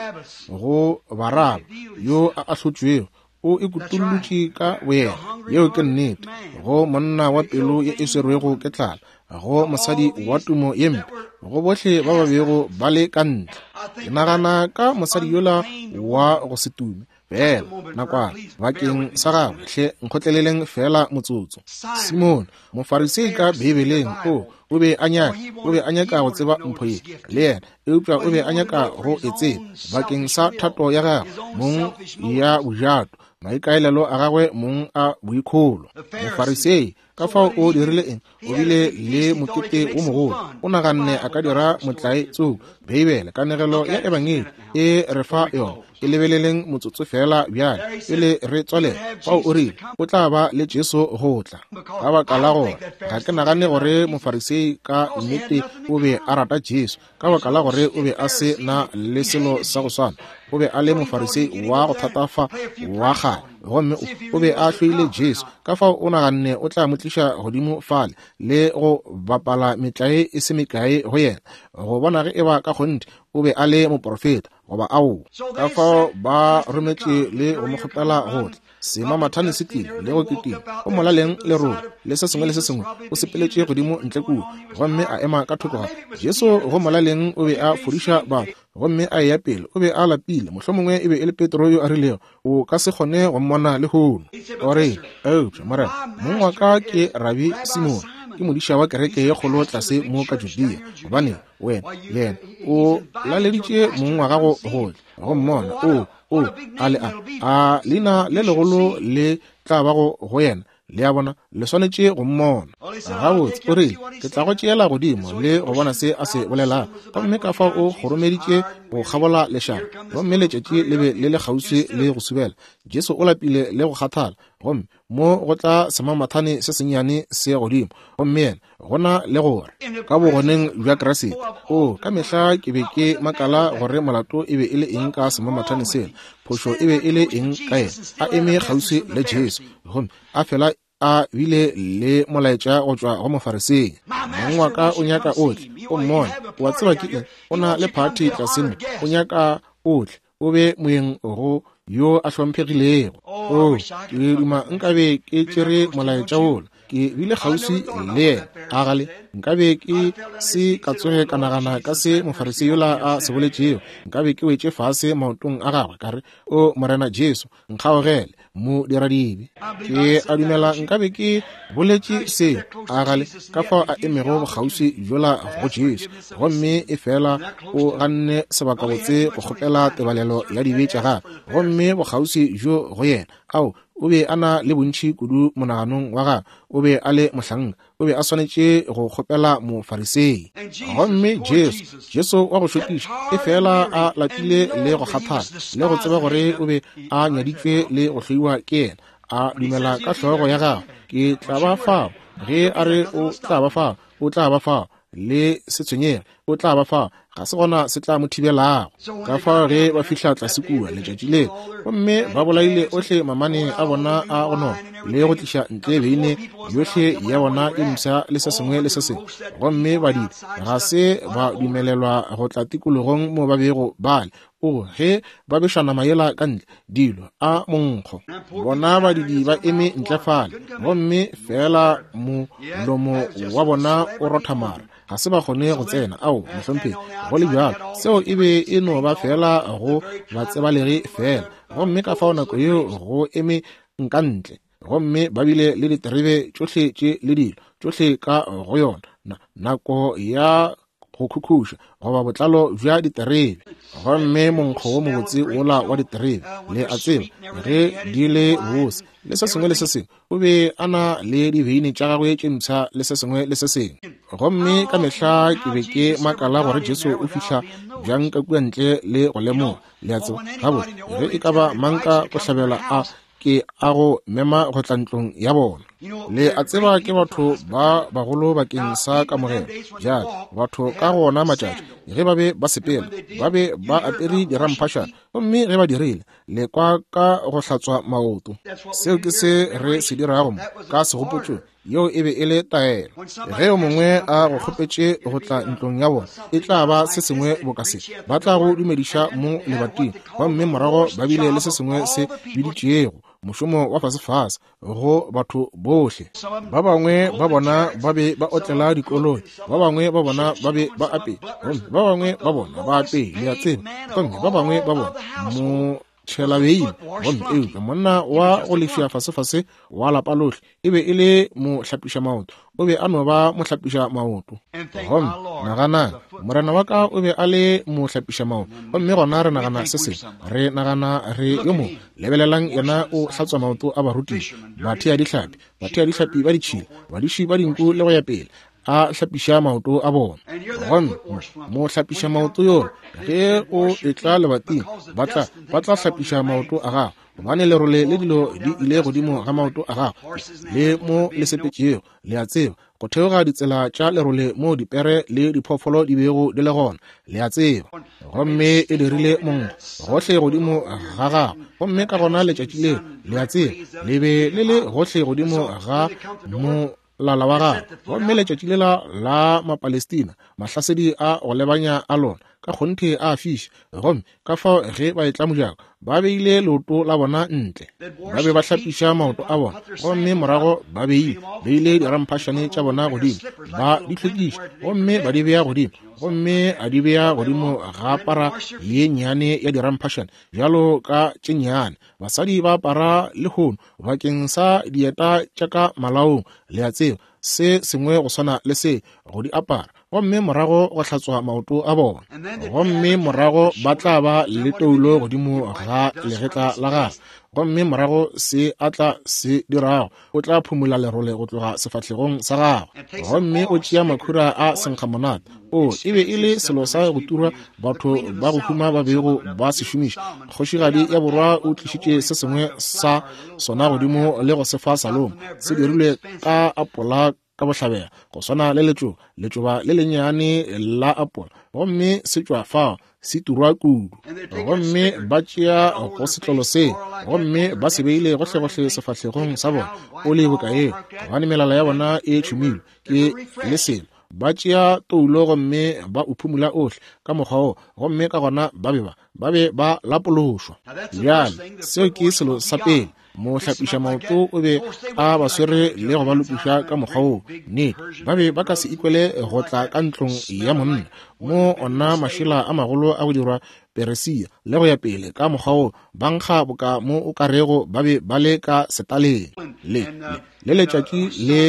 S1: go Baraba yo a ahlotšwego, o ikutollotše ka boyena. Yeo ke nnete. Go monna wa pelo ye e swerwego ke tlala, go mosadi wa tumo ye mpe, go bohle ba ba bego ba le ka ntle. Ke nagana ka mosadi yola wa go se tume fela nakwana bakeng sa gagwe. Hle nkgotleleleng fela motsotso. Simone, Mofarisei ka Beibeleng, o o be a nyaka, o be a nyaka go tseba mpho ye le yena, eupša o be a nyaka go e tseba bakeng sa thato ya gagwe mong ya bojato, maikaelelo a gagwe mong a boikholo. Mofarisei ka fao o dirile eng? O bile le mokete wo mogolo. O naganne a ka dira motlae tsoko. Beibele, kanegelo ya Ebangedi e re fa yona. E lebeleleng motsotso fela bjale pele re tswalela. Fao o rile o tla ba le Jesu go tla. Ka baka la gore ga ke nagane gore Mofarisei ka nnete o be a rata Jesu, ka baka la gore o be a se na le selo sa go swana. O be a le Mofarisei wa go thatafa wa kgale, gomme o be a hloile Jesu. Ka fao o naganne o tla mo tliša godimo fale le go bapala metlae e se mekae go yena, go bona ge eba ka kgonthe o be a le moprofeta goba aowa. Ka fao ba rometše le go mo kgopela go tla. Semamathane se tlile le go kitima go molaleng lerole le se sengwe le se sengwe. O sepeletše godimo ntle kua gomme a ema ka thoko ga Jesu. Go molaleng o be a fodiša batho gomme a eya pele. O be a lapile. Mohlomongwe e be e le Petro yo a rilego, o ka se kgone go mmona lehono. O re, eupša Morena, mong wa ka ke Rabi Simone, ke modiša wa kereke ye kgolo tlase mo ka Judea. Gobane wena le yena o laleditše mong wa gago go tla go mmona. O o a le a a leina le legolo le tla bago go yena. Le a bona, le swanetše go mmona. Gabotse, o rile, ke tla go tšeela godimo le go bona se a se bolelago. Gomme ka fao o kgoromeditše go kgabola lešaba, gomme letšatši le be le le kgauswi le go subela. Jesu o lapile le go kgathala, gomme mo go tla semamathane se sennyane se godimo, gomme yena gona le gore ka bogoneng bja Kriste. O ka mehla ke be ke makala gore molato e be e le eng ka semamathane sela, phošo e be e le eng ka yena. A eme kgauswi le Jesu, gomme a fela a bile le molaetša go tšwa go Mofarisei. Mong wa ka o nyaka o tle o mmone. O a tseba ke eng? O na le phathi tlase mo, o nyaka o tle o be moyeng go yo a hlomphegilego. O ke duma nkabe ke tšere molaetša wola, ke bile kgauswi le yena. A gale nkabe ke se ka tsoge ka nagana ka se Mofarisei yola a se boletšego. Nkabe ke wetše fase maotong a gagwe ka re, o Morena Jesu, nkgaogele, modiradibe. Ke a dumela nkabe ke boletše se. A gale ka fao a emego bokgauswi bjola go Jesu, gomme e fela o ganne sebakabotse go kgopela tebalelo ya dibe tša gagwe, gomme bokgauswi bjo go yena. Ao, o be a na le bontši kudu monaganong wa gagwe. O be a le mohlanka, o be a swanetše go kgopela Mofarisei. Gomme Jesu, Jesu wa go šokiša, e fela a lapile le go kgathala le go tseba gore o be a nyaditšwe le go hloiwa ke yena, a dumela ka hlogo ya gagwe, ke tla ba fao. Ge a re o tla ba fao, o tla ba fao. Le se tshwenyege, o tla ba fao. Ga se gona se tla mo thibelago. Ka fao ge ba fihla tlase kua letšatši leo, gomme ba bolaile ohle mamane a bona a go nona le go tliša ntle beine yohle ya bona e mpsha le se sengwe le se sengwe, gomme badidi ga se ba dumelelwa go tla tikologong mo ba bego ba le. O, ge ba beša nama yela ka ntle, dilo a monkgo. Bona badidi ba eme ntle fale, gomme feela molomo wa bona o rotha mara. Ga se ba kgone go tsena. Ao, mohlomphegi, go le bjalo, seo e be e no ba feela go batsebalegi feela. Gomme ka fao nako yeo go eme nka ntle, gomme ba bile le diterebe tšohle tše le dilo tšohle ka go yona, nako ya go khukhuša goba botlalo bja diterebe. Gomme monkgo wo mobotse wola wa diterebe, le a tseba, ge di le bose le se sengwe le se sengwe, o be a na le dibeine tša gagwe tše mpsha le se sengwe le se sengwe. Gomme ka mehla ke be ke makala gore Jesu o fihla bjang ka kua ntle le go lemoga. Le a tseba, gabotse, ge e ka ba mang ka go hlabela a ke a go mema go tla ntlong ya bona. Le a tseba ke batho ba bagolo bakeng sa kamogelo. Bjale batho ka go ona matšatši ge ba be ba sepela, ba be ba apere diramphašana, gomme ge ba dirile, le kwa ka go hlatswa maoto. Seo ke se re se dirago mo ka segopotšong. Yeo e be e le taelo. Ge yo mongwe a go kgopetše go tla ntlong ya bona, e tla ba se sengwe boka se. Ba tla go dumediša mo lebating, gomme morago ba bile le se sengwe se biditšego mošomo wa fasefase go batho bohle. Ba bangwe ba bona ba be ba otlela dikoloi, ba bangwe ba bona ba be ba apea, gomme ba bangwe ba bona ba apea, le a tseba, gomme ba bangwe ba bona mo tšhela beine. Gomme eupša monna wa go lefša fasefase wa lapa lohle e be e le mohlapiša maoto. O be a no ba mohlapiša maoto. Gomme naganang, morena wa ka o be a le mohlapiša maoto. Gomme gona re nagana se sengwe, re nagana re yo mongwe. Lebelelang, yena o hlatswa maoto a barutiši, bathea dihlapi, bathea dihlapi ba ditšhila, badiši ba dinku le go ya pele, a hlapiša maoto a bona. Gomme mo hlapiša maoto yo, ge o etla lebating, ba tla ba tla hlapiša maoto a gago, gobane lerole le dilo di ile godimo ga maoto a gago le mo le sepetšego. Le a tseba, go theoga ditsela tša lerole mo dipere le diphoofolo di bego di le gona, le a tseba. Gomme e dirile monkgo gohle godimo ga gago. Gomme ka gona letšatši leo, le a tseba, le be le le gohle godimo ga mo lala wa gagwe. Gomme letšatši lela la Mapalestina, mahlasedi a go lebanya a lona ka kgonthe a fiša. Gomme ka fao ge ba etla mojako, ba beile leoto la bona ntle, ba be ba hlapiša maoto a bona, gomme morago ba beile beile diramphašane tša bona godimo, ba di hlwekiša, gomme ba di bea godimo, gomme a di bea godimo ga para ye nnyane ya diramphašane bjalo ka tše nnyane. Basadi ba apara lehono bakeng sa dieta tša ka malaong, le a tseba, se sengwe go swana le se, go di apara, gomme morago go hlatswa maoto a bona. Gomme morago ba tla ba le toulo godimo ga legetla la gagwe, gomme morago se a tla se dirago, o tla phumula lerole go tloga sefahlegong sa gagwe. Gomme o tšea makhura a senkgamonate. O, e be e le selo sa go turwa batho ba go huma ba bego ba se šomiša. Kgošigadi ya borwa o tlišitše se sengwe sa sona godimo le go se fa Salomo. Se dirilwe ka apola ka bohlabela, go swana le letšoba, letšoba le lennyane la apola, gomme se tšwa fao se turwa kudu. Gomme ba tšea go setlolo se, gomme ba se beile gohlegohle sefahlegong sa bona, o le boka eo, gobane melala ya bona e tšhumilwe ke le selo. Ba tšea toulo gomme ba o phumula ohle ka mokgwa wo, gomme ka gona ba be ba ba be ba lapološwa. Bjale seo ke selo sa pele. Mohlapiša maoto o be a ba swere le go ba lokiša ka mokgwa wo. Nnete, ba be ba ka se ikwele go tla ka ntlong ya monna mo ona mašela a magolo a go dirwa Peresia le go ya pele ka mokgwa wo, ba nkga boka mo o ka rego ba be ba le ka setaleng. Le le letšatši le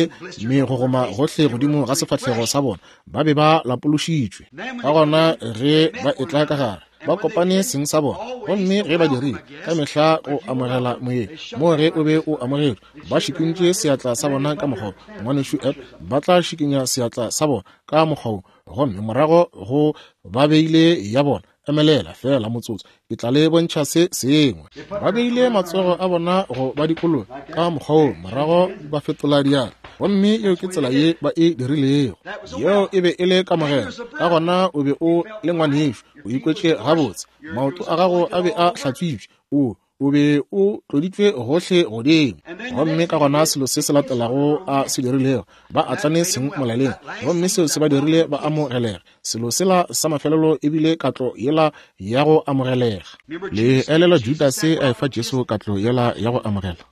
S1: megogoma gohle godimo ga sefahlego sa bona, ba be ba lapološitšwe. Ka gona ge ba etla ka gare, ba kopane seng sa bona, gomme ge ba dirile ka mehla go amogela moyeng mo ge o be o amogetšwe, ba šikintše seatla sa bona ka mokgwa ngwanešu Ed, ba tla šikinya seatla sa bona ka mokgwa wo, gomme morago go ba beile ya bona. Emelela fela motsotso, ke tla le bontšha se sengwe. Ba beile matsogo a bona go ba dikologa ka mokgwa wo, morago ba fetola diatla, gomme yeo ke tsela ye ba e dirilego. Yeo e be e le kamogelo. Ka gona o be o le ngwanešo, o ikwetše gabotse, maoto a gago a be a hlatswitšwe, o O be o tloditšwe gohle godimo. Gomme ka gona selo se se latelago a se dirilego, ba atlane seng molaleng, gomme seo se ba dirile ba amogelega. Selo sela sa mafelelo ebile katlo yela ya go amogelega. Le elela Judase a efa Jesu katlo yela ya go amogela.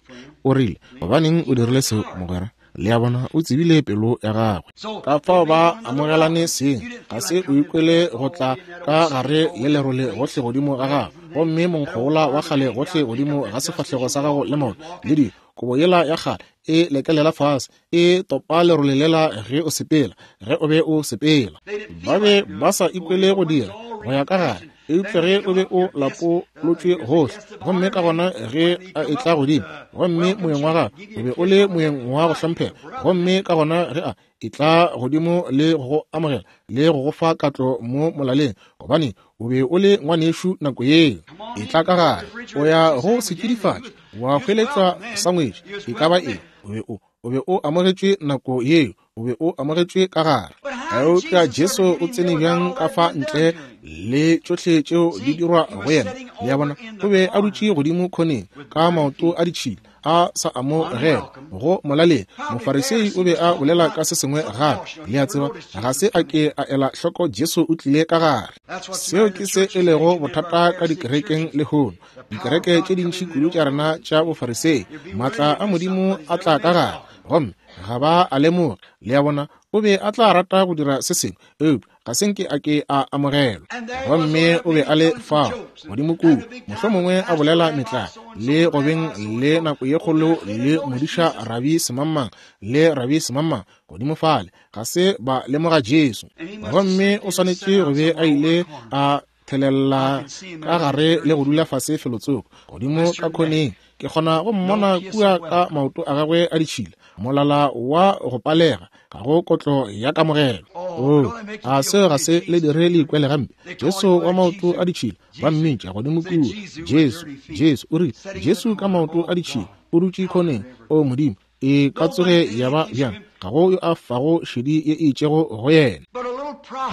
S1: O rile, gobaneng o dirile seo, mogwera? Le a bona, o tsebile pelo ya gagwe. Ka fao ba amogelane seng, ga se o ikwele go tla ka gare le lerole gohle godimo ga gago, gomme monkgo wola wa kgale gohle godimo ga sefahlego sa gago le maoto, le dilo, kobo yela ya kgale e lekelela fase, e topa lerole lela ge o sepela, ge o be o sepela. Ba be ba sa ikwele go dira go ya ka gare, eupša ge o be o lapolotšwe gohle, gomme ka gona ge a etla godimo, gomme moyeng wa gagwe o be o le moyeng wa go hlomphega, gomme ka gona ge a etla godimo le go go amogela le go go fa katlo mo molaleng, gobane o be o le ngwanešu nako yeo. Etla ka gare, o ya go setšidifatši, wa hweletšwa sangwetši, e ka ba eng, o be o o be o amogetšwe nako yeo, o be o amogetšwe ka gare. Eupša Jesu o tsene bjang ka fa ntle le tšohle tšeo di dirwa go yena? Le a bona, o be a dutše godimo khoneng ka maoto a ditšhila, a sa amogela go molaleng. Mofarisei o be a bolela ka se sengwe gape. Le a tseba, ga se a ke a ela hloko Jesu o tlile ka gare. Seo ke se e lego bothata ka dikerekeng lehono. Dikereke tše dintši kudu tša rena tša bofarisei, maatla a Modimo a tla ka gare, gomme ga ba a lemoge. Le a bona, o be a tla rata go dira se sengwe, eupša ga se nke a ke a amogelwa. Gomme o be a le fao godimo kua, mohlomongwe a bolela metlae, le go beng le nako ye kgolo le modiša Rabi Semangmang le Rabi Semangmang godimo fale, ga se ba lemoga Jesu. Gomme o swanetše go be a ile a thelela ka gare le go dula fase felotsoko godimo ka khoneng. Ke kgona go mmona kua ka maoto a gagwe a ditšhila, molala wa go palega, ga go kotlo ya kamogelo. Oh, a seo ga se le dire le ikwele gampe? Jesu wa maoto a ditšhila, ba mmitša godimo kua, Jesu, Jesu, o rile, Jesu ka maoto a ditšhila, o dutše khoneng. O Modimo, e ka tsoge ya ba bjang? Ga go yo a fago šedi ye e itšego go yena.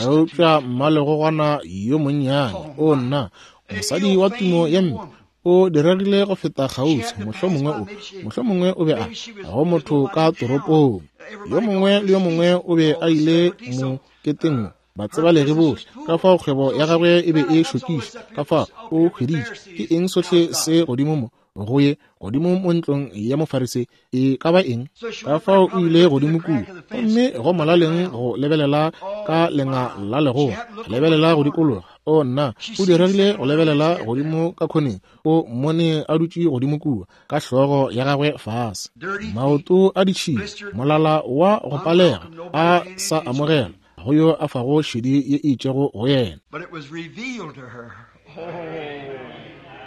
S1: Eupša mmalegogwana yo monnyane, o nna, mosadi wa tumo ya mpe, o diregile go feta kgauswi, mohlomongwe o, mohlomongwe o be a go motho ka toropong. Yo mongwe le yo mongwe o be a ile moketeng, batsebalegi bohle. Ka fao kgwebo ya gagwe e be e šokiša, ka fao o hweditše ke eng sohle se godimo mo go ye godimo mo ntlong ya Mofarisei, e ka ba eng? Ka fao o ile godimo kua, gomme go molaleng go lebelela ka lenga la legoa, lebelela go dikologa. O nna, o diregile go lebelela godimo ka khoneng, o mmone a dutše godimo kua ka hlogo ya gagwe fase, maoto a ditšhila, molala wa go palega, a sa amogela go yo a fago šedi ye e itšego go yena.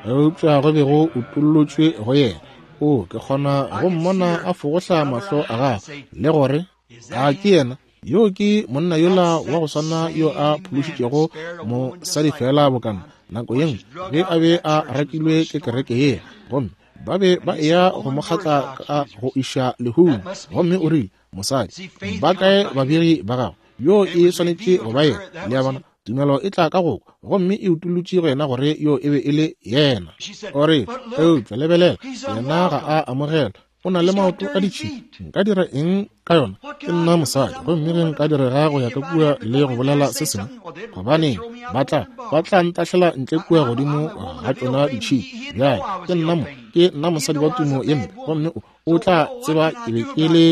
S1: Eupša go be go utollotšwe go yena. O, ke kgona go mmona a fogohla mahlo a gagwe le gore, a ke yena? Yo ke monna yola wa go swana yo a phološitšego mosadi fela bokana nako ye nngwe ge a be a rakilwe ke kereke ye, gomme ba be ba eya go mo kgatla ka go iša lehung. Gomme o rile, mosadi, ba kae babegi ba gago? Yo e swanetše go ba yena. Le a bona, tumelo e tla ka go kwa, gomme e utolotše go yena gore yo e be e le yena. O re, eupša lebelela, yena ga a amogelwa, o na le maoto a ditšhila. Nka dira eng ka yona? Ke nna mosadi, gomme ge nka direga go ya ka kua le go bolela se sengwe, gobaneng ba tla ba tla ntahlela ntle kua godimo ga tšona ditšhila. Bjale ke nna mo, ke nna mosadi wa tumo ye mpe, gomme o, o tla tseba ke be ke le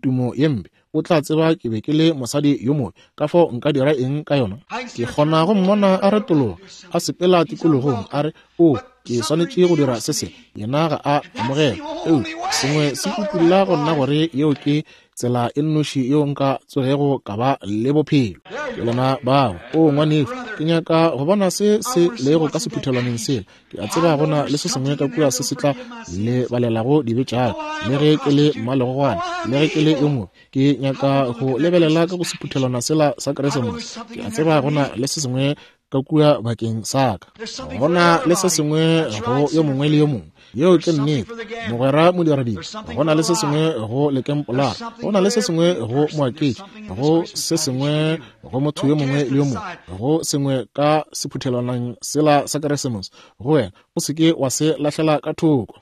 S1: tumo ye mpe, o tla tseba ke be ke le mosadi yo mobe. Ka fao nka dira eng ka yona? Ke kgona go mmona a retologa, a sepela tikologong, a re, o, ke swanetše go dira se sengwe. Yena ga a amogela. Eupša sengwe se utolla go nna gore yeo ke tsela e nnoši yeo nka tsogego ka ba le bophelo. Ke lena bao. O ngwanešu, ke nyaka go bona se se lego ka sephuthelwaneng sela. Ke a tseba gona le se sengwe ka kua se se tla le balelago dibe tša ka, le ge ke le mmalegogwana, le ge ke le yo mobe. Ke nyaka go lebelela ka go sephuthelwana sela sa Keresemose. Ke a tseba gona le se sengwe ka kua bakeng sa ka. Gona le se sengwe go yo mongwe le yo mongwe. Yeo ke nnete, mogwera modiradibe. Go na le se sengwe go lekempolara, go na le se sengwe go moaketši, go se sengwe go motho yo mongwe le yo mongwe, go sengwe ka sephuthelwaneng sela sa Keresemose go wena. O se ke wa se lahlela ka thoko.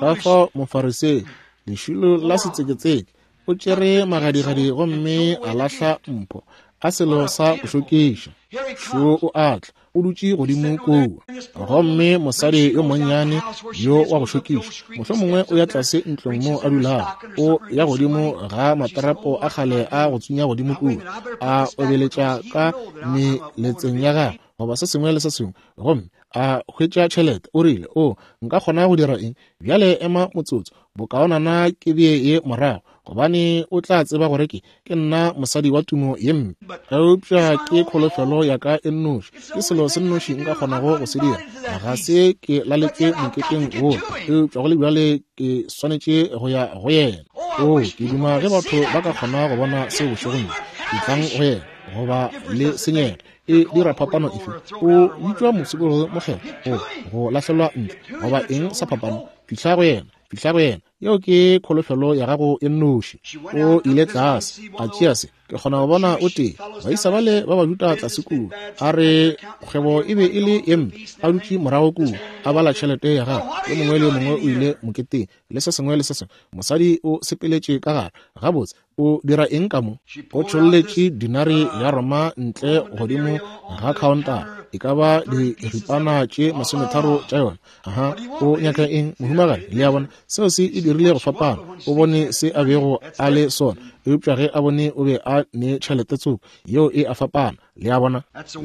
S1: Ka fao Mofarisei, lešilo la setseketseke, o tšere magadigadi gomme a lahla mpho, a selo sa go šokiša. Šo o atla, o dutše godimo kua. Gomme mosadi yo monnyane yo wa go šokiša, mohlomongwe o ya tlase ntlong mo a dulago, o ya godimo ga materapo a kgale a go tsunya godimo kua, a obeletša ka meletseng ya gagwe goba se sengwe le se sengwe, gomme a hwetša tšhelete. O rile, o nka kgona go dira eng bjale? Ema motsotso, bokaonana ke bee ye morago, gobane o tla tseba gore ke ke nna mosadi wa tumo ye mpe. Eupša ke kholofelo ya ka e nnoši, ke selo se nnoši nka kgonago go se dira. Ga se ke laletše moketeng wo, eupša go le bjale ke swanetše go ya go yena. O, ke duma ge batho ba ka kgona go bona seo bošegong bjo. Etlang go yena, goba le senyega. E dira phapano efe? O bitšwa mosokologi mokgethwa, o go lahlelwa ntle, goba eng sa phapano? Fihla go yena, fihla go yena. Yeo ke kholofelo ya gago e nnoši. O ile tlase, a tšea se. Ke kgona go bona o tee baisa bale ba Bajuda tlase kua, a re kgwebo e be e le ye mpe, a dutše morago kua a bala tšhelete ya gagwe. Yo mongwe le yo mongwe o ile moketeng le se sengwe le se sengwe. Mosadi o sepeletše ka gare. Gabotse, o dira eng ka mo? O tšholletše dinari ya Roma ntle godimo ga khaontara, e ka ba diripana tše masometharo tša yona. Aha, o nyaka eng, mohumagadi? Le a bona, seo se e dirile go fapana. O bone se a bego a le sona, eupša ge a bone o be a ne tšhelete tsoko, yeo e a fapana. Le a bona,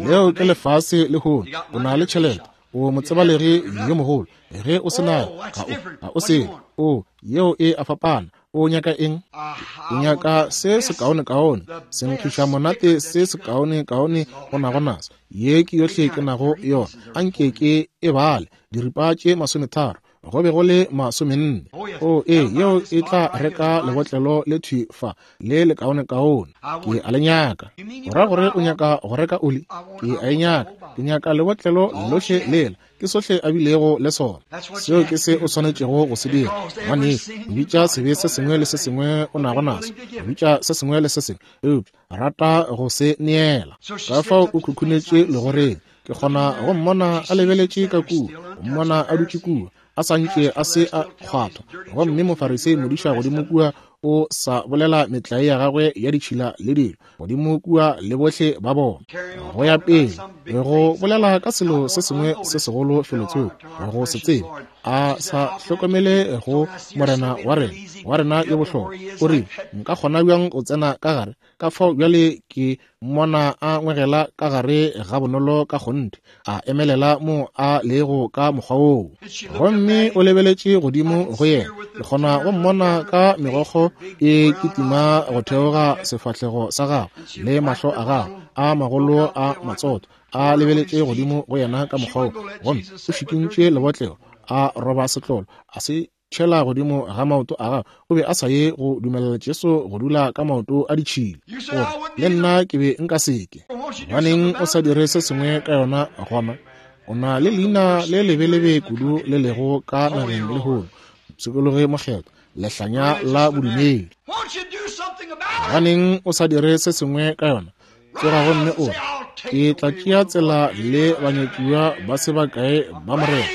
S1: leo ke lefase lehono. O na le tšhelete, o motsebalegi yo mogolo. Ge o se nayo, ga o, ga o selo. O, yeo e a fapana. O nyaka eng? O nyaka se sekaonekaone, senkgiša monate se sekaonekaone go nago naso. Ye ke yohle ke nago yona, anke ke e bale, diripa tše masometharo, go be go le masomenne. O, ee, yeo e tla reka lebotlelo le thwi fa le lekaonekaone. Ke a le nyaka. Go ra gore o nyaka go reka oli? Ke a e nyaka. Ke nyaka lebotlelo lohle lela. Ke sohle a bilego le sona. Seo ke se o swanetšego go se dira, ngwanešu. Bitša sebe se sengwe le se sengwe o nago naso, bitša se sengwe le se sengwe, eupša rata go se neela. Ka fao o khukhunetše legoreng. Ke kgona go mmona a lebeletše ka kua, go mmona a dutše kua, a sa ntše a se a kgwathwa. Gomme Mofarisei modiša godimo kua o sa bolela metlae ya gagwe ya ditšhila le dilo godimo kua le bohle ba bona, go ya pele go bolela ka selo se sengwe se segolo felotsoko, go se tsebe, a sa hlokomele go Morena wa rena, wa rena yo bohlokwa. O rile, nka kgona bjang go tsena ka gare? Ka fao bjale ke mmona a ngwegela ka gare ga bonolo ka kgonthe, a emelela mo a lego ka mokgwa woo. Gomme o lebeletše godimo go yena. Ke kgona go mmona ka megokgo e kitima go theoga sefahlego sa gagwe le mahlo a gagwe a magolo a matsotho, a lebeletše godimo go yena ka mokgwa woo. Gomme o šikintše lebotlelo, a roba setlolo, a se tšhela godimo ga maoto a gagwe. O be a sa ye go dumelela Jesu go dula ka maoto a ditšhila. Gore le nna ke be nka seke. Gobaneng o sa dire se sengwe ka yona gona? O na le leina le lebelebe kudu le lego ka nageng lehono, mopshikologi mokgethwa, lehlanya la bodumedi. Gobaneng o sa dire se sengwe ka yona? Tsoga gomme o re, ke tla tšea tsela le banyatšiwa ba se bakae ba Morena.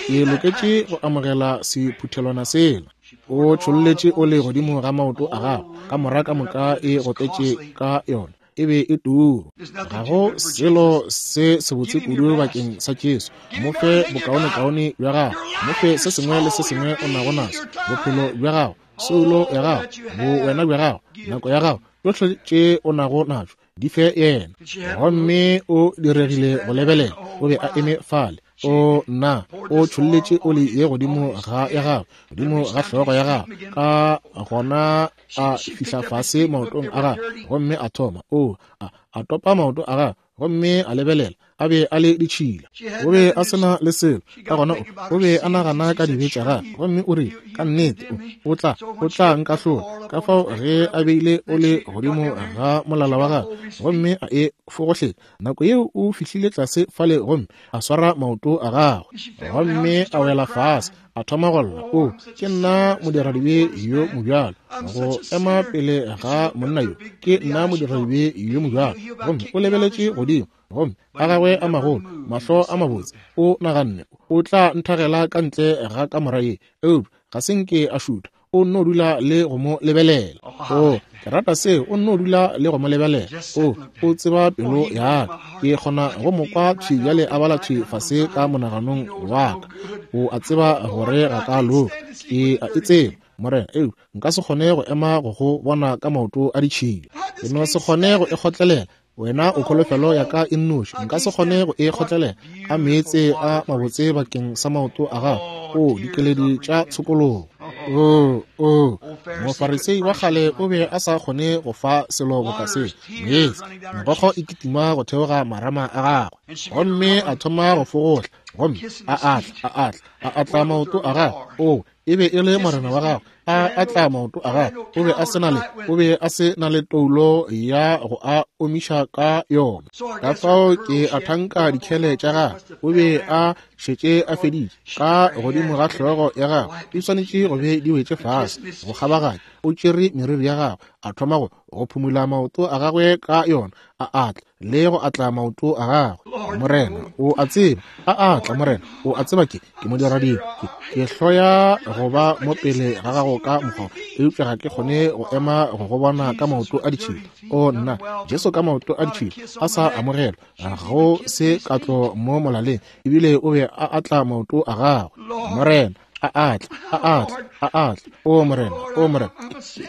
S1: Ke loketše go amogela sephuthelwana sela. O tšholletše ole godimo ga maoto a gagwe, ka mora ka moka e gotletše ka yona. E be e turu. Ga go selo se sebotse kudu bakeng sa Jesu. Mo fe bokaonekaone bja gago, mo fe se sengwe le se sengwe o nago naso, bophelo bja gago, soulo ya gago, bowena bja gago, nako ya gago, tšohle tše o nago najo, di fe yena. Gomme o diregile go lebelela, o be a eme fale. O nna, o tšholletše oli ye godimo ga ya gagwe, godimo ga hlogo ya gagwe, ka gona a fihla fase maotong a gagwe, gomme a thoma o a, A topa maoto a gagwe gomme a lebelela, a be a le ditšhila. O be a se na le selo. Ka gona o be a nagana ka dibe tša gagwe, gomme o rile, ka nnete o tla o tla nkahlola. Ka fao ge a beile o le godimo ga molala wa gagwe gomme a e fogohlela, nako yeo o fihlile tlase fale gomme a swara maoto a gagwe, gomme a wela fase, a thoma go lla. O, ke nna modiradibe yo mobjalo, go ema pele ga monna yo, ke nna modiradibe yo mobjalo. Gomme o lebeletše godimo, gomme a gagwe a magolo, mahlo a mabotse, o naganne o tla nthagela ka ntle ga kamora ye, eupša ga se nke a šutha. O nno dula le go mo lebelela. O, ke rata seo, o nno dula le go mo lebelela. O, o tseba pelo ya ka. Ke kgona go mo kwa thwi bjale a bala thwi fase ka monaganong wa ka. O a tseba gore ga ka loka. Ke a e tseba, Morena, eupša nka se kgone go ema go go bona ka maoto a ditšhila. Ke no se kgone go e kgotlelela. Wena o kholofelo ya ka e nnoši, nka se kgone go e kgotlelela. A meetse a mabotse bakeng sa maoto a gago, o dikeledi tša tshokologo. O, o, Mofarisei wa kgale o be a sa kgone go fa selo boka se. Meetse, megokgo e kitima go theoga marama a gagwe, gomme a thoma go fogohla, gomme a atla, a atla, a atla maoto a gagwe. O, e be e le morena wa gagwe, a atla maoto a gagwe. O be a se na le, o be a se na le toulo ya go a omiša ka yona. Ka fao ke a thanka dikhele tša gagwe, o be a šetše a feditše ka godimo ga hlogo ya gagwe, di swanetše go be di wetše fase go kgabaganya. O tšere meriri ya gagwe, a thoma go go phumula maoto a gagwe ka yona, a atla le go atla maoto a gagwe. Morena, o a tseba, a atla, Morena, o a tseba ke ke modiradibe, ke ke hloya go ba mo pele ga gago ka mokgwa, eupša ga ke kgone go ema go go bona ka maoto a ditšhila. O nna, Jesu ka maoto a ditšhila a sa amogelwa, go se katlo mo molaleng, ebile o be a atla maoto a gagwe. Morena, a atla, a atla, a atla. O Morena, o Morena,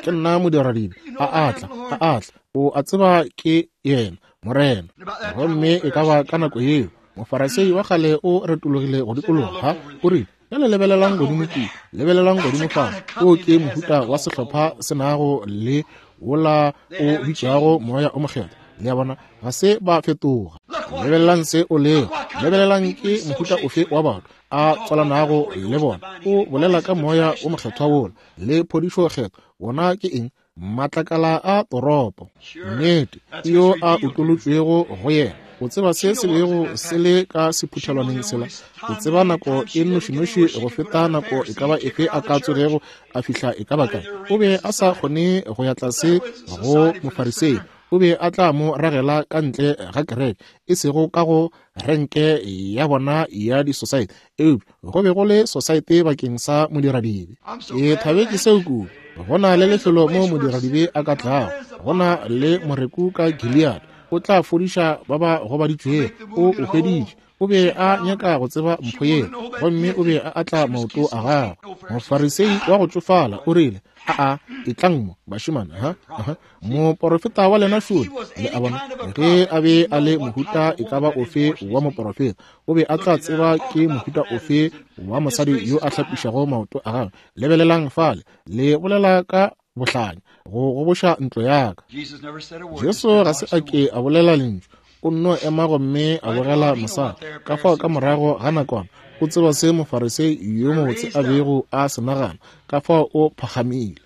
S1: ke nna modiradibe. A atla, a atla. O a tseba ke yena, Morena. Gomme e ka ba ka nako yeo Mofarisei wa kgale o retologile go dikologa, o rile, bjale lebelelang godimo kua, lebelelang godimo fa. O ke mohuta wa sehlopha se nago le wola o bitšwago moya o mokgethwa. Le a bona, ga se ba fetoga. Lebelelang se o lego, lebelelang ke mohuta ofe wa batho a tswalanago le bona. O bolela ka moya o mokgethwa wola le phodišo kgethwa, wona ke eng? Matlakala a toropo. Nnete, yo a utolotšwego go yena. O tseba se se bego se le ka sephuthelwaneng sela. O tseba nako e nnošinoši go feta nako e ka ba efe a ka tsogego a fihla e ka ba kae. O be a sa kgone go ya tlase go Mofarisei. O be a tla mo ragela ka ntle ga kereke, e sego ka go renke ya bona ya di-society, eupša go be go le society bakeng sa modiradibe. Ke thabetše seo kudu. Go na le lefelo mo modiradibe a ka tlago, go na le moreku ka Gilead, o tla fodiša ba ba gobaditšwego. O o hweditše. O be a nyaka go tseba mpho yeo, gomme o be a atla maoto a gagwe. Mofarisei wa go tšofala o rile, aa, etlang mo bašemane, ha aha, moporofeta wa lena šole. Le a bona, ge a be a le mohuta e ka ba ofe wa moporofeta, o be a tla tseba ke mohuta ofe wa mosadi yo a hlapišago maoto a gagwe. Lebelelang fale, le bolela ka bohlanya, go goboša ntlo ya ka. Jesu ga se a ke a bolela lentšu, o nno ema gomme a bogela mosadi. Ka fao ka morago ga nakwana o tseba se Mofarisei yo mobotse a bego a se nagana, ka fao o phakgamile.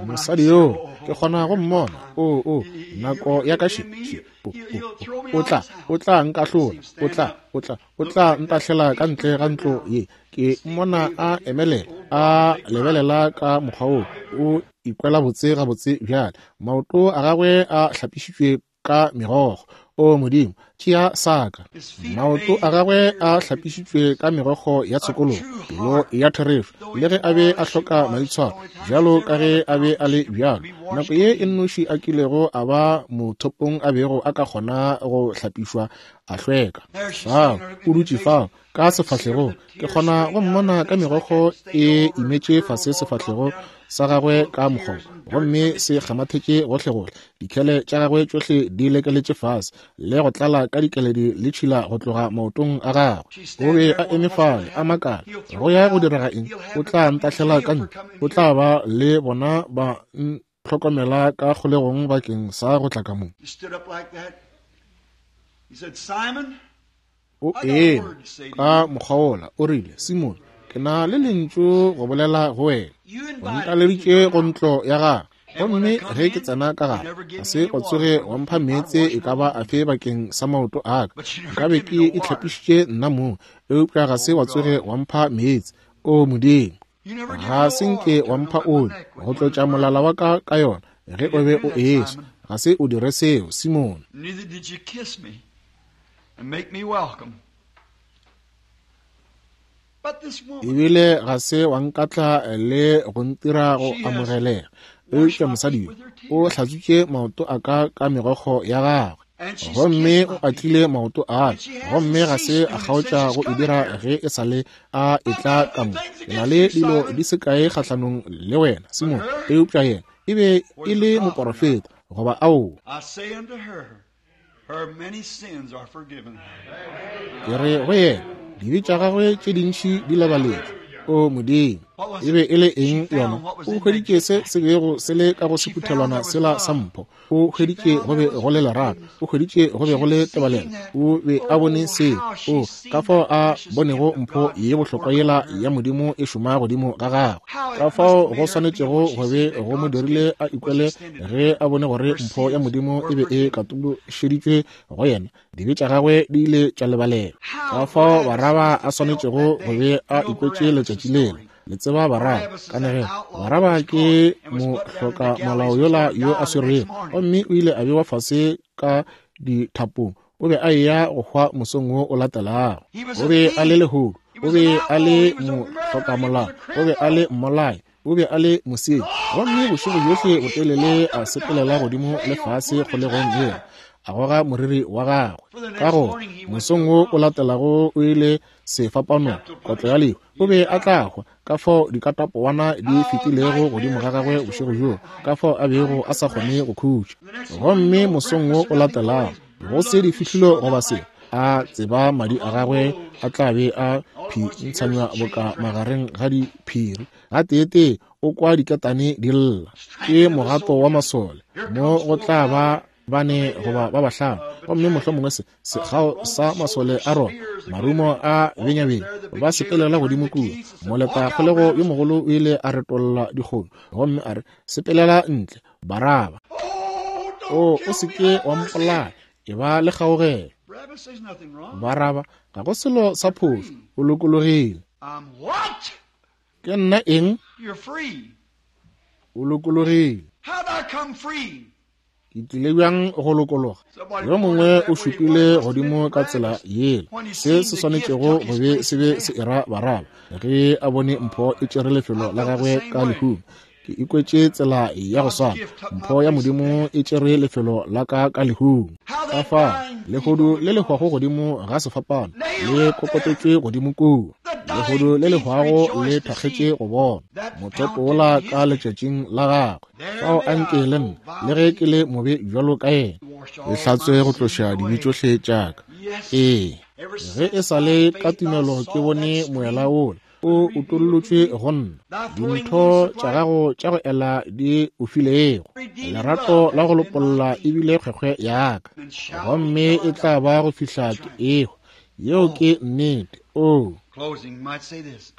S1: Mosadi yoo ke kgona go mmona. O, o, nako ya ka še, še, o, o, o tla, o tla nkahlola, o tla, o tla, o tla ntahlela ka ntle ga ntlo ye. Ke mmona a emelela, a lebelela ka mokgwa wo, o ikwela botse gabotse bjale. Maoto a gagwe a hlapišitšwe ka megokgo. O Modimo, tšea saka. Maoto a gagwe a hlapišitšwe ka megokgo ya tshokologo, pelo ya therešo, le ge a be a hloka maitshwaro bjalo ka ge a be a le bjalo. Nako ye e nnoši a kilego a ba mothopong a bego a ka kgona go hlapišwa a hlweka. Fao o dutše fao ka sefahlegong, ke kgona go mmona ka megokgo e imetše fase sefahlego sa gagwe ka mokgobo, gomme se kgamathetše gohlegohle. Dikhele tša gagwe tšohle di lekeletše fase le go tlala ka dikeledi le tšhila go tloga maotong a gagwe. O be a eme fale a makala, go ya go direga eng? O tla ntahlela ka ntle, o tla ba le bona ba ntlhokomela ka kgolegong bakeng sa go tla ka mo. O eme ka mokgwa wola, o rile, Simone, ke na le lentšu go bolela go wena. O ntaleditše go ntlo ya gagwe, gomme ge ke tsena ka gare, ga se wa tsoge wa mpha meetse e ka ba afe bakeng sa maoto a ka. Nkabe ke itlhapišitše nna mong, eupša ga se wa tsoge wa mpha meetse. O Modimo, ga se nke wa mpha oli go tlotša molala wa ka ka yona ge o be o eswa. Ga se o dire seo, Simone.
S2: Neither did you kiss me and make me welcome. But this woman,
S1: Ebile ga se wa nkatla le go ntira go amogelega. Eupša mosadi yo o hlatswitše maoto a ka ka megokgo ya gagwe, gomme o atlile maoto a ka, gomme ga se a kgaotša go e dira ge e sa le a etla ka mo. Ke na le dilo di se kae kgahlanong le wena, Simone, eupša yena e be e le moporofeta, goba aowa.
S2: I say unto her, her many sins are forgiven.
S1: Ke re go yena, dibe tša gagwe tše dintši di lebaletšwe. O Modimo, e be e le eng yona? O hweditše se se bego se le ka go sephuthelwana sela sa mpho. O hweditše go be go le lerato. O hweditše go be go le tebalelo. O be a bone seo. O ka fao a bonego mpho ye bohlokwa yela ya Modimo e šoma godimo ga gagwe. Ka fao go swanetšego go be go mo dirile a ikwele ge a bone gore mpho ya Modimo e be e katološeditšwe go yena. Dibe tša gagwe di ile tša lebalelwa. Ka fao Baraba a swanetšego go be a ikwetše letšatši lela. Le tseba Baraba kanegelo. Baraba ke mohloka molao yola yo a swerwego, gomme o ile a bewa fase ka dithapong. O be a eya go hwa mosong wo o latelago. O be a le lehodu, o be a le mohlokamolao, o be a le mmolai, o be a le mosenyi. Gomme bošego bjohle botelele a sepelela godimo le fase kgolegong yela, a goga moriri wa gagwe. Ka go mosong wo o latelago o ile sefapanong, kotlo ya lehu. O be a tla hwa. Ka fao dikatapowana di fetilego godimo ga gagwe bošego bjoo, ka fao a bego a sa kgone go khutša. Gomme mosong wo o latelago, go se di fihlilo goba se, a tseba madi a gagwe a tla be a phintshanywa boka magareng ga diphiri. Gateetee o kwa diketane di lla. Ke mogato wa masole. Mo go tla ba bane goba ba bahlano, gomme mohlomongwe se sekgao sa masole a rona, marumo a benyabenya, ba sepelela godimo kua. Moleta kgolego yo mogolo o ile a retolla dikgono gomme a re, sepelela ntle, Baraba. O o se ke wa mpolaya, e ba le kgaogelo.
S2: Barabbas, there's nothing wrong.
S1: Baraba, ga go selo sa phošo, o lokologile.
S2: I'm what?
S1: Ke nna eng?
S2: You're free.
S1: O lokologile.
S2: How'd I come free?
S1: Ke tlile bjang go lokologa? Yo mongwe o šupile godimo ka tsela yela. Se se swanetšego go be se be se era Baraba ge a bone mpho e tšere lefelo la gagwe ka lehung. Ke ikwetše tsela ya go swana. Mpho ya Modimo e tšere lefelo la ka ka lehung. Ka fao lehodu le le hwago godimo ga sefapano le kokotetšwe godimo kua. Lehodu le le hwago le thakgetše go bona mothopo wola ka letšatšing la gagwe. Fao a nke le nna, le ge ke le mobe bjalo ka yena, le hlatswe go tloša dibe tšohle tša ka. Ee, ge e sa le ka tumelo ke bone moela wola o utollotšwe go nna, dintho tša gago tša go ela di o filego, lerato la go lopolla ebile kgwekgwe ya ka, gomme e tla ba go fihla ke ehwa. Yeo ke nnete. O
S2: Closing might say this.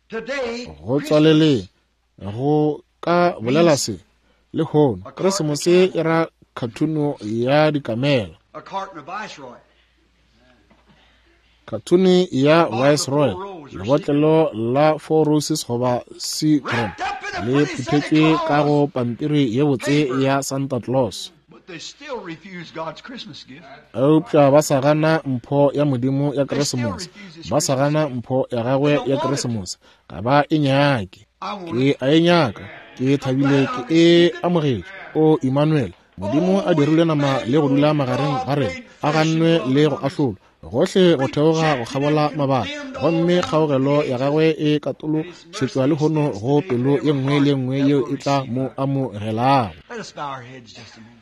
S2: Today,
S1: go tswaleleng go ka bolela se lehono, Keresemose e ra khathuno ya dikamela,
S2: a carton of Viceroy.
S1: khathuni ya Viceroy, lebotlelo la Four Roses goba Seagram le phuthetšwe ka go pampiri ye botse ya Santa Claus.
S2: But they still refuse God's Christmas gift.
S1: Eupša ba sa gana mpho ya Modimo ya Keresemose, ba sa gana mpho ya gagwe ya Keresemose. Ga ba e nyake. Ke a e nyaka, ke thabile ke e amogetše. O Emmanuel, Modimo a dirile nama le go dula magareng ga rena, a gannwe le go ahlolwa gohle go theoga go kgabola mabaka, gomme kgaogelo ya gagwe e katološetšwa lehono go pelo ye nngwe le ye nngwe yeo e tla mo amogelago.
S2: Let us bow our heads just a moment.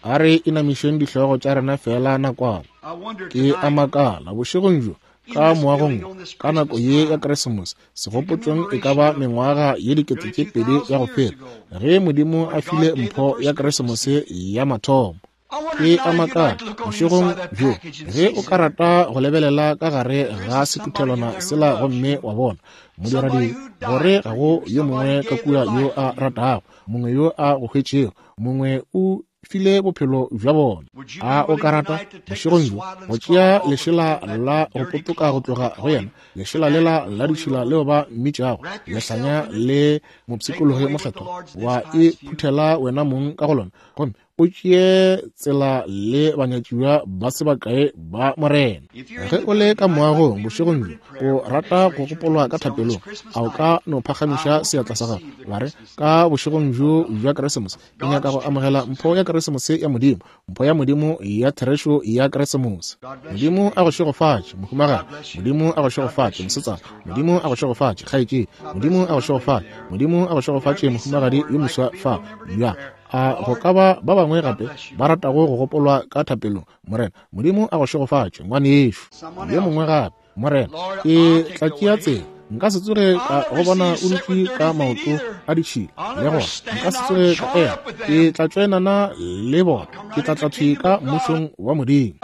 S1: A re inamišeng dihlogo tša rena fela nakwana.
S2: I wonder
S1: Ke a
S2: tonight,
S1: makala bošegong bjo ka moagong wo, ka nako ye ya Keresemose, segopotšong e ka ba mengwaga ye dikete tše pedi ya go feta, ge Modimo a file mpho ya Keresemose ya mathomo. Ke a makala bošegong bjo ge o ka rata go lebelela ka gare ga sephuthelwana sela gomme wa bona modiradibe, gore ga go yo mongwe ka kua yo a ratago, mongwe yo a go hwetšego, mongwe o file bophelo bja bona. A o ka rata bošegong bjo go tšea lešela la go potoka go tloga go yena, lešela lela la ditšhila leo ba mmitšago lehlanya le mopshikologi mokgethwa, wa e phuthela wena mong ka go lona, gomme o tšee tsela le banyatšiwa ba se bakae ba Morena. Ge o le ka moagong bošegong bjo o rata go gopolwa ka thapelong, a o ka no phagamiša seatla sa gago wa re, ka bošegong bjo bja Keresemose ke nyaka go amogela mpho ya Keresemose ya Modimo, mpho ya Modimo ya therešo ya Keresemose. Modimo a go šegofatše, mohumagadi. Modimo a go šegofatše, mosetsana. Modimo a go šegofatše, kgaetšedi. Modimo a go šegofatše. Modimo a go šegofatše, mohumagadi yo moswa fa. Ya a go ka ba ba bangwe gape ba ratago go gopolwa ka thapelong. Morena Modimo a go šegofatše, ngwanešo. Yo mongwe gape. Morena, ke tla tšea tsela, nka se tsoge ka go bona o dutše ka maoto a ditšhila, le gona nka se tsoge ka ema. Ke tla tšoenana le bona, ke tla tla thwi ka mmušong wa Modimo.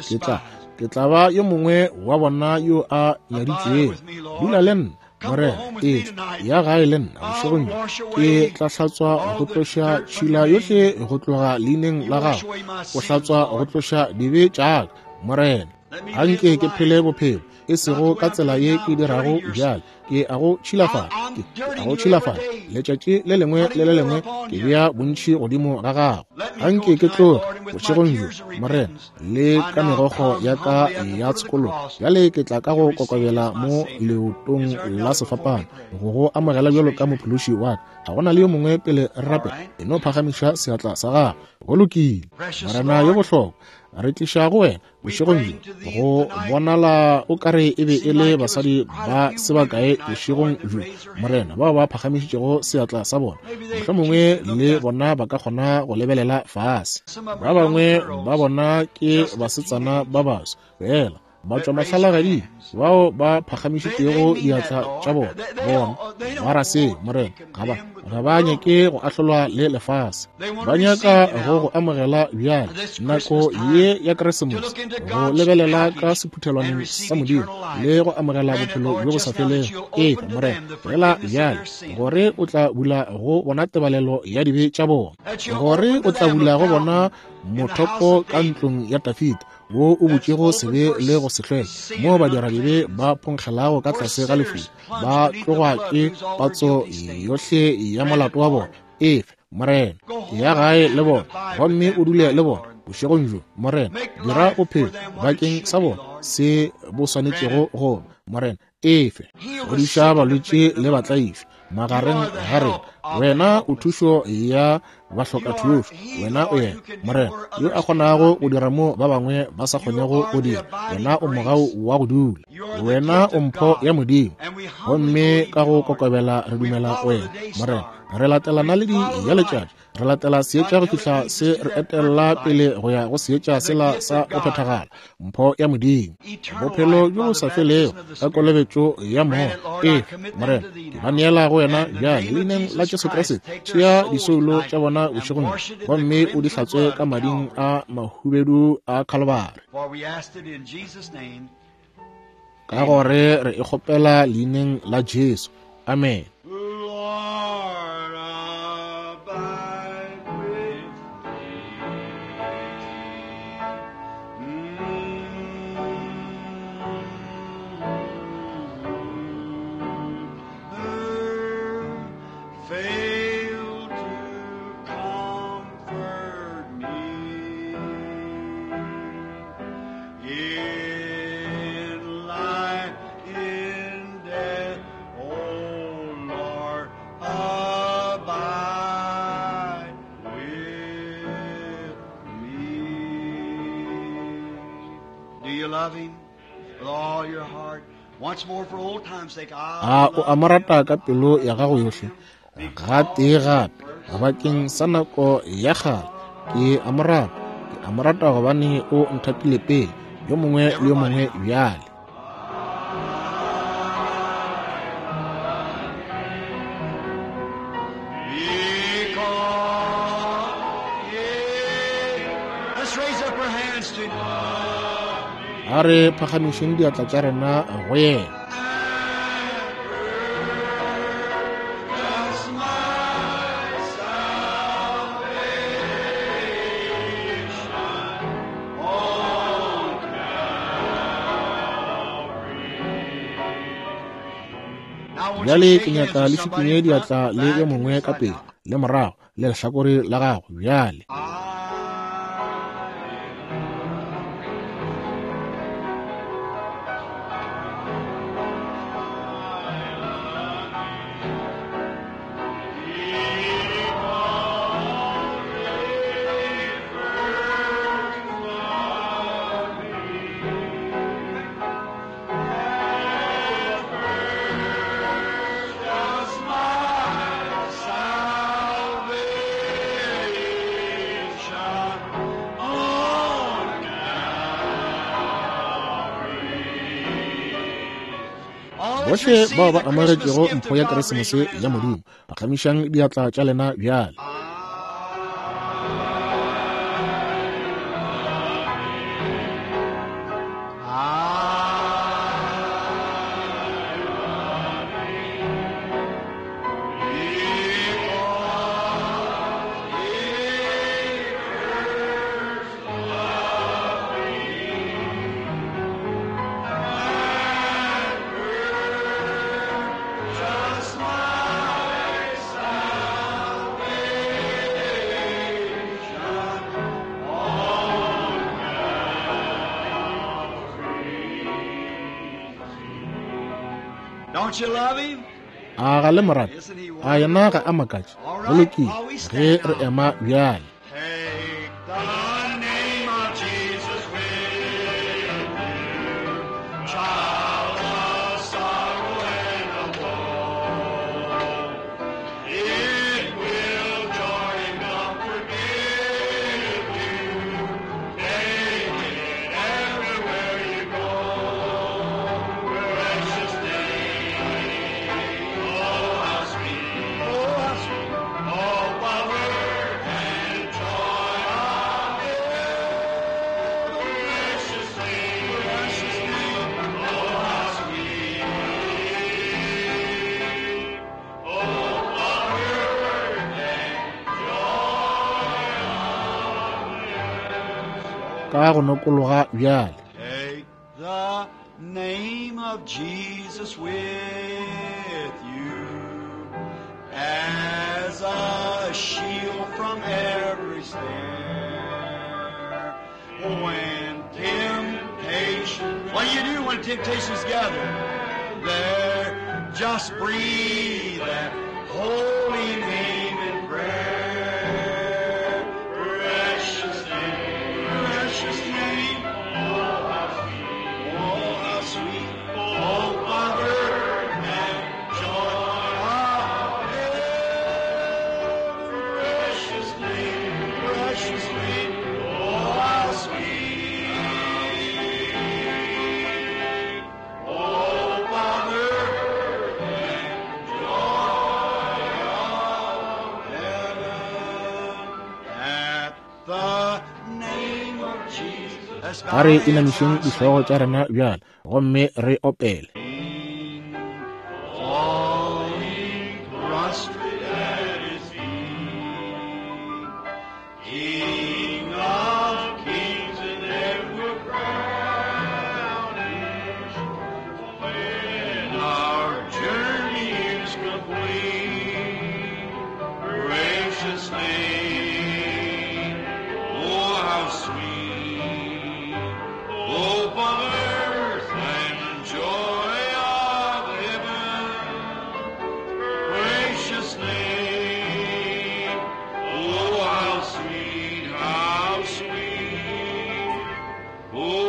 S1: Ke tla ke tla ba yo mongwe wa bona yo a nyaditšwego. Dula le nna, Morena, etla ya gae le nna bošegong bjo. Ke tla hlatswa go tloša tšhila yohle go tloga leineng la gago, go hlatswa go tloša dibe tša ka, Morena. Anke ke phele bophelo e sego ka tsela ye ke dirago bjale. Ke a go tšhilafatša, ke a go tšhilafatša letšatši le lengwe le le lengwe, ke bea bontši godimo ga gago. Anke ke tloge bošegong bjo, Morena, le ka megokgo ya ka ya tshokologo. Bjale ke tla ka go kokobela mo leotong la sefapano go go amogela bjalo ka mophološi wa ka. Ga go na le yo mongwe pele re rapela, e no phagamiša seatla sa gago. Go lokile. Morena yo bohlokwa, re tliša go wena bošegong bjo. Go bonala o kare e be e le basadi ba se bakae bošegong bjo, Morena, bao ba phagamišitšego seatla sa bona. Mohlomongwe le bona ba ka kgona go lebelela fase. Ba bangwe ba bona ke basetsana ba baswa fela ba tšwa mahlalagading bao ba phagamišitšego diatla tša bona. Bona ba ra se, Morena, ga ba ga ba nyake go ahlolwa le lefase, ba nyaka go go amogela bjale nako ye ya Keresemose, go lebelela ka sephuthelwaneng sa Modimo le go amogela bophelo bjo bo sa felego. Ee, Morena, fela bjale gore o tla bula go bona tebalelo ya dibe tša bona, gore o tla bula go bona mothopo ka ntlong ya Dafida wo o butšego sebe le go se hlweke, moo badiradibe ba phonkgelago ka tlase ga lefula, ba tlogwa ke patso yohle ya molato wa bona. Efe, Morena, ya gae le bona gomme o dule le bona bošegong bjo. Morena, dira bophelo bakeng sa bona se bo swanetšego go. Morena, efe, fodiša balwetši le batlaišwa magareng ga rena. Wena o thušo ya bahloka thušo, wena o yena, Morena, yo a kgonago go dira mo ba bangwe ba sa kgonego go dira. Wena o mogau wa go dula, wena o mpho ya Modimo, gomme ka go kokobela re dumela wena, Morena. Re latela naledi ya letšatši, re latela seetša go fihla se re etella pele go ya go seetša sela sa go phethagala, mpho ya Modimo, bophelo bjo bo sa felego ka kolobetšo ya Moya. Ee, Morena, ke ba neela go wena bjale leineng la Jesu Kriste. Tšea disoulo tša bona bošegong gomme o di hlatswe ka mading a mahubedu a Kalvari, ka gore re e kgopela leineng la Jesu. Amen. A o a mo rata ka pelo ya gago yohle? Gatee gape, bakeng sa nako ya kgale, ke a mo rata, ke a mo rata gobane o nthatile pele, yo mongwe le yo mongwe bjale.
S2: Because
S1: A re phagamišeng diatla tša rena go yena. Bjale ke nyaka le šikinye diatla le yo mongwe ka pele le morago le lehlakore la gago bjale. Bohle bao ba amogetšego mpho ya Keresemose ya Modimo, phagamišang diatla tša lena bjale.
S2: Don't you love him?
S1: A ga le morate? A yena ga a makatše? Go lokile, ge re ema bjale.
S2: Take the name of Jesus with you, child of sorrow and of woe. It will joy and comfort give you. Take it everywhere you go. Precious name, oh how sweet, oh how sweet, oh power and joy of heaven. Precious name, precious name, oh how sweet, oh power and
S1: Ka go nokologa bjale.
S2: Take the name of Jesus with you as a shield from every snare. When temptation, what do you do when temptations gather? There, just breathe that holy name in prayer. Precious name, precious name. Oh, how sweet, oh, how sweet, oh, Father, and joy of heaven. Precious name, precious name, oh, how sweet. Oh, Father, and joy of heaven. At the name of Jesus. Let's bow
S1: A re
S2: our heads
S1: inamišeng
S2: now.
S1: dihlogo tša rena bjale gomme re opele.
S2: Falling prostrate at his feet, King of kings and ever crowned, when our journey is complete, precious name, oh how sweet, hope of earth and joy of heaven. Precious name, oh how sweet, how sweet, oh